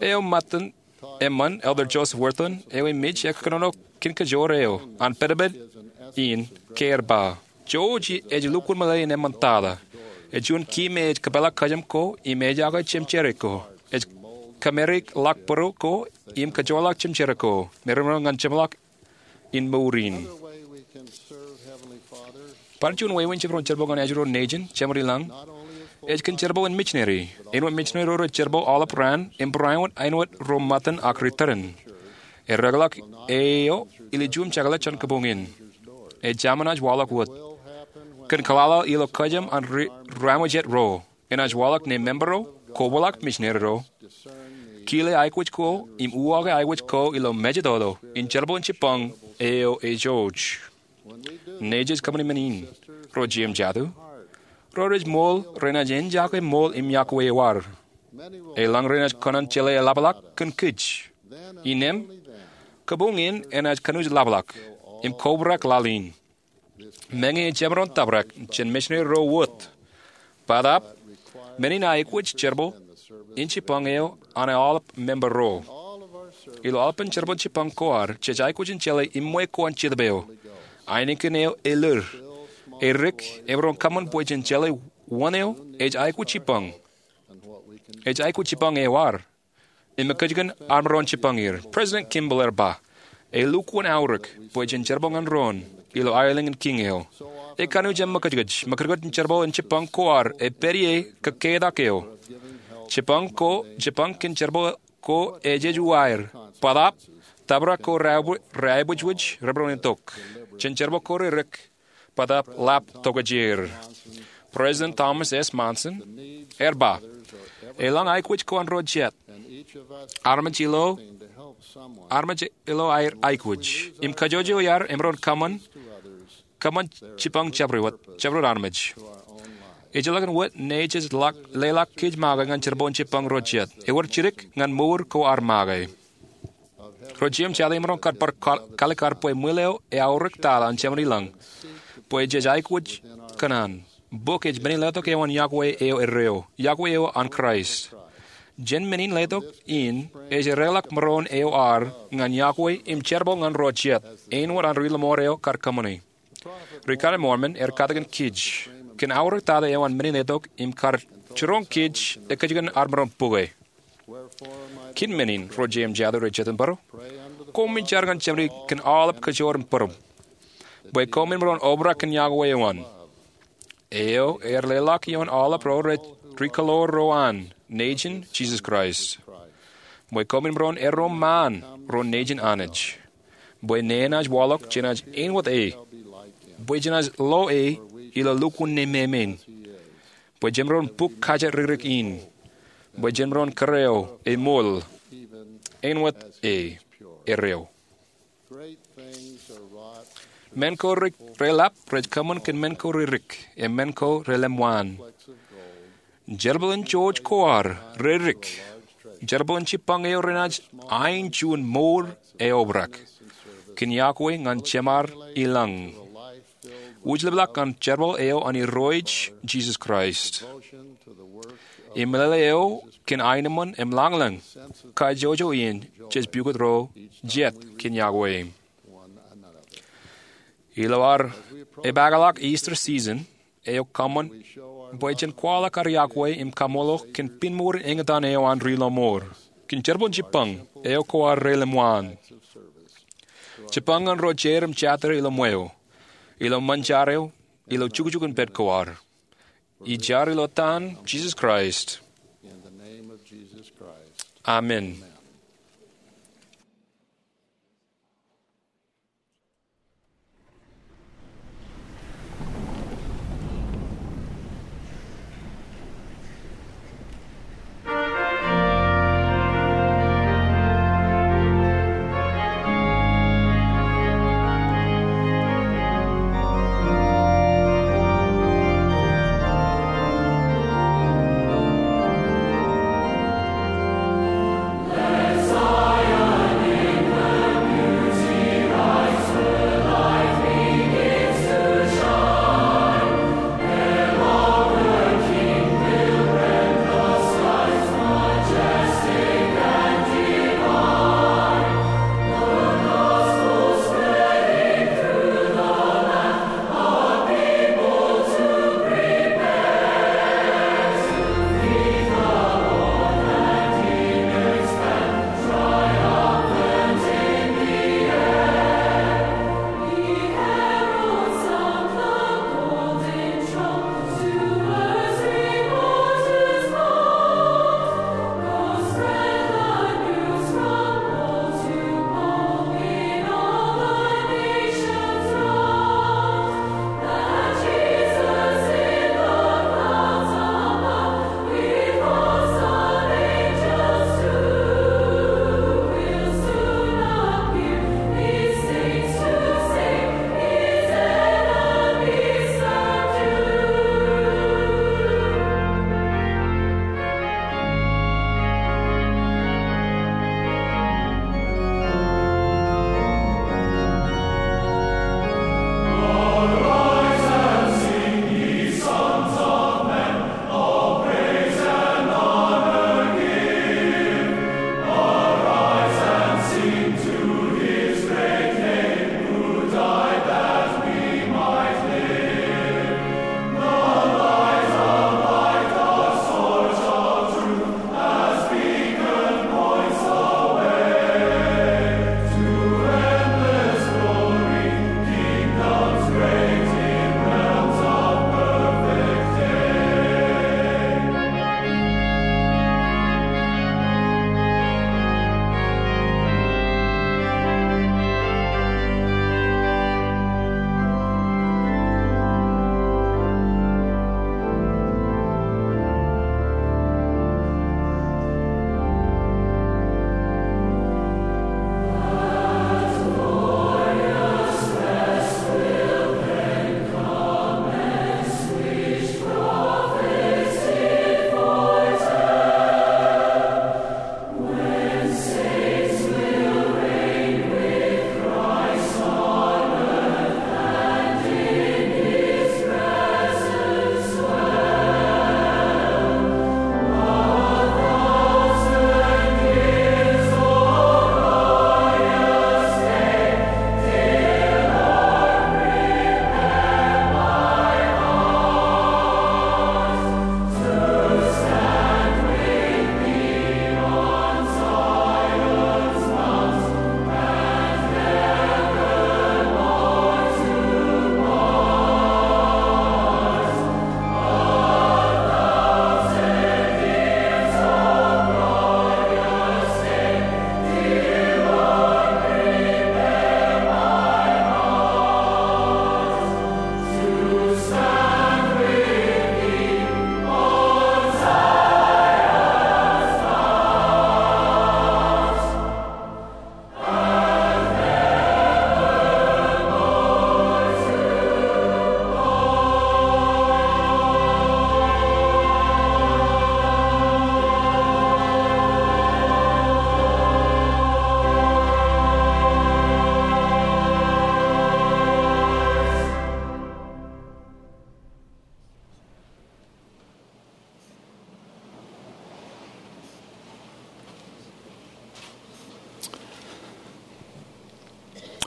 Eo ṃōttan eṃṃan, Elder Joseph Wirthlin, eo ej mej ekōnono kōn kajoor eo an pedped in, ke er ba, Jouj ej lukkuun meḷeḷe in eṃṃan tata. Ej juon ki me ej kōpeḷḷọk kōjām ko im ejake jemjerā ko. Ej kōmārik ḷọk būruō ko im kōjorḷọk jemjerā ko me remaroñ ñan jeṃḷọk in mour in. Bar juon wāween jemaroñ jerbal ñan ajri ro nejin, jemād i lañ, ej kōn jerbal in mijineri. Āinwōt mijineri ro rej jerbal aolep raan im bareinwōt āinwōt ro ṃōttan ak ri tōren. Ereḷọk eo ilo juon jekḷaj jān kabuñ in. Ej jaṃ enaaj waḷọk wōt. Kōn kōḷaḷḷaḷ ilo kōjām an ri-, rāmwōj ro, enaaj waḷọk ṇe member ro, kobwilọk mijineri ro, kile aikuj ko im uwaake aikuj ko ilo mejatoto in jerbal in jipañ eo ejouj. Nejej kōṃṃani men in, ro jeiū im jatū, ro rej ṃool renaaj enjake ṃool im yokwe eo ad. Eḷaññe renaaj kōṇaan jeḷā eḷapḷọk kōn kōj. Innām, kabuñ in enaaj kōnuuj ḷapḷọk im kobrak laḷ in. Meñe ejjab maroñ tōprak jān mijineri ro wōt. Bōtaab, men in aikuj jerbal in jipañ eo an aolep member ro. Ilo aolepān jerbal in jipañ ko ad, jej aikuj in jeḷā iṃwe ko an Jetōb eo. Ainikien eo elir. Edik, emaroñ kōṃṃan bwe jen jeḷā wōn eo ej aikuj jipañ. Ej aikuj jipañ eo ad. Im ṃōkajjikōn ad maroñ jipañ er. President Kimball ear ba, elukkuun aorōk bwe jen jerbal ñan doon ilo aelōñ in Kiiñ eo. Ekanooj im ṃōkajkōj, ṃōkajkōj in jerbal in jipañ ko ad epād ie kōkketak eo. Jipañ ko, jipañ kōn jerbal ko ejej uwaer. Bōtaab, tōprak ko reaibwijwij remaroñ itok. Jen jerbal ko redik. Bōtaab ḷap tokjāer. President Thomas S. Monson ear ba, elōñ aikuj ko an ro jet. Armej ilo, armej ilo aer aikuj. Im kajjojo iaad emaroñ kōṃṃan, kōṃṃan jipañ jabdewōt, jabdewōt armej. Ejjeḷọk wōt ṇe jej ḷak, leḷọk kōj make ñan jerbal in jipañ ro jet. Ewōr jidik ñan mour ko ad make. Ro jeiū im jatū, emaroñ kar bar kal-, kaalikkar bwe ṃwiin eo eaorōk tata an Jemān ilañ. Bwe jej aikuj kōṇaan. Bok ej men in letok eo an yokwe eo erreo. Yokwe eo an Kraist. Jān men in letok in, ej ereḷọk maroñ eo ad ñan yokwe im jerbal ñan ro jet. Āinwōt an ri-lọmọọr eo kar kōṃṃani. Ri-kōṇaan Mormon ear katakin kōj kōn aorōk tata eo an men in letok im kar jiroñ kōj ekajjien armej ro im bōke. Kōn men in, ro jeiū im jatū rej jitōnbōro, koṃij jar ñan Jemān kōn aolep kōjro im būruōm, bwe koṃwin maroñ obrak kōn yokwe eo an, eo ear leḷọk ioon aolep ro rej rikōḷoor ro an Nejin Jisōs Kraist, bwe koṃwin maroñ eddo ṃaan ro nejin Anij, bwe nenaaj waḷọk jenaaj āinwōt e, bwe jenaaj lo e ilo lukkuun nemāmein, bwe jemaroñ buk kajjitōk in, bwe jemaroñ kōrā eo eṃool āinwōt e erreo. Men ko reḷap rej kōṃṃan kōn men ko redik, im men ko relemwaan. Jerbal in jouj ko ad redik. Jerbal in jibboñ eo renaaj ain juon mour eobrak kōn yokwe ñan Jemān ilañ, wūjlepḷọk ñan jerbal eo an Irooj Jisōs Kraist. Im meḷeḷe eo kōn aenōṃṃan im lañlōñ, kajjojo iien jej pukot ro jet kōn yokwe. Ilo ad epaakḷọk Easter season eo kōṃṃan bwe jen kwaḷọk ad yokwe im kaṃṃoolol kōn pinmour in eñtaan eo an ri lọmọọr kōn jerbal in jibboñ eo ko ad relemwaan. Jibboñ ñan ro jeid im jatid ilo ṃweo, ilo ṃōn jar eo, ilo jukjuk in pād ko ad. Ij jar ilo etan Jisōs Kraist. Amen.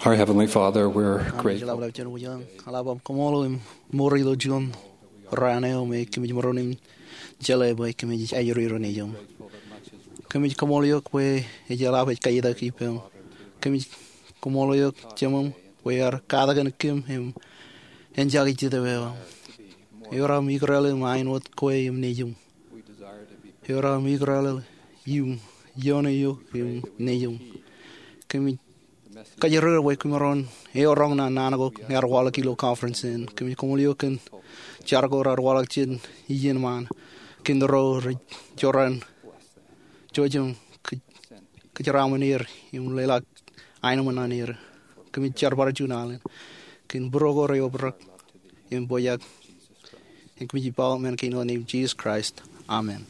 Our Heavenly Father, we're grateful. Eḷap, eḷap, jen wōj aṃ, eḷap aṃ kaṃṃoolol im mour ilo juon raan eo me kōmij maroñ in jeḷā bwe kōmij ajri ro nejūṃ. Kōmij kaṃṃoolol eok bwe ej eḷap ej kaitak ippām. Kōmij kaṃṃoolol eok Jemem bwe ear katakin kōm im en jake Jetōb eo aṃ. Ewōr aṃ ikrelel im āinwōt kwe im nejūṃ. Ewōr aṃ ikrelel im iioon eok im nejūṃ. Kōmij kōjro bwe kwōmaroñ eoroñ naan ko ear waḷọk ilo conference in. Kōmij kaṃṃoolol eok kōn jar ko raar waḷọk jān iien ṃaan kōn ro rej jorrāān jouj im kōj, kōjeraaṃṃan er im leḷọk aenōṃṃan ñan er. Kōmij jar bar juon alen kōn būruo ko rej obrak im pojak. Im kōmij ij ba men kein ilo name Jesus Christ. Amen.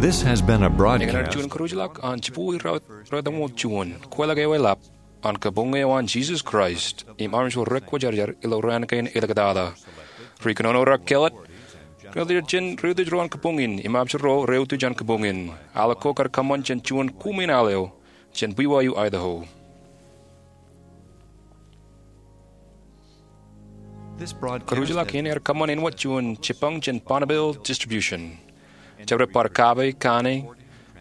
This has been a broadcast. Eñin ear juon karuj ḷọk an jibukwi ruo, ruo etaṃ wōt juon. Kwōjeḷā ke ewi lap an Kabuñ eo an Jesus Christ im armej ro rekwōjarjar ilo raan kein āliktata. Ri kōnono raar kālet, kōnono jān ri utiej ro an kabuñ in im armej ro re utiej an kabuñ in. Al ko kar kōṃṃan jān juon kuṃwin al eo jān B Y U Idaho. Karuj ḷọk in ear kōṃṃan āinwōt juon jipañ jān Bonneville Distribution. Jabdewōt bar kape, kanne,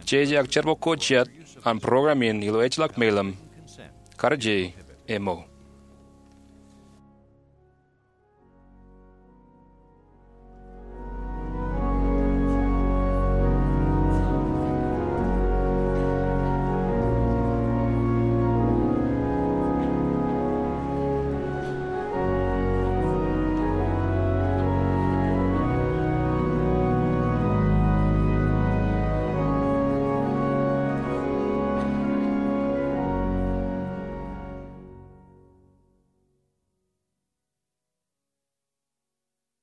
jeje ak jerbal ko jet an program in ilo ejjeḷọk mejān, kar je, emo.